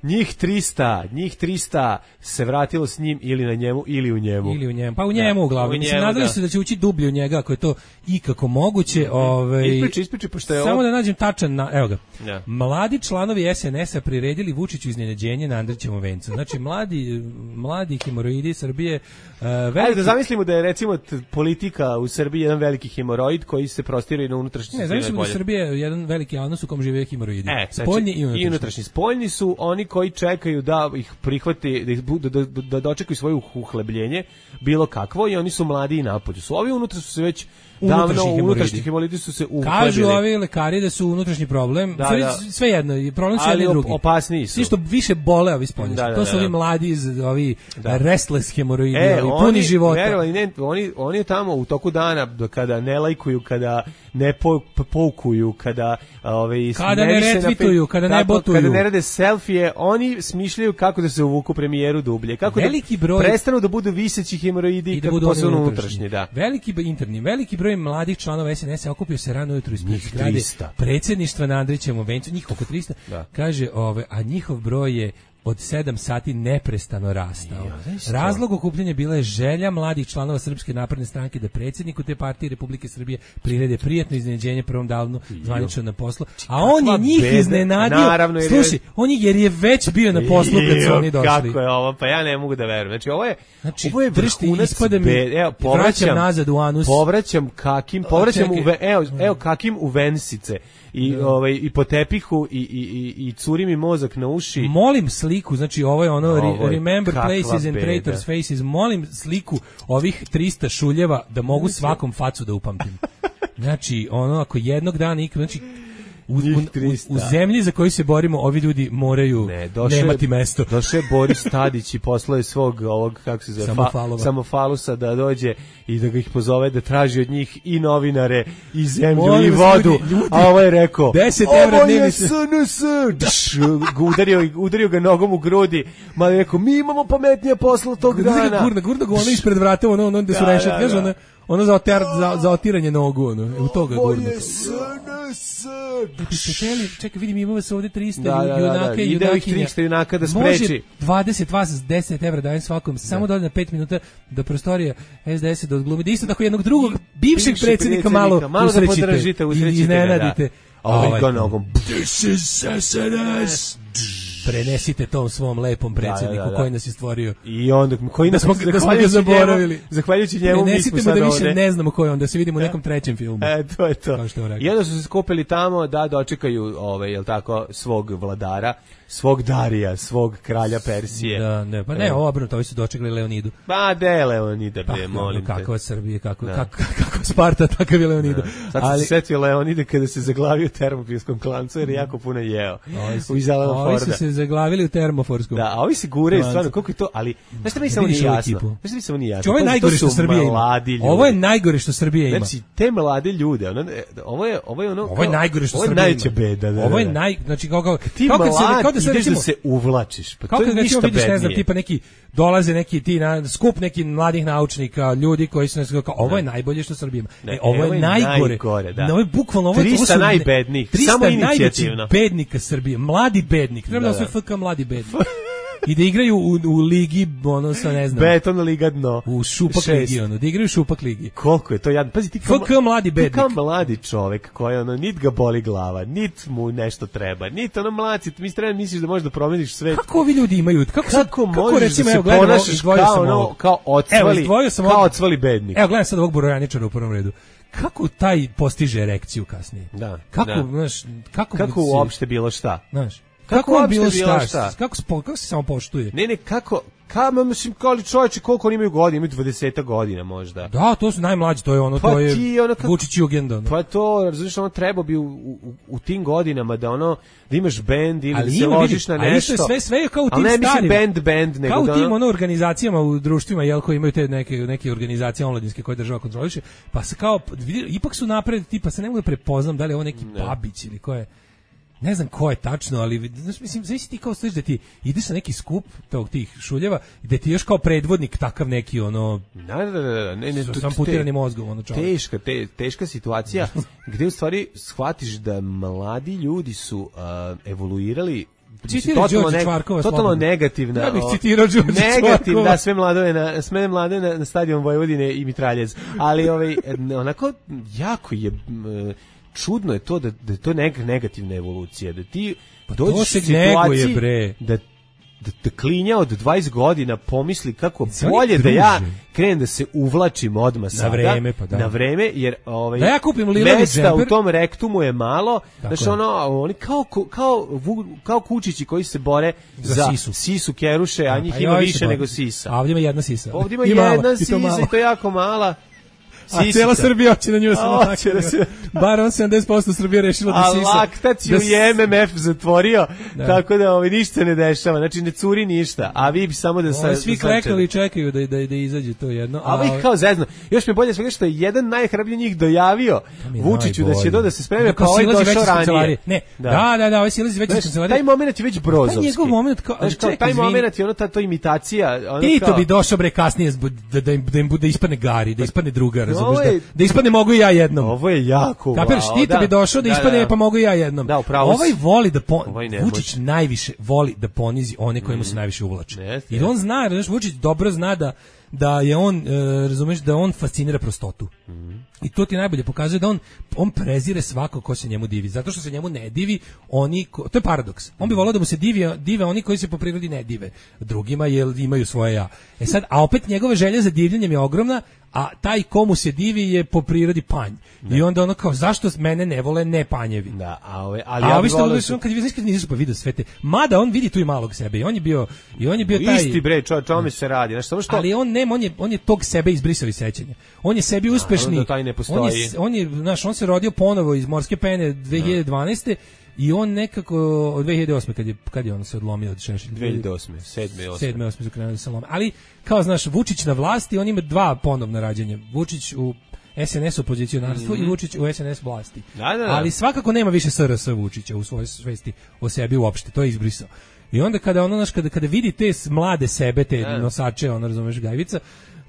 Njih trista, njih trista se vratilo s njim ili na njemu ili u njemu. Ili u njemu. Pa u njemu da, uglavnom. Mislim, nadali da. se da će ući dublje u njega ako je to ikako moguće. Mm-hmm. Ovaj, ispriči, ispriči, pošto je samo ovo... da nađem tačan, na, evo ga. Ja. Mladi članovi es en es a priredili Vučiću iznenađenje na Andrićevom vencu. Znači, mladi, mladi hemoroidi Srbije... Uh, veliki... Ajde da zamislimo da je recimo t- politika u Srbiji jedan veliki hemoroid koji se prostire na unutrašnji. Ne, zamislimo da je Srbija jedan veliki anus u kom žive hemoroidi. E, spoljni i unutrašnji. I unutrašnji. Spoljni su oni koji čekaju da ih prihvati, da, ih, da, da, da dočekaju svoje uhlebljenje, bilo kakvo, i oni su mladi i napolju. Su ovi unutra su se već davno, unutrašnji hemoroidi su se uhlebili. Kažu ovi lekari da su unutrašnji problem, da, sve, da. sve jedno, problem su jedni i drugi. Opasniji su. Svi što više bole ovi spoljni. Da, da, to su ovi mladi, iz, ovi da. restless hemoroidi, e, ovi puni života. Verovali, ne, oni, oni tamo u toku dana, kada ne lajkuju, kada ne po, poukuju, kada, ovaj, kada ne retvituju, kada ne botuju, kada ne rade selfije, oni smišljaju kako da se uvuku premijeru dublje, kako veliki da broj, prestanu da budu viseći hemoroidi i da budu postanu unutrašnji. Da. Veliki interni, veliki broj mladih članova es en es a okupio se rano ujutro ispred zgrade predsjedništva na Andrićevom vencu, njih oko trista, da. Kaže, ove, a njihov broj je od sedam sati neprestano rastao. Razlog okupljanja bila je želja mladih članova Srpske napredne stranke da predsjedniku te partije Republike Srbije prirede prijatno iznenađenje prvom danu zvanično na poslu, a on je njih bede. iznenadio. Naravno, slušaj, on je, jer je već bio na poslu kad su oni došli. Kako je ovo? Pa ja ne mogu da verujem. Znači, ovo je, znači, ovo je vrhunac bede. Evo, povraćam nazad u anus. Povraćam kakim, povraćam u, ve, evo, evo kakim u vensice. I, da. ovaj, i po tepihu i, i, i, i curi mi mozak na uši. Molim sliku, znači ovo je ono ovo je remember places and traitors faces, molim sliku ovih trista šuljeva da mogu svakom facu da upamtim. Znači, ono, ako jednog dana ikad, znači, U, u, u zemlji za koju se borimo ovi ljudi moraju ne, došle, nemati mesto. Došao je Boris Tadić i poslao je svog ovog, kako se zove, Samofalova. Samofalusa da dođe i da ga ih pozove da traži od njih i novinare i zemlju Molim i vodu. Ljudi, ljudi. A ovo je rekao deset evra dnevnice. Ovo je S N S. udario, udario ga nogom u grudi. Ma je rekao, mi imamo pametnije posla tog dana. Gurna, gurna ga ono ispred vrata, ono, ono gde su da, rešetke, da, da. ono, ono za, oter, za, za otiranje nogu, ono, u toga gurna. Ovo je S N S. Da biste teli, čekaj, vidim, imamo se ovde trista da, da, junaka da, da. i junakinja. Ide ovih trista junaka da spreči. Može dvadeset vas s deset evra dajem svakom, samo da ode na pet minuta do prostorija es de es da odglumi. Da isto tako jednog drugog bivšeg predsjednika malo, malo da podržite, i iznenadite. a ovaj ga nogom. This is S N S. Prenesite tom svom lepom predsjedniku da, da, da. koji nas je stvorio. I onda koji nas da smo, da smo ga zaboravili. Njemu, zahvaljujući njemu mi smo sad da više ovde. Ne znamo ko je on, da se vidimo u nekom trećem filmu. E, to je to. I onda su se skupili tamo da dočekaju ovaj, jel tako, svog vladara, svog Darija, svog kralja Persije. Da, ne, pa ne, e. obrnuto, ovi su dočekali Leonidu. Pa de Leonida, bre, molim te. Kakva Srbije, kako, da. kako, kako Sparta, takav je Leonida. Da. Sad ali... se setio Leonide kada se zaglavio u termopilskom klancu jer je jako puno jeo. U Izalama Forda. Ovi su se zaglavili u termoforskom. Da, a ovi se guraju stvarno, koliko je to, ali znaš šta mi samo nije jasno? Znaš šta mi samo nije jasno? Ovo je najgore što Srbija ima. Ovo je najgore što Srbija ima. Znači, te mlade ljude, ono, ovo je, ovo je ono... Ovo je najgore što Srbija ima. Ovo je najveća beda. Da, ovo je naj... Znači, kao, kao, ti kao mlad, se, kao da se, ideš recimo, da se uvlačiš, pa kao to je ništa vidiš, bednije. Ne znam, tipa neki, dolaze neki ti na skup nekih mladih naučnika, ljudi koji su nas kao, ovo je najbolje što Srbija ima. Ne, e, ovo je najgore. najgore da. No, ovo je bukvalno, ovo, trista ovo su najbednijih, samo inicijativno. bednika Srbije, mladi bednik. Treba da, da, da. Sve F K mladi bednik. I da igraju u, u ligi, ono sa ne znam. Beton liga dno. U šupak ligi, ono, da igraju u šupak ligi. Koliko je to jadno. Pazi, ti kao, F K mladi bednik. Ti kao mladi čovek koji, ono, nit ga boli glava, nit mu nešto treba, nit ono mlaci, mi treba misliš da možeš da promeniš svet. Kako ovi ljudi imaju? Kako, kako, kako možeš recimo, da se evo, ponašaš kao, ono, kao ocvali, evo, kao ocvali bednik. Evo, gledam sad ovog Borojaničara u prvom redu. Kako taj postiže erekciju kasnije? Da. Kako, da. znaš, kako, kako uopšte bilo šta? Znaš, kako, kako bilo šta? šta? Kako, kako se samo poštuje? Ne, ne, kako, Kamo, mislim, kao li čovječe, koliko oni imaju godina, imaju dvadeset godina možda. Da, to su najmlađi, to je ono, pa to je ti, ono, Vučić Jugend. Ono. Pa to, razumiješ, ono, treba bi u, u, u tim godinama da ono, da imaš bend ili ali da se ima, ložiš na nešto. Ali sve, sve je kao u tim ali ne, starim. mislim band, band, nego kao u da tim ono, ono, organizacijama u društvima, jel, koji imaju te neke, neke organizacije omladinske koje država kontroliše, pa se kao, vidi, ipak su napred, tipa se ne mogu da prepoznam da li je ovo neki ne. Babić ili ko je. Ne znam ko je tačno, ali znaš, mislim, zavisi ti kao stojiš da ti ideš sa neki skup tog tih šuljeva i da ti još kao predvodnik takav neki ono da, da, da, da. Ne, ne, sam putirani mozgom ono čovjek. Teška, te, teška situacija gdje u stvari shvatiš da mladi ljudi su uh, evoluirali totalno, ne, totalno negativna. Ja bih citirao Đorđe negativ, da, sve mladove na, sve mlade na, na stadion Vojvodine i Mitraljez. Ali ovaj, onako, jako je... čudno je to da, da je to neka negativna evolucija, da ti pa dođeš u situaciji bre. da da, da klinja od dvadeset godina pomisli kako bolje da ja krenem da se uvlačim odmah sada, na vreme, pa da. na vreme, jer ovaj, da ja kupim lilavi mesta u tom rektumu je malo, znači ono, oni kao, kao, kao kučići koji se bore za, za sisu. sisu keruše, a njih pa ima više nego sisa. A ovdje ima jedna sisa. Ovdje ima I jedna mala, sisa i to, i to jako mala. A cijela Srbija hoće na nju samo tako. Se... Bar on sedamdeset posto Srbije rešilo da sisa. A laktaciju da je M M F zatvorio, da. Tako da ovaj, ništa ne dešava. Znači ne curi ništa, a vi bi samo da... Sa, svi klekali i čekaju da, da, da izađe to jedno. A, a vi kao zezno. Još mi bolje svega što je jedan najhrabriji njih dojavio Vučiću da će do da se spreme, pa ovaj došao ranije. Ne, da, da, da, da ovaj silazi već iz kancelarije. Taj moment je već brozovski. Njegov moment, kao, čekaj, taj moment je ono, ta to imitacija. Tito bi došao bre kasnije da im bude ispadne Gari, da ispadne druga, Da, da ispadne mogu i ja jednom. Ovo je jako. Kapiraš, wow, Tito da, bi došao da, da ispadne da, pa mogu i ja jednom. Da, ovaj voli da pon... ovaj Vučić najviše voli da ponizi one kojima mm. se najviše uvlači. Yes, I on zna, znaš, Vučić dobro zna da da je on, e, razumeš, da on fascinira prostotu. Mm. I to ti najbolje pokazuje da on on prezire svako ko se njemu divi. Zato što se njemu ne divi oni ko, to je paradoks. On bi voleo da mu se divi, dive oni koji se po prirodi ne dive drugima jer imaju svoje ja. E sad, a opet njegova želja za divljenjem je ogromna, a taj komu se divi je po prirodi panj. Da. I onda ono kao, zašto mene ne vole ne panjevi? Da, a ove, ali a ja ovi što volio... on, kad vidiš kad nisu pa vidio sve te, mada on vidi tu i malog sebe i on je bio, i on je bio taj... Isti bre, čo, čome se radi, znaš, samo što... Ali on nema, on je, on je tog sebe izbrisao iz sećanja. On je sebi uspešni, a, taj ne on je, on je, znaš, on se rodio ponovo iz morske pene dve hiljade dvanaeste. I on nekako od dve hiljade osme kad je kad je on se odlomio od Šešelja. dve hiljade osme, sedme, osme. sedme, osme su krenuli da se lome. Ali kao znaš, Vučić na vlasti, on ima dva ponovna rađanja. Vučić u S N S opozicionarstvu mm-hmm. i Vučić u S N S vlasti. Da, da, da. Ali svakako nema više S R S Vučića u svojoj svesti o sebi uopšte, to je izbrisao. I onda kada ono naš kada kada vidi te mlade sebe, te da. Nosače, ono razumeš gajvica,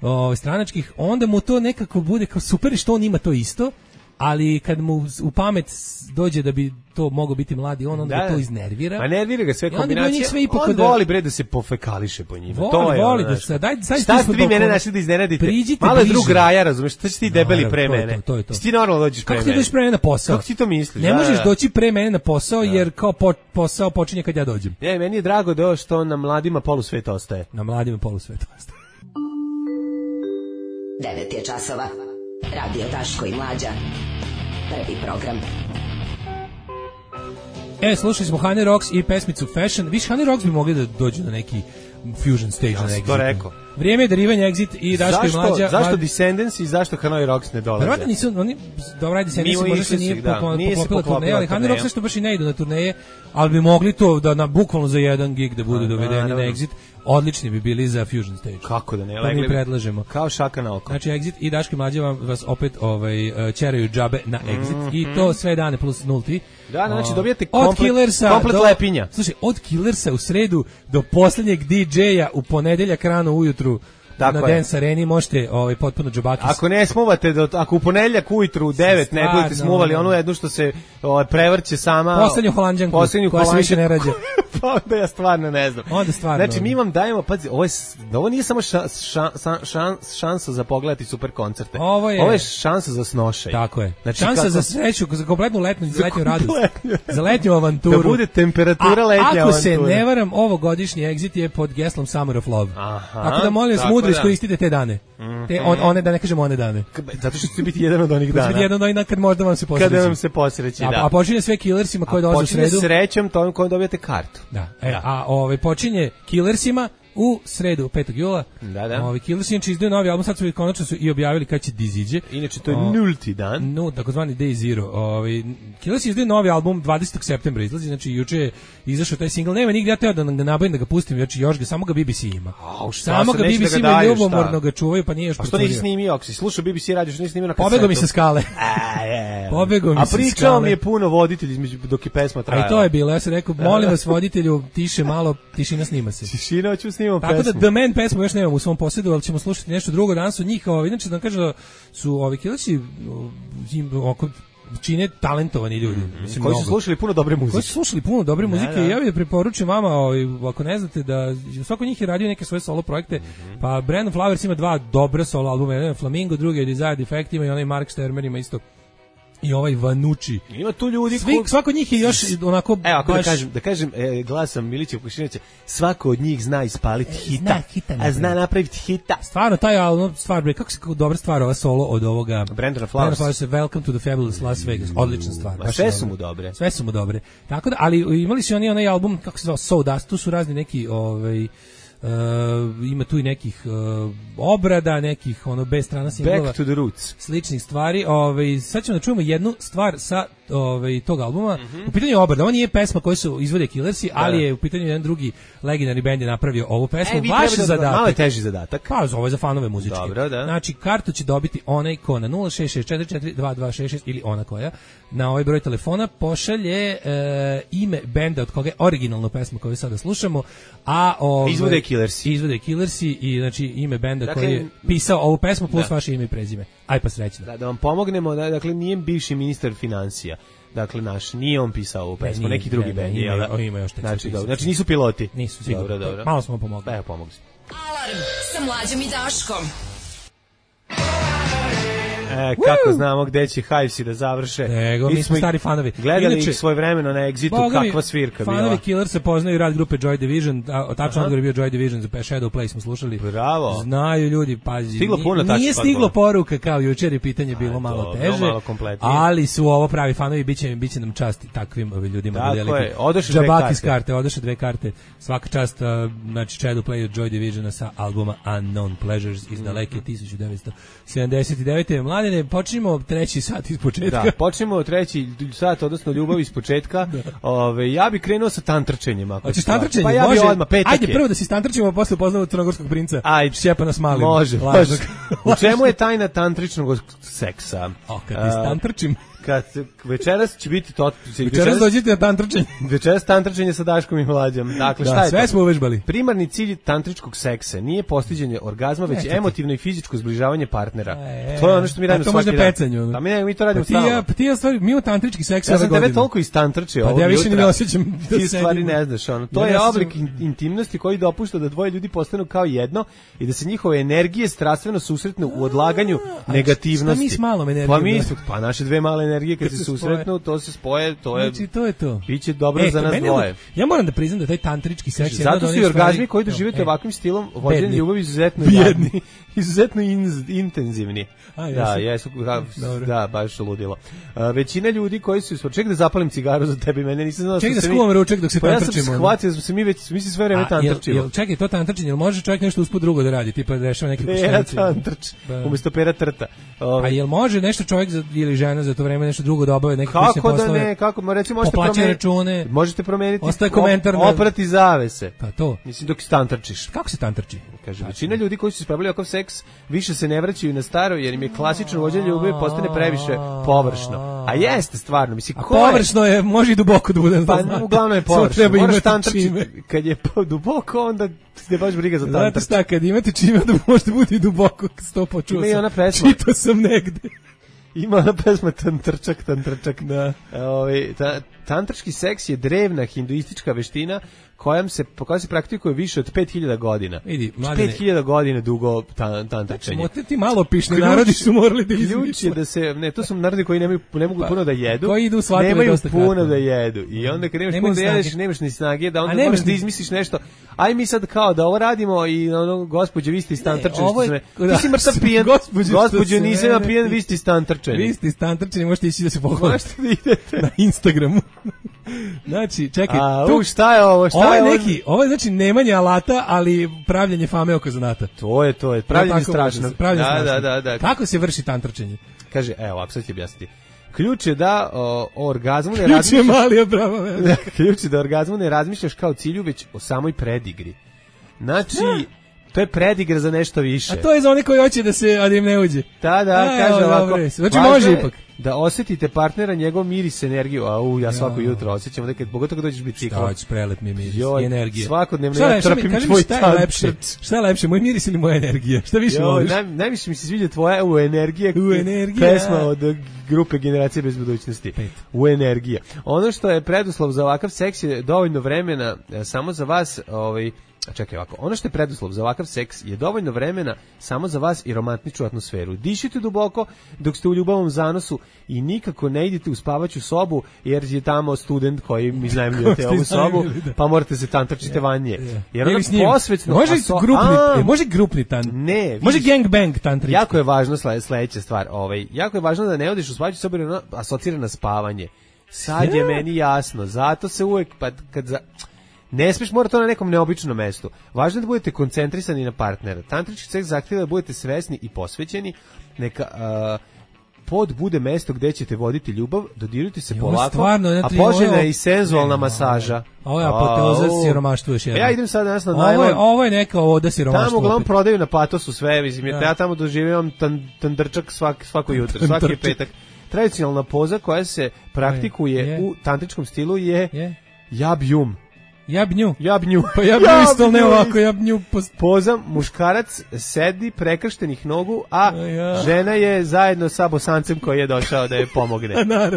o, stranačkih, onda mu to nekako bude kao super što on ima to isto. ali kad mu u pamet dođe da bi to mogao biti mladi on, onda da, ga to iznervira. Ma nervira ga sve kombinacije. Sve on da, voli bre da se pofekališe po njima. Voli, to je voli ono, da se daj sad šta ste vi mene našli da iznenadite? Malo je drug raja, razumeš? Šta si ti debeli pre mene? To je to. Ti normalno dođeš pre mene. Kako ti dođeš pre mene na posao? Kako ti to misliš? Ne možeš doći pre mene na posao jer kao posao počinje kad ja dođem. Ne, meni je drago da što na mladima polusvet ostaje. Na mladima polusvet ostaje. devet je časova. Radio Daško i Mlađa. Prvi program. E, slušali smo Honey Rocks i pesmicu Fashion. Viš, Honey Rocks bi mogli da dođu na neki fusion stage. Ja na Exit. To rekao. Vrijeme je darivanja Exit i Daško i Mlađa. Zašto Mlad... Descendants i zašto Honey Rocks ne dolaze? Verovatno nisu, oni, dobra Descendants možda se nije poklopila turneja, ali Honey Rocks nešto baš i ne idu na turneje, ali bi mogli to da na bukvalno za jedan gig da budu dovedeni na Exit. Odlični bi bili za fusion stage. Kako da ne? To mi predlažemo. Kao šaka na oko. Znači Exit i Daško i Mlađa vam vas opet ovaj ćeraju džabe na Exit mm -hmm. i to sve dane plus nulti. Da, znači dobijate komplet, komplet do, lepinja. Slušaj, od Killersa u sredu do poslednjeg D J-a u ponedeljak rano ujutru tako na Dance Areni možete ovaj potpuno džabakis. Ako ne smuvate do, ako u ponedeljak ujutru u devet ne budete smuvali onu jednu što se ovaj prevrće sama poslednju holanđanku poslednju koja se više ne rađa. Pa onda ja stvarno ne znam. Onda stvarno. Znači mi vam dajemo, pazi, ovo je ovo nije samo ša, ša, ša, šansa za pogledati super koncerte. Ovo je, ovo je šansa za snošaj. Tako je. Znači, šansa kako, za sreću, za kompletnu letnju, za letnju radost. Za letnju avanturu. Da bude temperatura letnja avantura. Ako se ne varam, ovogodišnji Exit je pod geslom Summer of Love. Aha, tako da molim vas mudro iskoristite te dane. Mm-hmm. Te on, one da ne kažemo one dane. Zato što će biti jedan od onih dana. Će biti jedan od onih dana kad možda vam se posreći. Kada vam se posreći, da. A, a počinje sve Killersima koji dolaze u sredu. A počinje srećom tom kojom dobijate kartu. Da. E, da. A ovaj počinje Killersima u sredu petog jula. Da, da. Ovi Killersi inače izdaju novi album, sad su konačno su i objavili kad će da iziđe. Inače to je o, nulti dan. No, takozvani Day Zero. Ovi Killersi izdaju novi album dvadesetog septembra izlazi, znači juče je izašao taj singl. Nema nigde ja teo da ga nabavim da ga pustim, znači još ga samo ga B B C ima. A, samo ga B B C ima ljubomorno ga čuvaju, pa nije još. A što nisi snimio, ako si slušao B B C radio, što nisi snimio na kasetu? Pobegao mi sa skale. A, je. Pobegao mi sa skale. A pričao mi je puno voditelj između dok je pesma trajala. A i to je bilo, ja sam rekao, molim vas voditelju, tiše malo, tišina snima se. Tišina, hoću snimam pesmu. Tako da The Man pesmu još nemam u svom posjedu, ali ćemo slušati nešto drugo. Danas od njih, ovaj, inače da vam kažem da su ovi Killersi oko čine talentovani ljudi. Mm, Mislim, koji su slušali puno dobre muzike. Koji su slušali puno dobre muzike da, da. I ja bih preporučujem vama, ovaj, ako ne znate da svako njih je radio neke svoje solo projekte, mm-hmm. pa Brandon Flowers ima dva dobra solo albuma, jedan je Flamingo, drugi je Desire Defect, ima i onaj Mark Stermer ima isto. I ovaj Vanucci. Ima tu ljudi Svi, ko... svako od njih je još onako evo, ako baš... da kažem, da kažem e, glasom Milića Vukašinovića, svako od njih zna ispaliti hita, zna hita a zna napraviti hita. Stvarno, taj album, stvar, kako se dobra stvar ova solo od ovoga Brandona Flowers. Flowers, Welcome to the Fabulous Las Vegas. Odlična stvar. Ma sve su mu dobre. Sve su mu dobre. Tako da, ali imali su oni onaj album, kako se zove, So Dust, tu su razni neki, ovaj, Uh, ima tu i nekih uh, obrada, nekih ono bez strana singlova. Back to the roots. Sličnih stvari. Ovaj sad ćemo da čujemo jednu stvar sa ovaj tog albuma. Mm-hmm. U pitanju je obrada. Ovo nije pesma koju su izvode Killersi, da, ali je u pitanju jedan drugi legendarni bend je napravio ovu pesmu. E, Vaš da, zadatak. Malo je teži zadatak. Pa ovo je za fanove muzičke. Dobro, da. Znači kartu će dobiti onaj ko na nula šest šest četiri četiri dva dva šest šest ili ona koja na ovaj broj telefona pošalje uh, ime benda od koga je originalna pesma koju sada slušamo, a ovaj izvode Killersi. Izvode Killersi i znači ime benda dakle, koji je pisao ovu pesmu plus da. Vaše ime i prezime. Aj pa srećno. Da, da vam pomognemo, da, dakle nije bivši ministar financija. Dakle naš nije on pisao ovu pesmu, neki drugi bend je, ima, ima još znači, dobro, znači nisu piloti. Nisu, sigurno. Dobro, dobro. Malo smo pomogli. Evo pomogli. Alarm sa Mlađom i Daškom. E, kako Woo! Znamo gde će Hivesi da završe. Nego, mi smo stari fanovi. Gledali Inače, ih svoje vremeno na Exitu, kakva svirka bila. Fanovi Killer se poznaju rad grupe Joy Division, a tačno odgovor je bio Joy Division za Shadow Play smo slušali. Bravo. Znaju ljudi, pazi. Stiglo puno tačno. Nije stiglo poruka kao jučer, pitanje bilo malo teže. Malo ali su ovo pravi fanovi, biće biće nam čast takvim ljudima da deliti. Odoše dve karte. karte, odoše dve karte. Svaka čast, znači Shadow Play od Joy Divisiona sa albuma Unknown Pleasures iz daleke tisuću devetsto sedamdeset devete. Mladene, počnimo treći sat iz početka. Da, počnemo treći sat, odnosno ljubav iz početka. Ove, ja bih krenuo sa tantrčenjem. Hoćeš tantrčenje? Pa ja bih odmah, petak Ajde, prvo da si tantrčimo, a posle upoznamo crnogorskog princa. Ajde. Šćepana Smalin. Može, može. U čemu je tajna tantričnog seksa? O, kad ti tantrčim. kad večeras će biti to večeras dođite na tantračenje. Večeras tantračenje sa Daškom i Mlađom. Dakle, da, šta je sve to? smo uvežbali. Primarni cilj tantričkog seksa nije postiđenje orgazma, već ne, emotivno i fizičko zbližavanje partnera. E, to je ono što mi radimo svaki dan. To može pecanju. Pa mi, mi to radimo pa ti ja, stalno. pa ti ja stvari, mi imamo tantrički seks ja ove godine. Ja sam tebe toliko istantračio ovog pa ja više jutra. ne osjećam da ti stvari ne znaš. Ono. To ja je ne oblik intimnosti koji dopušta da dvoje ljudi postanu kao jedno i da se njihove energije strastveno susretnu u odlaganju a, negativnosti. Šta mi s malom energijom? Pa mi su, pa naše dve male energije kad, kad se susretnu, to se spoje, to je. Znači to je to. Biće dobro e, za nas dvoje. Ja moram da priznam da taj tantrički seks je zato su i orgazmi koji doživite e, ovakvim stilom vođenja ljubavi izuzetno jadni, izuzetno in, intenzivni. A, da, jesu, da, da, baš ludilo. Uh, većina ljudi koji su, ček da zapalim cigaru za tebe, mene nisam znao. Ček da skuvam ručak dok se pa tantrčimo. Ja sam shvatio da smo se mi već, mi se sve vreme tantrčimo. Jel, čekaj, to tantrčenje, jel može čovjek nešto usput drugo da radi, tipa da rešava neke pera tantrč, umjesto pera trta. Ove. A jel može nešto čovjek za, ili žena za to vreme nešto drugo da obave neke kućne poslove? Kako da ne, kako, recimo možete promeniti račune, možete promeniti ostaje komentar op, oprati zavese. Pa to. Mislim dok se tantrčiš. Kako se tantrči? Kaže, većina ljudi koji su ispravili ovakav seks više se ne vraćaju na staro jer im je klasično vođenje ljubavi postane previše površno. A jeste stvarno, mislim, ko je? Površno je, može i duboko da bude. Pa uglavnom je površno. Moraš tantrčiti. Kad je duboko, onda ti baš briga za tantrč. Znate šta, kad imate čime, da možete biti duboko, sto počuo sam. Ima i ona pesma. Čitao sam negde. Ima ona pesma tantrčak, tantrčak. Da. Ovi, ta, tantrčki seks je drevna hinduistička veština kojom se, koja se praktikuje više od pet hiljada godina. Vidi, mladine. pet hiljada godina dugo tan, tantračenje. Znači, ti malo pišni narodi su morali da izmišljaju. Ključ je da se, ne, to su narodi koji nemaju, ne mogu pa, puno da jedu. Koji idu shvatili nemaju dosta puno kratko. da jedu. I onda kad nemaš puno da jedeš, nemaš ni snage, da onda moraš ni... da izmisliš nešto. Aj mi sad kao da ovo radimo i ono, gospođo, vi ste istantrčeni. Ti si mrtav pijen. Gospođo, nisam ja pijen, vi ste istantrčeni. Vi ste istantrčeni, možete ići da se pohvalite. Možete da idete. Na Instagramu. Znači, čekaj, A, tu šta je ovo? Šta ovo je je neki, ovo je znači nemanje alata, ali pravljenje fame oko zanata. To je, to je, pravljenje ja, strašno. Pravljenje da, strašno. Da, da, da. Kako se vrši tantrčenje? Kaže, evo, ovako sad ću objasniti. Ključ je da o, o orgazmu ne razmišljaš... Ključ je mali obrava. Ključ je da orgazmu ne razmišljaš kao cilju, već o samoj predigri. Znači... Ja. To je predigra za nešto više. A to je za one koji hoće da se, a da im ne uđe. Da, da, a, kaže evo, ovako. Znači može ipak. Da osjetite partnera, njegov miris, energiju. A u, ja svako ja. jutro osjećam, da kad, pogotovo kad dođeš biciklom. Šta hoćeš, prelet mi miris Joj, i energija. Svakodnevno ja trpim tvoj tantrč. Šta je lepše? Šta je lepše, moj miris ili moja energija? Šta više Joj, voliš? Naj, najviše mi se sviđa tvoja u energija. U energija. Pesma od grupe Generacije bez budućnosti. Pet. U energija. Ono što je preduslov za ovakav seks je dovoljno vremena samo za vas, ovaj, čekaj ovako, ono što je preduslov za ovakav seks je dovoljno vremena samo za vas i romantičnu atmosferu. Dišite duboko dok ste u ljubavnom zanosu i nikako ne idite u spavaću sobu jer je tamo student koji mi iznajmljujete ovu sobu, pa morate se tantračite vanje. Jer ono posvećno... Može so, grupni, a, e, može grupni tan... Ne, vidiš, može gangbang tantrički. Jako je važno sledeća stvar. Ovaj, jako je važno da ne odiš u spavaću sobu jer ono asocira na spavanje. Sad je meni jasno. Zato se uvek... Pa, kad za... Ne smiješ, mora to na nekom neobičnom mestu. Važno je da budete koncentrisani na partnera. Tantrički seks zahtjeva da budete svesni i posvećeni. Neka uh, pod bude mesto gdje ćete voditi ljubav, dodirujte se polako, stvarno, a poželjna je i senzualna masaža. Ovo je apoteoza siromaštva još jedno. Ja idem sad danas na najlon. Ovo, ovo je neka oda siromaštva. Tamo uglavnom prodaju na Patosu sve, mislim, ja, ja tamo doživljavam tan, tandrčak svak, svako jutro, svaki petak. Tradicionalna poza koja se praktikuje je. u tantričkom stilu je, je. jab-jum. Jabnju. Jabnju. Pa jabnju isto ne ovako, jabnju. Post... Poza, muškarac sedi prekrštenih nogu, a ja. žena je zajedno sa bosancem koji je došao da je pomogne.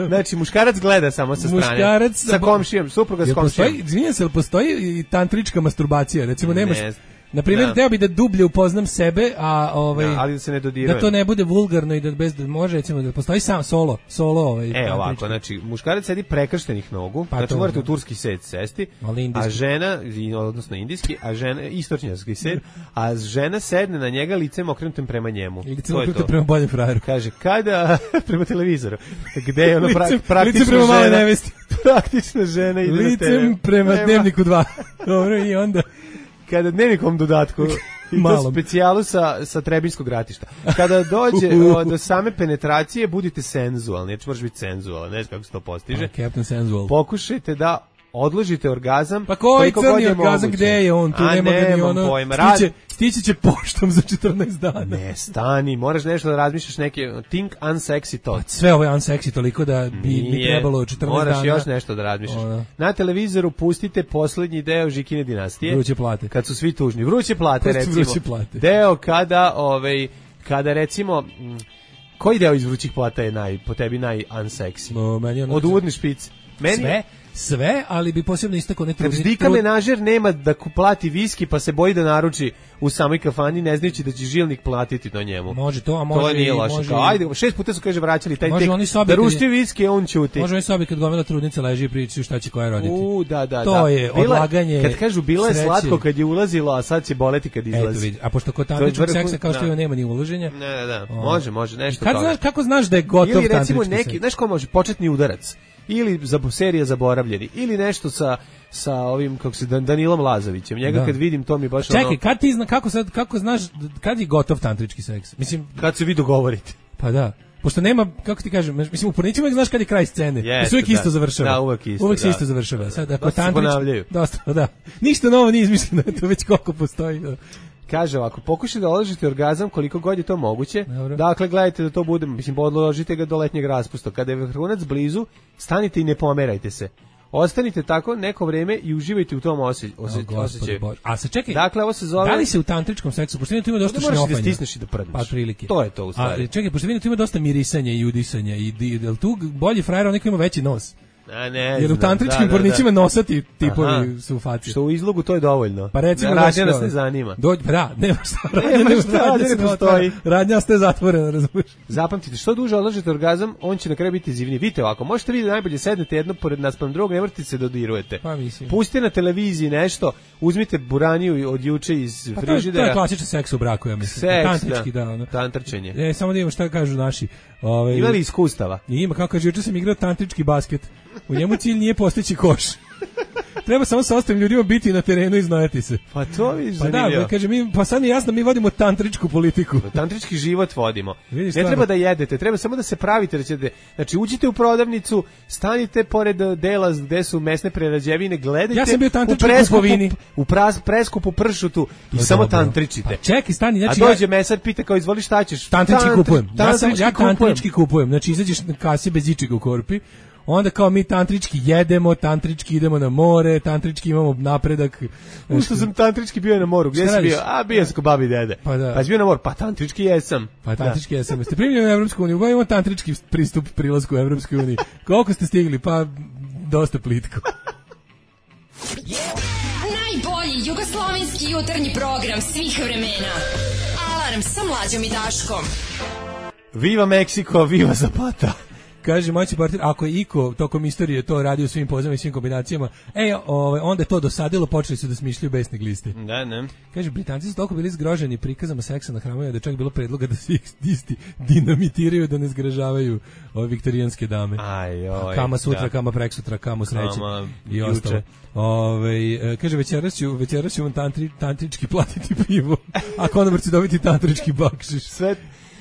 Znači, muškarac gleda samo sa strane. Muškarac sa komšijom, supruga s komšijom. Izvinjam se, ali postoji i tantrička masturbacija? Recimo, nemaš... Ne. Na primjer, teo bi da dublje upoznam sebe, a ovaj da, ali da se ne dodirujem. Da to ne bude vulgarno i da bez da može recimo da postoji sam solo, solo ovaj. E, ovako, znači muškarac sedi prekrštenih nogu, pa znači to, morate u turski set sesti, a žena, odnosno indijski, a žena istočnjački set, a žena sedne na njega licem okrenutim prema njemu. To je to. Prema boljem frajeru. Kaže, kada prema televizoru, gde je ono pra, praktično licem prema male nevesti. Praktična žena ide licem na te ve. Prema Nema. Dnevniku dva. Dobro, i onda kada dnevnikom dodatku i to specijalu sa, sa Trebinjskog ratišta. Kada dođe o, do same penetracije, budite senzualni, neće moraš biti senzualan, ne znam kako se to postiže. A, Captain Sensual. Pokušajte da odložite orgazam. Pa koji crni orgazam, gde je on? Tu A, nema ga ni ono. Pojma, stiće, stići će poštom za četrnaest dana. Ne, stani, moraš nešto da razmišljaš neke think unsexy to. Pa sve ovo je unsexy toliko da bi, bi trebalo četrnaest moraš dana. Moraš još nešto da razmišljaš. Ona. Na televizoru pustite poslednji deo Žikine dinastije. Vruće plate. Kad su svi tužni. Vruće plate, recimo. Vruće plate. Deo kada, ovaj, kada recimo... Koji deo iz vrućih plata je naj, po tebi naj unsexy? No, meni ono... Od uvodne špice. Meni... Sve, sve, ali bi posebno istakao ne trudni. Kad Dika menažer nema da plati viski, pa se boji da naruči u samoj kafani, ne znajući da će žilnik platiti na njemu. Može to, a može to nije i... loše. Može Kao, ajde, šest puta su, kaže, vraćali taj tek. Da rušti viski, on ćuti. Može oni sobi kad gomila trudnica leži i pričaju šta će koja roditi. U, da, da, to da. je bila, odlaganje. Kad kažu, bila je sreće. Slatko kad je ulazilo, a sad će boleti kad izlazi. Eto, a pošto kod tantričnog seksa kao što da. nema ni ulaženja. Ne, ne, da. Može, može, nešto kad znaš, kako znaš da je gotov ili recimo tantrički neki, znaš ko može, početni udarac. Ili za serija Zaboravljeni, ili nešto sa sa ovim kako se Danilom Lazovićem. Njega da. kad vidim to mi baš čekaj, ono... kad ti zna kako sad kako znaš kad je gotov tantrički seks? Mislim kad se vi dogovorite. Pa da. Pošto nema, kako ti kažem, mislim u porničima znaš kad je kraj scene. Yes, sve uvijek isto završava. Da, uvijek isto. Uvijek se da. isto završava. Sad ako dosta tantrički dosta, da. Ništa novo nije izmišljeno, to već koliko postoji. Da. Kaže ovako, pokušajte da odložite orgazam koliko god je to moguće. Dobro. Dakle, gledajte da to bude, mislim, odložite ga do letnjeg raspusta. Kada je vrhunac blizu, stanite i ne pomerajte se. Ostanite tako neko vreme i uživajte u tom osje, osje, oh, osjećaju. A se čekaj, dakle, ovo se zove... Da li se u tantričkom seksu, pošto tu ima dosta šnjopanja. Moraš da stisneš i da prdneš. Pa prilike. To je to u stvari. A čekaj, pošto tu ima dosta mirisanja i udisanja. I, je li tu bolji frajer onaj koji ima veći nos? A ne, jer u tantričkim da, pornićima da, da. nosati tipovi su u faci. Što u izlogu to je dovoljno. Pa recimo radnja nas ne zanima. Dođi, da, nema šta. Radnja, nema šta, radnja ne postoji. Radnja ste zatvorena, razumiješ? Zapamtite, što duže odložite orgazam, on će na kraju biti zivniji. Vidite ovako, možete vi da najbolje sednete jedno pored nas pa drugog, ne morate se dodirujete. Pa mislim. Pustite na televiziji nešto, uzmite buraniju od juče iz pa frižidera. To je klasičan seks u braku, ja mislim. Seks, tantrički, da. da ono. Tantrčenje. E, samo da imamo šta kažu naši. Ove, ima li iskustava? Ima, kako kaže, juče sam igrao tantrički basket. U njemu cilj nije postići koš. Treba samo sa ostalim ljudima biti na terenu i znojati se. Pa to vi pa da, kaže, mi, pa sad mi je jasno, mi vodimo tantričku politiku. Tantrički život vodimo. Vidiš, ne treba da jedete, treba samo da se pravite. Da ćete, znači, uđite u prodavnicu, stanite pored dela gde su mesne prerađevine, gledajte ja sam bio u preskupu, u pras, preskupu pršutu i no, samo dobro. tantričite. Pa čekaj, stani. Znači, a dođe ja, mesar, pita kao, izvoli šta ćeš? Tantrički Tantri, kupujem. Ja, sam, ja kupujem. tantrički kupujem. Znači, izađeš na kasi bez ičega u korpi, onda kao mi tantrički jedemo, tantrički idemo na more, tantrički imamo napredak. Ušto sam tantrički bio na moru, gdje si bio? A, bio sam kod babi i dede. Pa da. Pa si bio na moru, pa tantrički jesam. Pa tantrički da. jesam. Ste primljeni u Evropsku uniju, imamo tantrički pristup prilasku u Evropskoj uniji. Koliko ste stigli? Pa dosta plitko. Najbolji jugoslovenski jutarnji program svih vremena. Alarm sa Mlađom i Daškom. Viva Meksiko, viva Zapata. Kaže moći partner, ako je iko tokom istorije to radio svim pozama i svim kombinacijama, e, ovaj, onda je to dosadilo, počeli su da smišljaju besne gliste. Da, ne. Kaže, Britanci su toliko bili zgroženi prikazama seksa na hramovima da je čak bilo predloga da se ih isti dinamitiraju, da ne zgražavaju ove viktorijanske dame. Aj, oj, kama sutra, da. kama preksutra, kama sreće i ostalo. Ove, kaže, večeras ću, večeras ću vam tantri, tantrički platiti pivo, a konobar će dobiti tantrički bakšiš. Sve...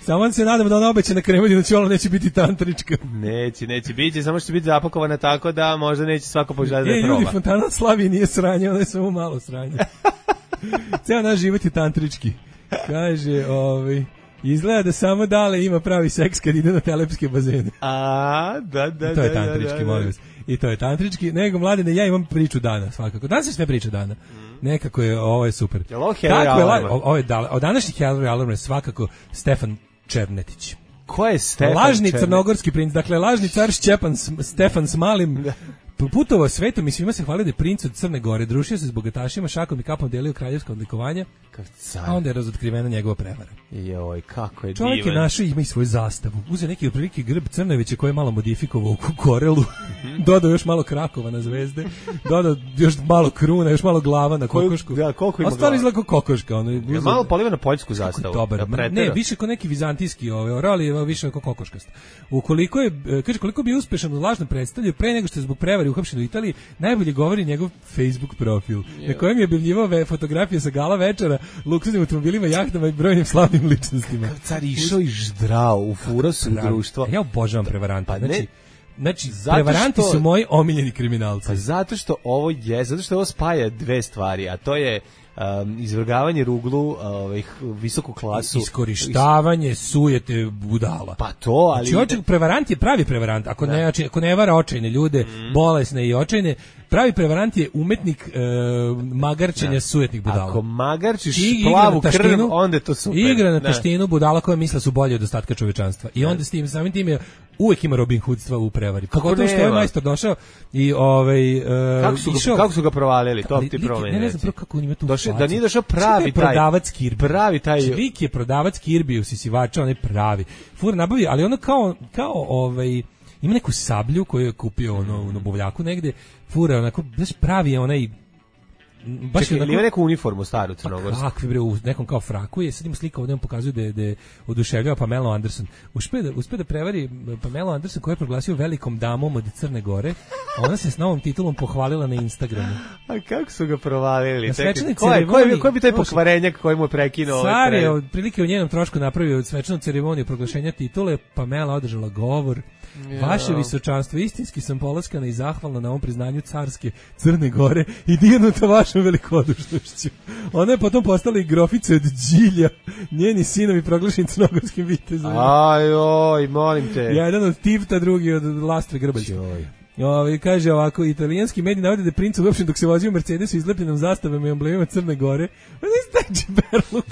Samo se nadamo da ona obećana kremelina čola neće biti tantrička. Neće, neće biti, samo što će biti zapakovana tako da možda neće svako poželjati da je proba. E, ljudi, fontana od Slavije nije sranje, ona je samo malo sranje. Ceo naš život je tantrički. Kaže, ovaj, izgleda da samo Dale ima pravi seks kad ide na telepske bazene. A, da, da, I to je da, tantrički, da, da, molim vas. I to je tantrički. Nego, Mladene, ja imam priču dana, svakako. Danas je sve priča dana. Mm. Nekako je, ovo je super. Je ovo Harry Alarm? Ovo je, od današnji Harry Alarm je svakako Stefan Černetić. Ko je Stefan Lažni Černetić? crnogorski princ, dakle lažni car Šćepan Stefan s malim putovao svetom i svima se hvali da je princ od Crne Gore, družio se s bogatašima, šakom i kapom delio kraljevska odlikovanja, a onda je razotkrivena njegova prevara. Joj, kako je divan. Čovjek je našao, ima i svoju zastavu. Uzeo neki otprilike grb Crnovića koji je malo modifikovao u korelu, dodao još malo krakova na zvezde, dodao još malo kruna, još malo glava na kokošku. Da, koliko ima glava? Ostalo izgleda kao kokoška. Ono, je malo poliva na poljsku zastavu. Dobar, da ne, više kao neki vizantijski ovaj, orali, više kao kokoškast. Ukoliko je, kaže, koliko bi uspešan u lažnom predstavlju, pre nego što je zbog prevari uhapšen u Italiji, najbolje govori njegov Facebook profil, yeah. na kojem je objavljivao fotografije sa gala večera, luksuznim automobilima, jahtama i brojnim slavnim ličnostima. Car išao i ždrao u furasu društvo. Ja obožavam prevarante. Pa znači, ne, znači, zato prevaranti što, su moji omiljeni kriminalci. Pa zato što ovo je, zato što ovo spaja dve stvari, a to je um, izvrgavanje ruglu ovih visoku klasu, iskorištavanje sujete budala. Pa to, ali znači, prevarant je pravi prevarant, ako ne, ako ne vara očajne ljude, mm. bolesne i očajne, pravi prevarant je umetnik e, magarčenja da. sujetnih budala. Ako magarčiš plavu krv, onda je to super. Igra na taštinu budala koja misle su bolje od ostatka čovečanstva. I onda s tim samim tim je uvek ima Robin Hoodstva u prevari. Pogotovo što je majstor došao i ovaj uh, kako su išao, ga, kako su ga provalili, to ti promeni. Ne, ne znam kako on ima tu. Došao da nije došao pravi taj prodavac Kirby. Pravi taj Lik je prodavac Kirby, usisivača, on je pravi. Fur nabavi, ali ono kao kao ovaj ima neku sablju koju je kupio ono u Nobovljaku negde. Fura onako baš pravi je onaj baš Čekaj, onako, ima neku uniformu staru crnogorsku. Pa kakvi bre, u nekom kao fraku je, sad ima slika ovdje, on pokazuje da je, da je oduševljava Pamela Anderson. Uspe da, uspe da prevari Pamela Anderson koja je proglasio velikom damom od Crne Gore, a ona se s novom titulom pohvalila na Instagramu. A kako su ga provalili? Na svečanoj ceremoniji. Ko je, ko je bi taj pokvarenjak koji mu je prekinuo? Car je od prilike u njenom trošku napravio svečanu ceremoniju proglašenja titule, Pamela održala govor. Ja. Vaše visočanstvo, istinski sam polaskana i zahvalna na ovom priznanju carske Crne Gore i dirnuta vašom velikodušnošću. Ona je potom postala i grofica od Đilja, njeni sinovi proglašeni crnogorskim vitezom. Ajoj, molim te. Jedan od Tifta, drugi od Lastre Grbaljca. Ovi, kaže ovako, italijanski mediji navode da je princ uopšten dok se vozio u Mercedesu izlepljenom zastavama i emblemima Crne Gore. Pa ne stači berluk.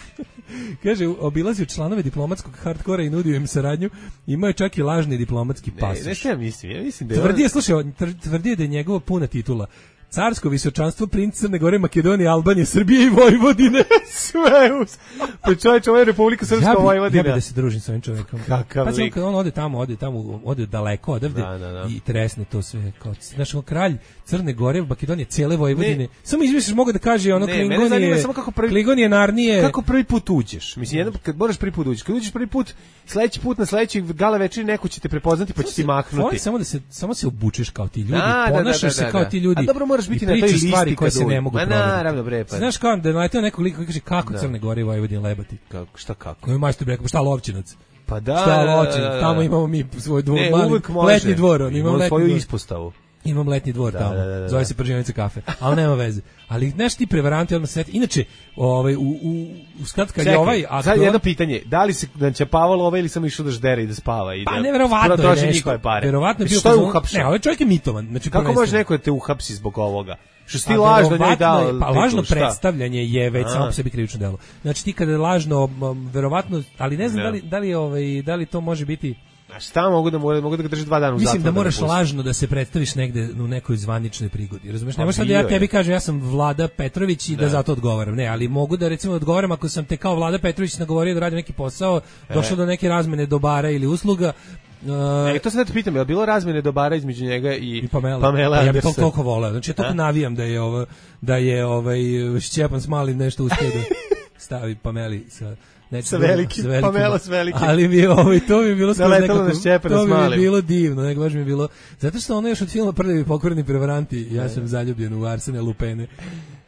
Kaže, obilazio članove diplomatskog hardkora i nudio im saradnju, imao je čak i lažni diplomatski pasoš. Ne, ne što ja mislim, ja mislim da je... Tvrdi je, slušaj, tvrdi je da je njegova puna titula carsko visočanstvo, princ Crne Gore, Makedonije, Albanije, Srbije i Vojvodine. Sve uz... Pa čovječ, ovo je Republika Srpska ja bi, Vojvodina. Ja bi da se družim sa ovim čovjekom. Kakav pa lik. On, on ode tamo, ode tamo, ode daleko odavde da, da, da. i tresne to sve. Kao, znaš, kralj Crne Gore, Makedonije, cijele Vojvodine. Ne. Samo izmisliš, mogu da kaže ono ne, Klingonije, samo kako prvi, Klingonije, Narnije. Kako prvi put uđeš? Mislim, jedno, kad moraš prvi put uđeš, kad uđeš prvi put, sledeći put na sledeći gala večeri neko će te prepoznati pa će ti mahnuti. Samo da se, samo se obučeš kao ti ljudi, ponašaš se kao ti ljudi. A dobro, moraš biti na toj listi koje se ne mogu provjeriti. Naravno, bre, pa. Znaš kao da naleteo nekog lika koji kaže kako da. Crne Gore i Vojvodina lebati. Kako, šta kako? Koji majstor rekao, šta Lovčinac? Pa da. Šta Lovčinac? Da, da, da. Tamo imamo mi svoj dvor, ne, mali letnji dvor, on imamo letnji svoju dvor. ispostavu. Imam letnji dvor da, tamo. Da, da, da. Zove se Pržionica kafe. Ali nema veze. Ali znaš ti prevaranti odmah sveti. Inače, ovaj u u u skratka je ovaj a sad jedno pitanje, da li se načapavalo ovaj ili samo išao da ždere i da spava i da. Pa neverovatno da je nešto. Verovatno je bio što je uhapšen. Ne, ovaj čovjek je mitoman. Znači kako može neko da te uhapsi zbog ovoga? Što si ti lažno njoj dao? Pa lažno predstavljanje je već samo po sebi krivično delo. Znači ti kada je lažno, verovatno, ali ne znam da li da li ovaj da li to može biti. A šta mogu da mogu da ga drži dva dana u zatvoru? Mislim da moraš da lažno da se predstaviš negde u nekoj zvaničnoj prigodi. Razumeš? Ne možeš da ja tebi kažem ja sam Vlada Petrović i da, da zato odgovaram. Ne, ali mogu da recimo odgovaram ako sam te kao Vlada Petrović nagovorio da radim neki posao, e. došlo do neke razmene dobara ili usluga. Uh, e, to se da te pitam, je li bilo razmene dobara između njega i, i Pamela? Pamela ja bih to toliko voleo. Znači ja toliko navijam da je ovo da je ovaj Šćepan Smalin nešto uspio da stavi Pameli sa Neću sa velikim, Pamela s velikim. Ali mi ovaj to mi je bilo skroz nekako, to mi je bilo divno, nego baš mi je bilo, zato što ono još od filma Prljavi pokvareni prevaranti, ja sam zaljubljen u Arsena Lupene.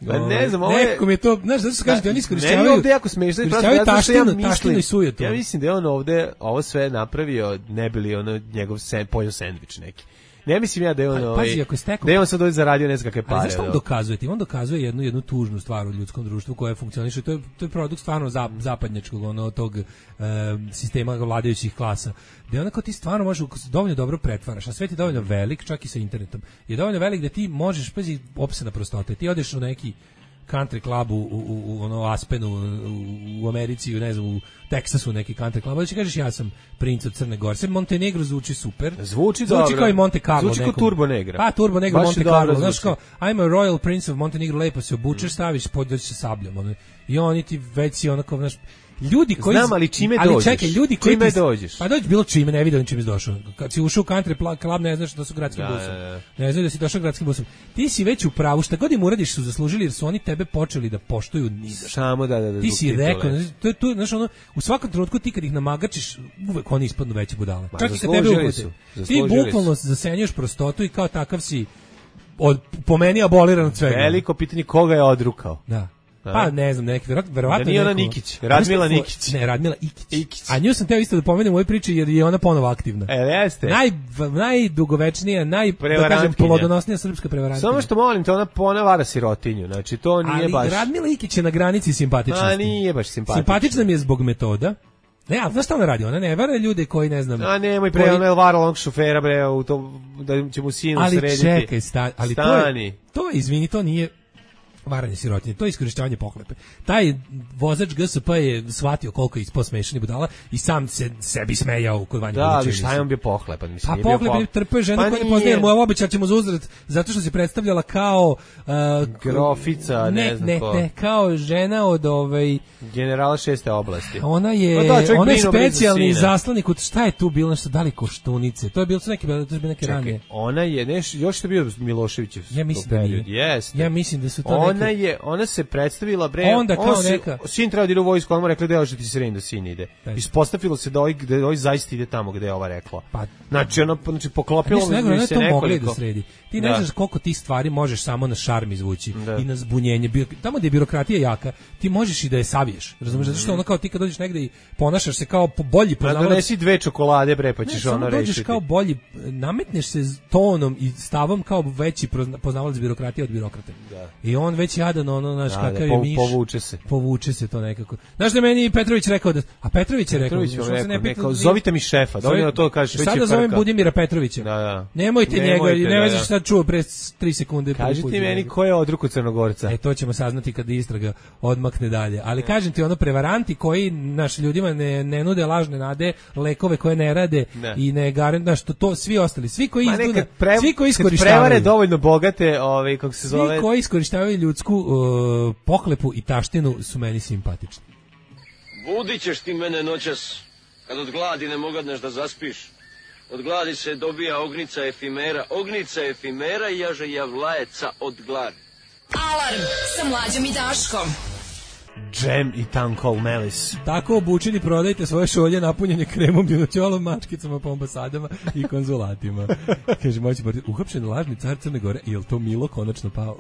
Pa ne znam, ovo je... Nekako mi je to, znaš, zato što kažete, oni iskorišćavaju... Ne, ovdje jako smiješno, iskorišćavaju taštinu, taštinu i sujetu. Ja mislim da je on ovdje ovo sve napravio, ne bili ono njegov sen, pojeo sendvič neki. Ne mislim ja da je on, ovaj, pazi, ako stekao, da je on sad ovdje zaradio ne znam kakve pare. Ali zašto on dokazuje? On dokazuje jednu, jednu tužnu stvar u ljudskom društvu koja funkcioniše. To je, to je produkt stvarno zap, zapadnjačkog ono, tog e, sistema vladajućih klasa. Da je onako ti stvarno možeš dovoljno dobro pretvaraš. A svet je dovoljno velik, čak i sa internetom. Je dovoljno velik da ti možeš, pazi, opsena prostote. Ti odeš u neki country club u, u, u ono Aspenu u, u Americi, ne znam, u Teksasu neki country club, da će kažeš ja sam princ od Crne Gore. Sve Montenegro zvuči super. Zvuči, zvuči kao i Monte Carlo. Zvuči kao Turbo Negra. Pa, Turbo Negra, Monte Carlo. Znaš kao, I'm a royal prince of Montenegro, lepo se obučeš, staviš, pođeš sa sabljom. Ono. I oni ti već si onako, znaš, ljudi koji znam, ali čime ali dođeš? Čekaj, ljudi koji čime ti, dođeš? Pa dođeš bilo čime, ne vidim čime si došao. Kad si ušao u country club, ne znaš da su gradskim da, busom. Da, da. Ne znaš da si došao gradskim busom. Ti si već u pravu, šta god im uradiš su zaslužili jer su oni tebe počeli da poštuju nizašto. Samo da, da, da. Ti si rekao, to je to, znaš ono, u svakom trenutku ti kad ih namagačiš, uvek oni ispadnu veće budale. Čak i kad tebe uhvate. Ti bukvalno zasenjuješ prostotu i kao takav si od po meni aboliran od svega. Veliko pitanje koga je odrukao. Da. Pa ne znam, neki verovatno. Da nije ona Nikić, Radmila Nikić. Ne, Radmila Ikić. Ikić. A nju sam teo isto da pomenem u ovoj priči jer je ona ponovo aktivna. E, jeste. Naj, najdugovečnija, naj, da kažem, plodonosnija srpska prevarantkinja. Samo što molim te, ona ponavara sirotinju, znači to nije ali baš... Ali Radmila Ikić je na granici simpatičnosti. A nije baš simpatična. Simpatična mi je zbog metoda. Ne, a znaš šta ona radi? Ona ne vara ljude koji ne znam... A nemoj pre, koji... ona je varala onog šofera, bre, u to, da će mu sinu ali srediti. Ali čekaj, sta, ali stani. To je, to je, izvini, to nije varanje sirotinje, to je iskorištavanje pohlepe. Taj vozač G S P je shvatio koliko je ispao smešan i budala i sam se sebi smejao kod Vanje da, Budućina. Da, ali šta je on bio pohlepan? Mislim, pa pohlepan po... je trpeo žena pa koja ne poznaje, mu je obećat ćemo za uzvrat zato što se predstavljala kao... Uh, grofica, ne, ne znam ne, ko. Ne, kao žena od ovaj... generala šeste oblasti. Ona je, da, ona je specijalni zaslanik od šta je tu bilo, nešto da li Koštunice, to je bilo neke, to je bilo neke Čekaj, ranije. Ona je, neš, još je bio Miloševićev. Ja mislim da nije. Jeste. Ja mislim da su to ona neke... je, ona se predstavila, bre, onda kao si, neka... sin treba da ide u vojsku, on mu rekli da ti se da sin ide. Ispostavilo se da ovaj, da ovaj zaista ide tamo gde je ova rekla. Pa, znači, ono, znači, poklopilo mi nego, se nekoliko. Da sredi. Ti ne da. znaš koliko ti stvari možeš samo na šarm izvući da. i na zbunjenje. Tamo gde je birokratija jaka, ti možeš i da je saviješ. Razumeš? Mm. Zato što ono kao ti kad dođeš negde i ponašaš se kao bolji poznavalac. Da donesi dve čokolade, bre, pa ćeš ne, ono rešiti. Dođeš kao bolji, nametneš se tonom i stavom kao veći poznavalac birokratije od birokrate. Da. I on već jadan, ono, znaš, da, kakav da, je miš. Povuče se. Povuče se to nekako. Znaš da meni Petrović rekao da... A Petrović je rekao... Petrović rekao, rekao, rekao zovite mi šefa, da on to kaže. Sada zovem Budimira Petrovića. Da, da. Nemojte, Nemojte njega, ne veš šta čuo pre tri sekunde. Kažite meni ko je odruku Crnogorca. E, to ćemo saznati kad istraga odmakne dalje. Ali ne. Kažem ti, ono, prevaranti koji naš ljudima ne, ne nude lažne nade, lekove koje ne rade ne. I ne garant, znaš, to, to svi ostali, svi koji izduna, pre, svi koji iskorištavaju, prevare dovoljno bogate, ovaj, kako se zove, svi koji iskorištavaju ljudsku uh, pohlepu i taštinu su meni simpatični. Budit ćeš ti mene noćas, kad od gladi ne mogadneš da zaspiš. Od gladi se dobija ognica efimera, ognica efimera i jaže javlajeca od gladi. Alarm sa Mlađom i Daškom. Džem i tankol melis. Tako obučeni prodajte svoje šolje napunjene kremom, dinoćolom, mačkicama po ambasadama i konzulatima. Kaže, moći partij, uhapšen lažni car Crne Gore, je li to Milo konačno pao?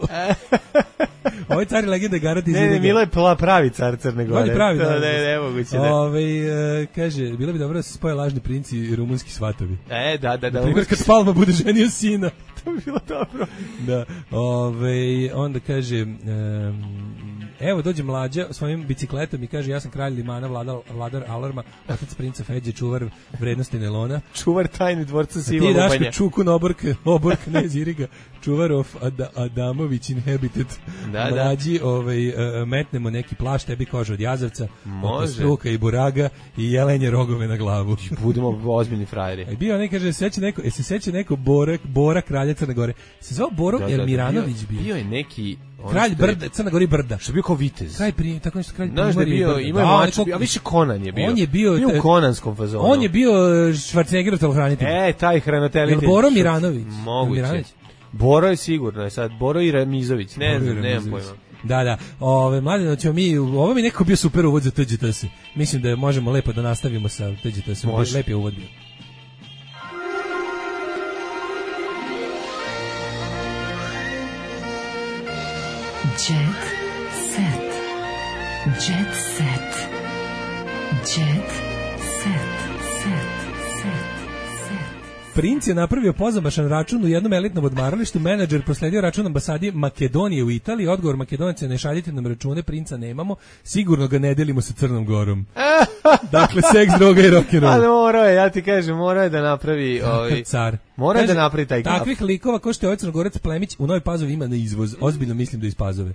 Ovaj car je legenda garant iz Ne, ne, Milo je pravi car Crne Gore. On je pravi, da. Ne, ne, moguće, ne. Ove, uh, kaže, bilo bi dobro da se spoje lažni princi i rumunski svatovi. E, da, da, da. Primjer, kad Palma bude ženio sina. To bi bilo dobro. Da, ove, onda kaže... Um, evo dođe Mlađa svojim bicikletom i kaže ja sam kralj limana, vladar, vladar alarma, otac princa Feđe, čuvar vrednosti nelona, čuvar tajni dvorca Siva Lubanja. Ti daš čukun obork, obork knez Iriga, čuvar of Ad, Adamović inhabited. Da, Mlađi, da. ovaj, uh, metnemo neki plašt, tebi kožu od jazavca, oko struka i buraga i jelenje rogove na glavu. Budemo ozbiljni frajeri. I bio, ne kaže, seća neko, e se seća neko Bora, Bora kralja Crne Gore. Se zvao Boro da, Elmiranović da, bio. Bio je neki kralj Brda, Crna Gora Brda. Što je bio kao vitez. Kralj prije, tako nešto kralj Znaš da je bio, ima je mač, a više Konan je bio. On je bio, bio u konanskom fazonu. On je bio Schwarzeneggerov telohranitelj. E, taj hranitelj. Boro Miranović. Moguće. Miranović. Boro je sigurno, je sad Boro i Ramizović. Ne znam, nemam pojma. Da, da. Ove mladeno ćemo mi, ovo mi neko bio super uvod za T G T S. Mislim da možemo lepo da nastavimo sa T G T S-om. Lep je uvod bio. Jet set. Jet set. Jet set. Set. Princ je napravio pozamašan račun u jednom elitnom odmaralištu, menadžer prosledio račun ambasadi Makedonije u Italiji, odgovor Makedonaca, ne šaljite nam račune, princa nemamo, sigurno ga ne delimo sa Crnom Gorom. Dakle, seks, droga i rock'n'roll. Ali morao je, ja ti kažem, morao je da napravi ovaj, car. Mora je da napravi taj gaf. Takvih likova ko što je ovaj Crnogorac Plemić u Novoj Pazovi ima na izvoz. Ozbiljno mislim da iz Pazove.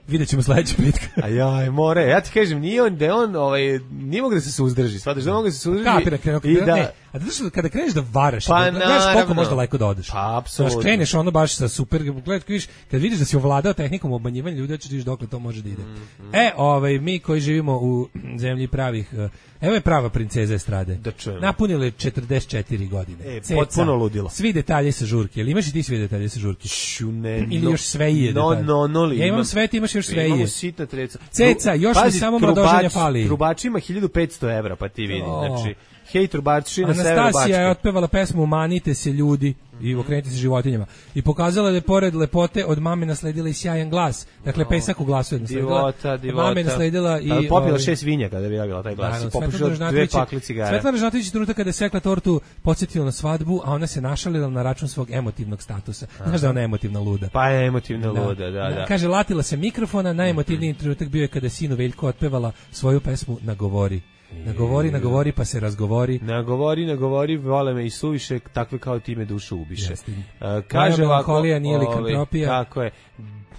Vidjet ćemo sledeća petka. A jaj, more, ja ti kažem, nije on, da on, ovaj, nije mogu da se suzdrži, shvataš da mogu da se suzdrži. Kapira, krenu, krenu, i da... ne, a da što kada kreneš da varaš, pa, da gledaš koliko možda lako da odeš. Pa, apsolutno. Znaš, kreneš ono baš sa super, gledaj, vidiš, kad vidiš da si ovladao tehnikom obmanjivanja ljudi, hoćeš vidiš dokle to može da ide. Mm -hmm. E, ovaj, mi koji živimo u zemlji pravih, evo je prava princeza estrade. Da čujem. Napunile četrdeset četiri godine. E, Ceca, potpuno ludilo. Svi detalji sa žurke. Ili imaš i ti svi detalje sa žurke? Šu, ne, Ili no, još sve je no, detalj. no, no, li, ja imam imam, sve, ti imaš još sve je. Imamo sitna treca. Ceca, još Pazi, mi samo mladoženja fali. Trubač ima hiljadu petsto evra, pa ti vidi. Oh. Znači, hej trubači na severu Bačke. Anastasija je otpevala pesmu Manite se ljudi i okrenite se životinjama i pokazala da je pored lepote od mame nasledila i sjajan glas. Dakle, pesak u glasu je nasledila. Divota, divota. Mame nasledila i... Ali popila šest vinja kada bi javila taj glas. I popušila dve pakli cigara. Svetlana Žnatović trenutak kada je sekla tortu podsjetila na svadbu, a ona se našalila na račun svog emotivnog statusa. Znaš da ona je emotivna luda. Pa je emotivna luda, da, da. Kaže, latila se mikrofona, najemotivniji trenutak bio je kada sinu Veljko otpevala svoju pesmu Nagovori. Nagovori, nagovori, pa se razgovori. Nagovori, nagovori, vole me i suviše, takve kao ti me dušu ubiše. Uh, kaže ovako, nije likantropija. Tako je.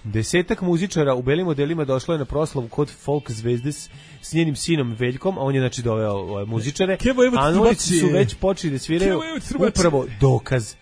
Desetak muzičara u belim modelima došlo je na proslavu kod folk zvezde s, s njenim sinom Veljkom, a on je znači doveo ove muzičare, a oni su već počeli da sviraju upravo dokaz.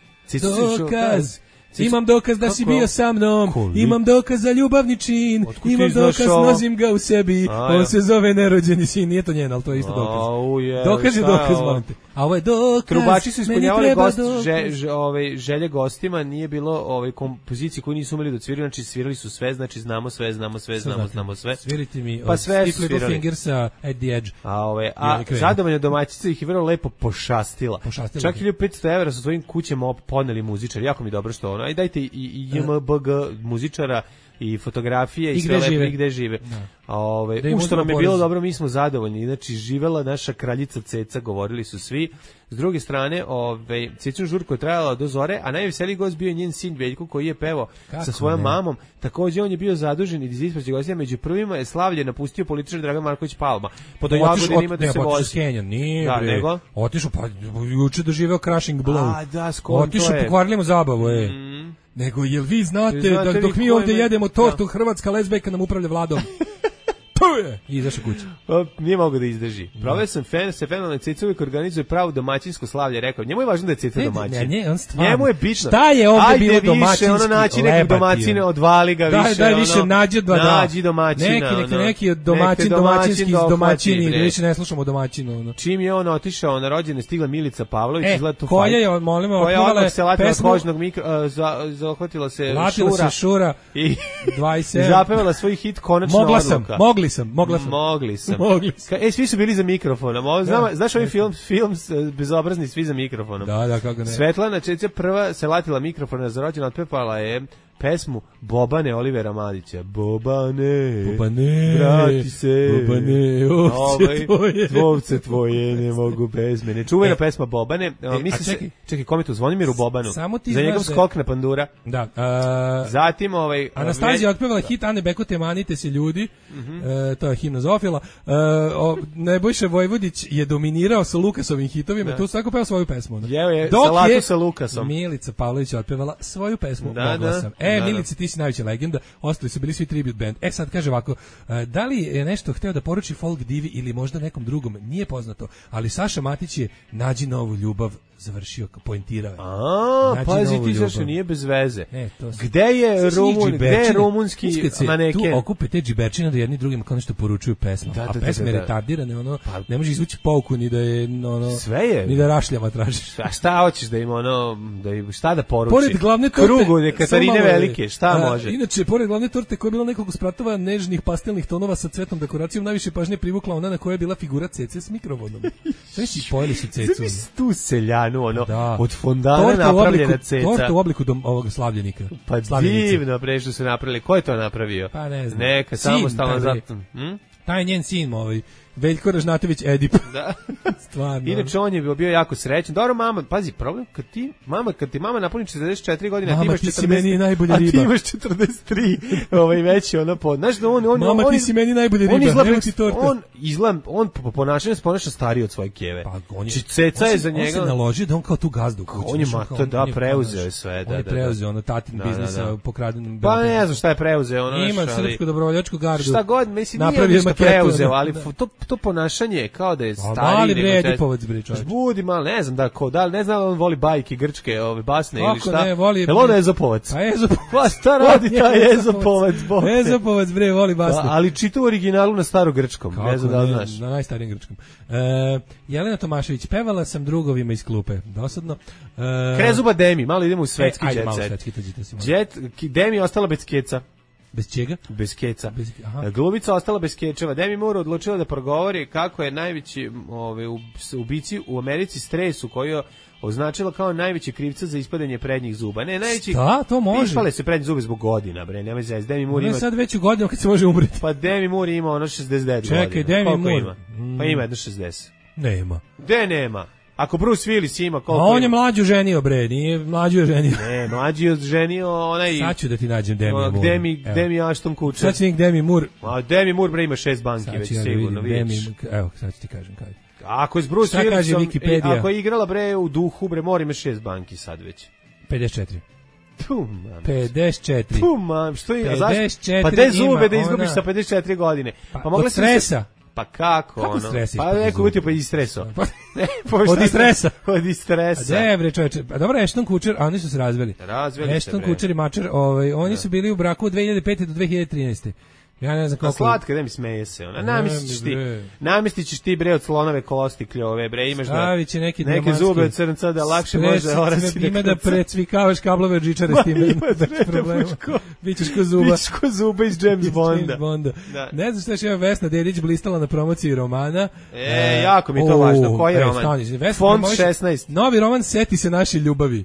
Dokaz. Imam dokaz da si bio sa mnom, imam dokaz za ljubavni čin, imam dokaz, nosim ga u sebi, on se zove nerođeni sin, nije to njen, ali to je isto dokaz. Dokaz je dokaz, molim te. A ovo je dokaz. Trubači su ispunjavali gost, že, že, ove, želje gostima, nije bilo ove kompozicije koje nisu umeli da sviraju, znači svirali su sve, znači znamo sve, znamo sve, znamo, znamo sve. Svirite mi pa od sve Stiff Little Fingersa at the Edge. A, ove, a zadovoljna domaćica ih je vrlo lepo pošastila. pošastila. Čak hiljadu petsto evra su svojim kućama poneli muzičari, jako mi dobro što ono. Aj dajte i, i J M B G muzičara i fotografije i, I sve lepo žive. i gde žive. Da. Ove, da u što nam je bilo dobro, mi smo zadovoljni. Znači, živela naša kraljica Ceca, govorili su svi. S druge strane, ove, Cecinu žurku je trajala do zore, a najveseliji gost bio njen sin Veljko, koji je pevao sa svojom ne? mamom. Takođe, on je bio zadužen i za ispraćaj gostija. Među prvima je slavlje napustio političar Dragan Marković Palma. Po do Jagodinima da se vozi. Nije, da, bre. nego? Otišao, pa juče doživeo crashing blow. A, da, skoro Otišao, pokvarili mu zabavu, e. Mm. Nego, jel vi znate, znate da dok mi ovdje jedemo tortu, hrvatska lezbejka nam upravlja vladom? I izašao kuće. Pa, nije mogo da izdrži. Proveo sam fen, se fenomenalno Ceca uvijek organizuje pravo domaćinsko slavlje, rekao. Njemu je važno da je Ceca domaćin. Ne, ne, on stvarno. Njemu je bitno. Šta je ovdje bilo domaćinski? Ajde više, ono naći nekog domaćine, odvali ga više. Daj, daj više, ono, nađi dva, da. Nađi domaćina. Neki, neki, neki domaćin, domaćinski iz domaćini, da više ne slušamo domaćinu. Ono. Čim je on otišao na rođene, stigla Milica Pavlović, e, izgleda tu koja fajt. Je, molimo, koja odmah se latila s kožnog mikro, zahvatila se Latila Šura. se Šura I dvadeset sedam zapevala svoj hit Konačna mogla odluka. Sam, mogli sam, mogla sam. Mogli sam. Mogli sam. E, svi su bili za mikrofonom. Znam, ja, znaš ovaj film, film bezobrazni, svi za mikrofonom. Da, da, kako ne. Svetlana Čeća prva se latila mikrofona za rođendan, otpepala je pesmu Bobane Olivera Madića. Bobane, Bobane, vrati se, Bobane, ovce ovaj, tvoje. Ovce tvoje ne mogu bez mene. Čuvena e, pesma Bobane. E, misli čekaj, se, čekaj, kome tu Zvonimiru Bobanu? Samo ti za njegov skok na pandura. Da. Uh, Zatim ovaj... Anastasija otpevala hit Ane Bekote Manite se ljudi. Uh -huh. uh, to je himna Zofila. Uh, o, Nebojša Vojvodić je dominirao sa Lukasovim hitovima. Da. Tu svako peva svoju pesmu. Jeo je salatu sa Lukasom. Milica Pavlović otpevala svoju pesmu. Da, Mogla da. sam. E, da, Milice, ti si najveća legenda. Ostali su bili svi tribute band. E, sad kaže ovako, da li je nešto hteo da poruči folk divi ili možda nekom drugom? Nije poznato. Ali Saša Matić je nađi novu ljubav završio, poentirao je. A, pazi ti zašto nije bez veze. E, to gde je Rumun, gde je rumunski maneken? Tu okupe te džiberčine da jedni drugima kao nešto poručuju pesma. Da, da, a pesme da, da, da. retardirane, ono, pa, ne može izvući pouku ni da je, ono, sve je. Ni da rašljama tražiš. A šta hoćeš da ima, ono, da im, šta da poruči? Pored glavne torte. Krugu, ne Katarine Velike, šta a, može? Inače, pored glavne torte koja je bila nekog spratova nežnih pastelnih tonova sa cvetnom dekoracijom, najviše pažnje privukla ona na kojoj je bila figura Cece s mikrofonom. Sve si pojeli su Cecu. Tu seljanu, ono, da. Od fondana napravljena ceca. Torta u obliku dom, ovog slavljenika. Pa divno pre što su napravili. Ko je to napravio? Pa ne znam. Neka samostalno zato. Hm? Taj njen sin, ovaj Veljko Ražnatović Edip. Da. Stvarno. Inače on je bio, bio jako srećan. Dobro, mama, pazi, problem kad ti mama kad ti mama napuni četrdeset četiri godine, mama, ti imaš ti četrdeset, si meni najbolja riba. A ti imaš četrdeset tri, ovaj već ona po. Znaš da on on mama, on, ti si meni najbolja riba. On izgleda, ti torta. On izgleda, on po ponašanju se ponaša stariji od svoje keve. Pa on je, Ceca je za njega. On se naloži da on kao tu gazdu kući. On je mato da preuzeo sve, da, da. On je preuzeo ono tatin biznisa pokradenim. Pa ne znam šta je preuzeo, ono. Ima srpsku dobrovoljačku gardu. Šta god, mislim, nije ništa preuzeo, ali to to ponašanje kao da je stari. Mali bre, Edipovac bre, čovjek. Budi malo, ne znam da ko, da li ne znam da on voli bajke grčke, ove basne kako ili šta. Ne, voli. Jel on Ezopovac? A Ezopovac. Pa šta radi taj Ezopovac? Ezopovac bre, voli basne. Pa, ali čita u originalu na starogrčkom, ne znam da li znaš. Na najstarijem grčkom. E, Jelena Tomašević, pevala sam drugovima iz klupe. Dosadno. E, Krezuba Demi, malo idemo u svetski e, jet set. Ajde, malo svetski, to Jet, Demi ostala bez keca. Bez čega? Bez keca. Bez, aha. Glumica ostala bez kečeva. Demi Moore odlučila da progovori kako je najveći ove, ubici u Americi stresu koji je označila kao najveći krivca za ispadanje prednjih zuba. Ne, najveći... Šta, to može? Ispale se prednji zube zbog godina, bre, nemoj zez. Demi Moore ima... ima... sad već u godinu kad se može umreti. Pa Demi Moore ima ono šezdeset devet godina. Čekaj, Demi koliko Moore. Ima? Pa ima jedno šezdeset. Nema. Gde nema? Ako Bruce Willis ima koliko A on je ima? mlađu ženio, bre, nije mlađu je ženio. Ne, mlađi je ženio onaj... Sad ću da ti nađem Demi Moore. Demi, Demi Ashton Kutcher. Sad ću nik Demi Moore. A Demi Moore, bre, ima šest banki, sad već ja sigurno, vidim, vidiš. Demi, evo, sad ću ti kažem kada. Ako je s Bruce Šta kaže Willisom, Wikipedia? ako je igrala, bre, u duhu, bre, mora ima šest banki sad već. pedeset četiri. Tu, mam. pedeset četiri. Tu, mam, što je? pedeset četiri Pa te zube ima da izgubiš ona... sa pedeset četiri godine. Pa, Pa mogla od si stresa. Se... Pa kako, kako ono? stres Pa neko uvjetio pa iz stresa. Ne, od stresa. Od stresa. A bre, čoveče. A dobro, Ashton Kutcher, a oni su se razveli. Razveli se, Ashton bre. Kutcher i Mačer, ovaj, oni su bili u braku od dve hiljade pete do dve hiljade trinaeste. Ja ne znam Pa koliko... slatka, da mi smeje se ona. Namestiš ti, namestiš ti bre od slonove kosti kljove, bre, imaš da će neki, neke zube od crnca da lakše može orasi da ima da precvikavaš kablove od žičare s tim. Bićeš ko zuba. Bićeš ko zuba iz James Bonda. Bonda. Da. Ne znam šta je še Vesna Dedić blistala na promociji romana. E, jako mi je to važno. Koji je roman? Fond šesnaest. Novi roman Seti se naše ljubavi.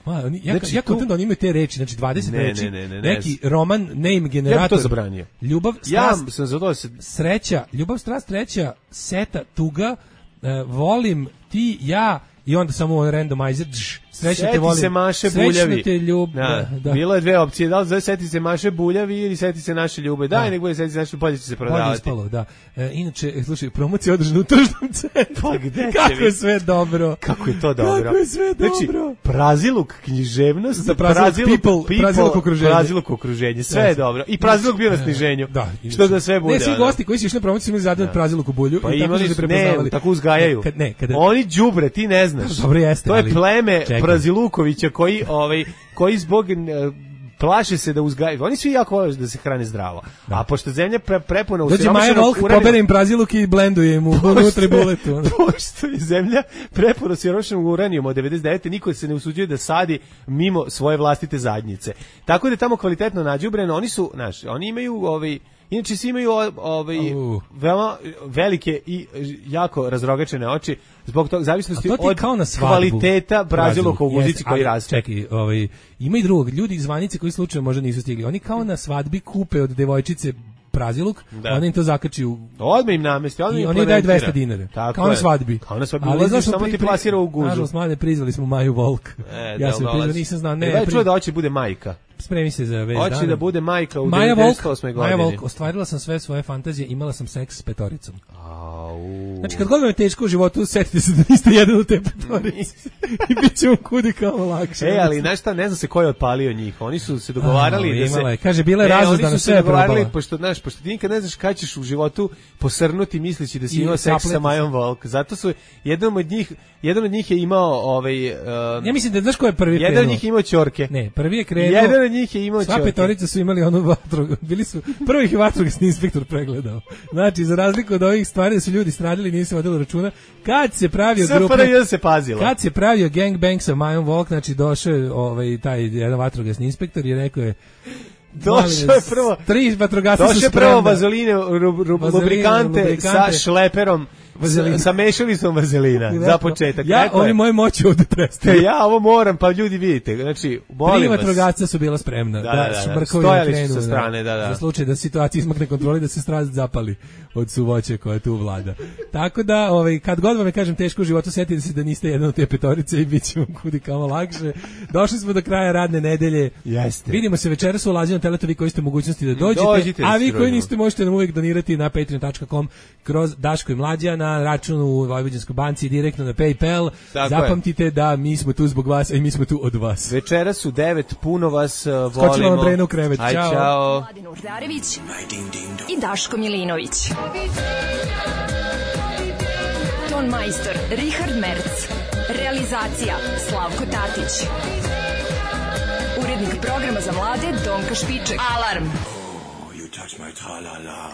Ma, oni, ja, znači, ja kontent da oni imaju te reči, znači dvadeset ne, reči, ne, ne, ne, neki roman, name generator. Ja bi to zabranio. Ljubav, strast, ja sam za to se... sreća, ljubav, strast, sreća, seta, tuga, uh, volim, ti, ja, i onda samo randomizer, dž, srećno te volim, se Maše Buljavi. Te ljub, da, da. Bilo je dve opcije, da li zove seti se Maše Buljavi ili seti se naše ljube. Daj, nek bude seti se naše, bolje će se prodavati. Bolje ispalo, da. E, inače, slušaj, promocija održana u tržnom centru. Pa gde kako je sve dobro. Kako je to dobro. Kako je sve dobro. Znači, praziluk književnost, za praziluk, people, people, praziluk okruženje. Praziluk okruženje, sve je dobro. I praziluk bio na sniženju. Da. Što da sve bude. Ne, svi gosti koji su išli na promociju imali zadan praziluk u bulju. Pa i tako imali su se ne, tako uzgajaju. Kad, ne, kada... Oni đubre, ti ne znaš. Dobro jeste, to je ali... pleme Prazilukovića koji, ovaj, koji zbog plaše se da uzgajaju. Oni svi jako vole da se hrane zdravo. Da. A pošto zemlja pre, prepuna usiromašenog uranijuma... Dođe Maja Volk, pobere im praziluk i blenduje im unutra buletu. Pošto je zemlja prepuna usiromašenog uranijuma od devedeset devete niko se ne usuđuje da sadi mimo svoje vlastite zadnjice. Tako da je tamo kvalitetno nađubreno. Oni su, znaš, oni imaju ovaj... Inače svi imaju ovaj, uh. veoma velike i jako razrogačene oči zbog toga zavisnosti od kvaliteta braziluka u muzici koji raste. Čekaj, ovaj, ima i drugog. Ljudi iz Vanice koji slučajno možda nisu stigli. Oni kao na svadbi kupe od devojčice praziluk, ona im to zakači u... Odmah im namesti, odmah im oni daju dvesta dinara. Tako kao je. Na svadbi. Kao na svadbi, ulaziš, samo ti plasira u gužu. Nažalost, mlade prizvali smo Maju Volk. E, ja sam prizvali, nisam znao. Ne, ne čuo da hoće bude majka. Spremi se za već dana. Hoće da bude majka u devedeset osme godine. Maja Volk, ostvarila sam sve svoje fantazije, imala sam seks s petoricom. Au. Znači, kad god vam je teško u životu, setite se da niste jedan u te petorice. I bit će vam kudi kao lakše. E, ali znaš šta, ne znam se ko je otpalio njih. Oni su se dogovarali da se... Je. Kaže, bila je razuzdana, sve je probala. Pošto, znaš, pošto ti nikad ne znaš kada ćeš u životu posrnuti misleći da si imao seks sa Majom Volk. Zato su, jedan od njih, jedan od njih je imao ovaj... Uh, ja mislim da znaš ko je prvi krenuo. Jedan od njih je imao ćorke. Ne, prvi je krenuo. Jedan od njih je imao sva ćorke. Petorica su imali onu vatru, bili su, prvi ih je vatrogasni inspektor pregledao. Znači, za razliku od ovih stvari da su ljudi stradili, nije se vodilo računa. Kad se pravio grupa... se pazilo. Kad se pravio gangbang sa Majom Volk, znači došao ovaj, taj jedan vatrogasni inspektor i rekao je došao je prvo... Tri vatrogasci su spremna. Došao je prvo vazeline, lubrikante sa šleperom. Vazelina. Sa mešalicom vazelina, za početak. Ja, Rekao oni je, moje moći ovdje prestaju. Ja ovo moram, pa ljudi vidite. Znači, molim Tri vas. vatrogasca su bila spremna. Da, da, da, da. Stojali su sa strane, da, da. Za slučaj da situacija izmakne kontroli, da se strast zapali od suvoće koja tu vlada. Tako da, ovaj, kad god vam je, kažem, teško u životu, setite se da niste jedan od te petorice i bit će vam kudi kamo lakše. Došli smo do kraja radne nedelje. Jeste. Vidimo se večeras u Lazi na Teletu, vi koji ste mogućnosti da dođete. Dođite, a vi koji niste, možete nam uvijek donirati na patreon tačka com kroz Daško i Mlađa na računu u Vojvođanskoj banci, direktno na PayPal. Tako Zapamtite je. Da mi smo tu zbog vas, a i mi smo tu od vas. Večeras su devet, puno vas uh, volimo. Skočila vam Brena u krevet. Aj, čao. čao. Mladen Urdarević i Daško Milinović. Ton majstor Richard Merc. Realizacija Slavko Tatić. Urednik programa za mlade Donka Špiček. Alarm! Oh, you touch my tra-la-la.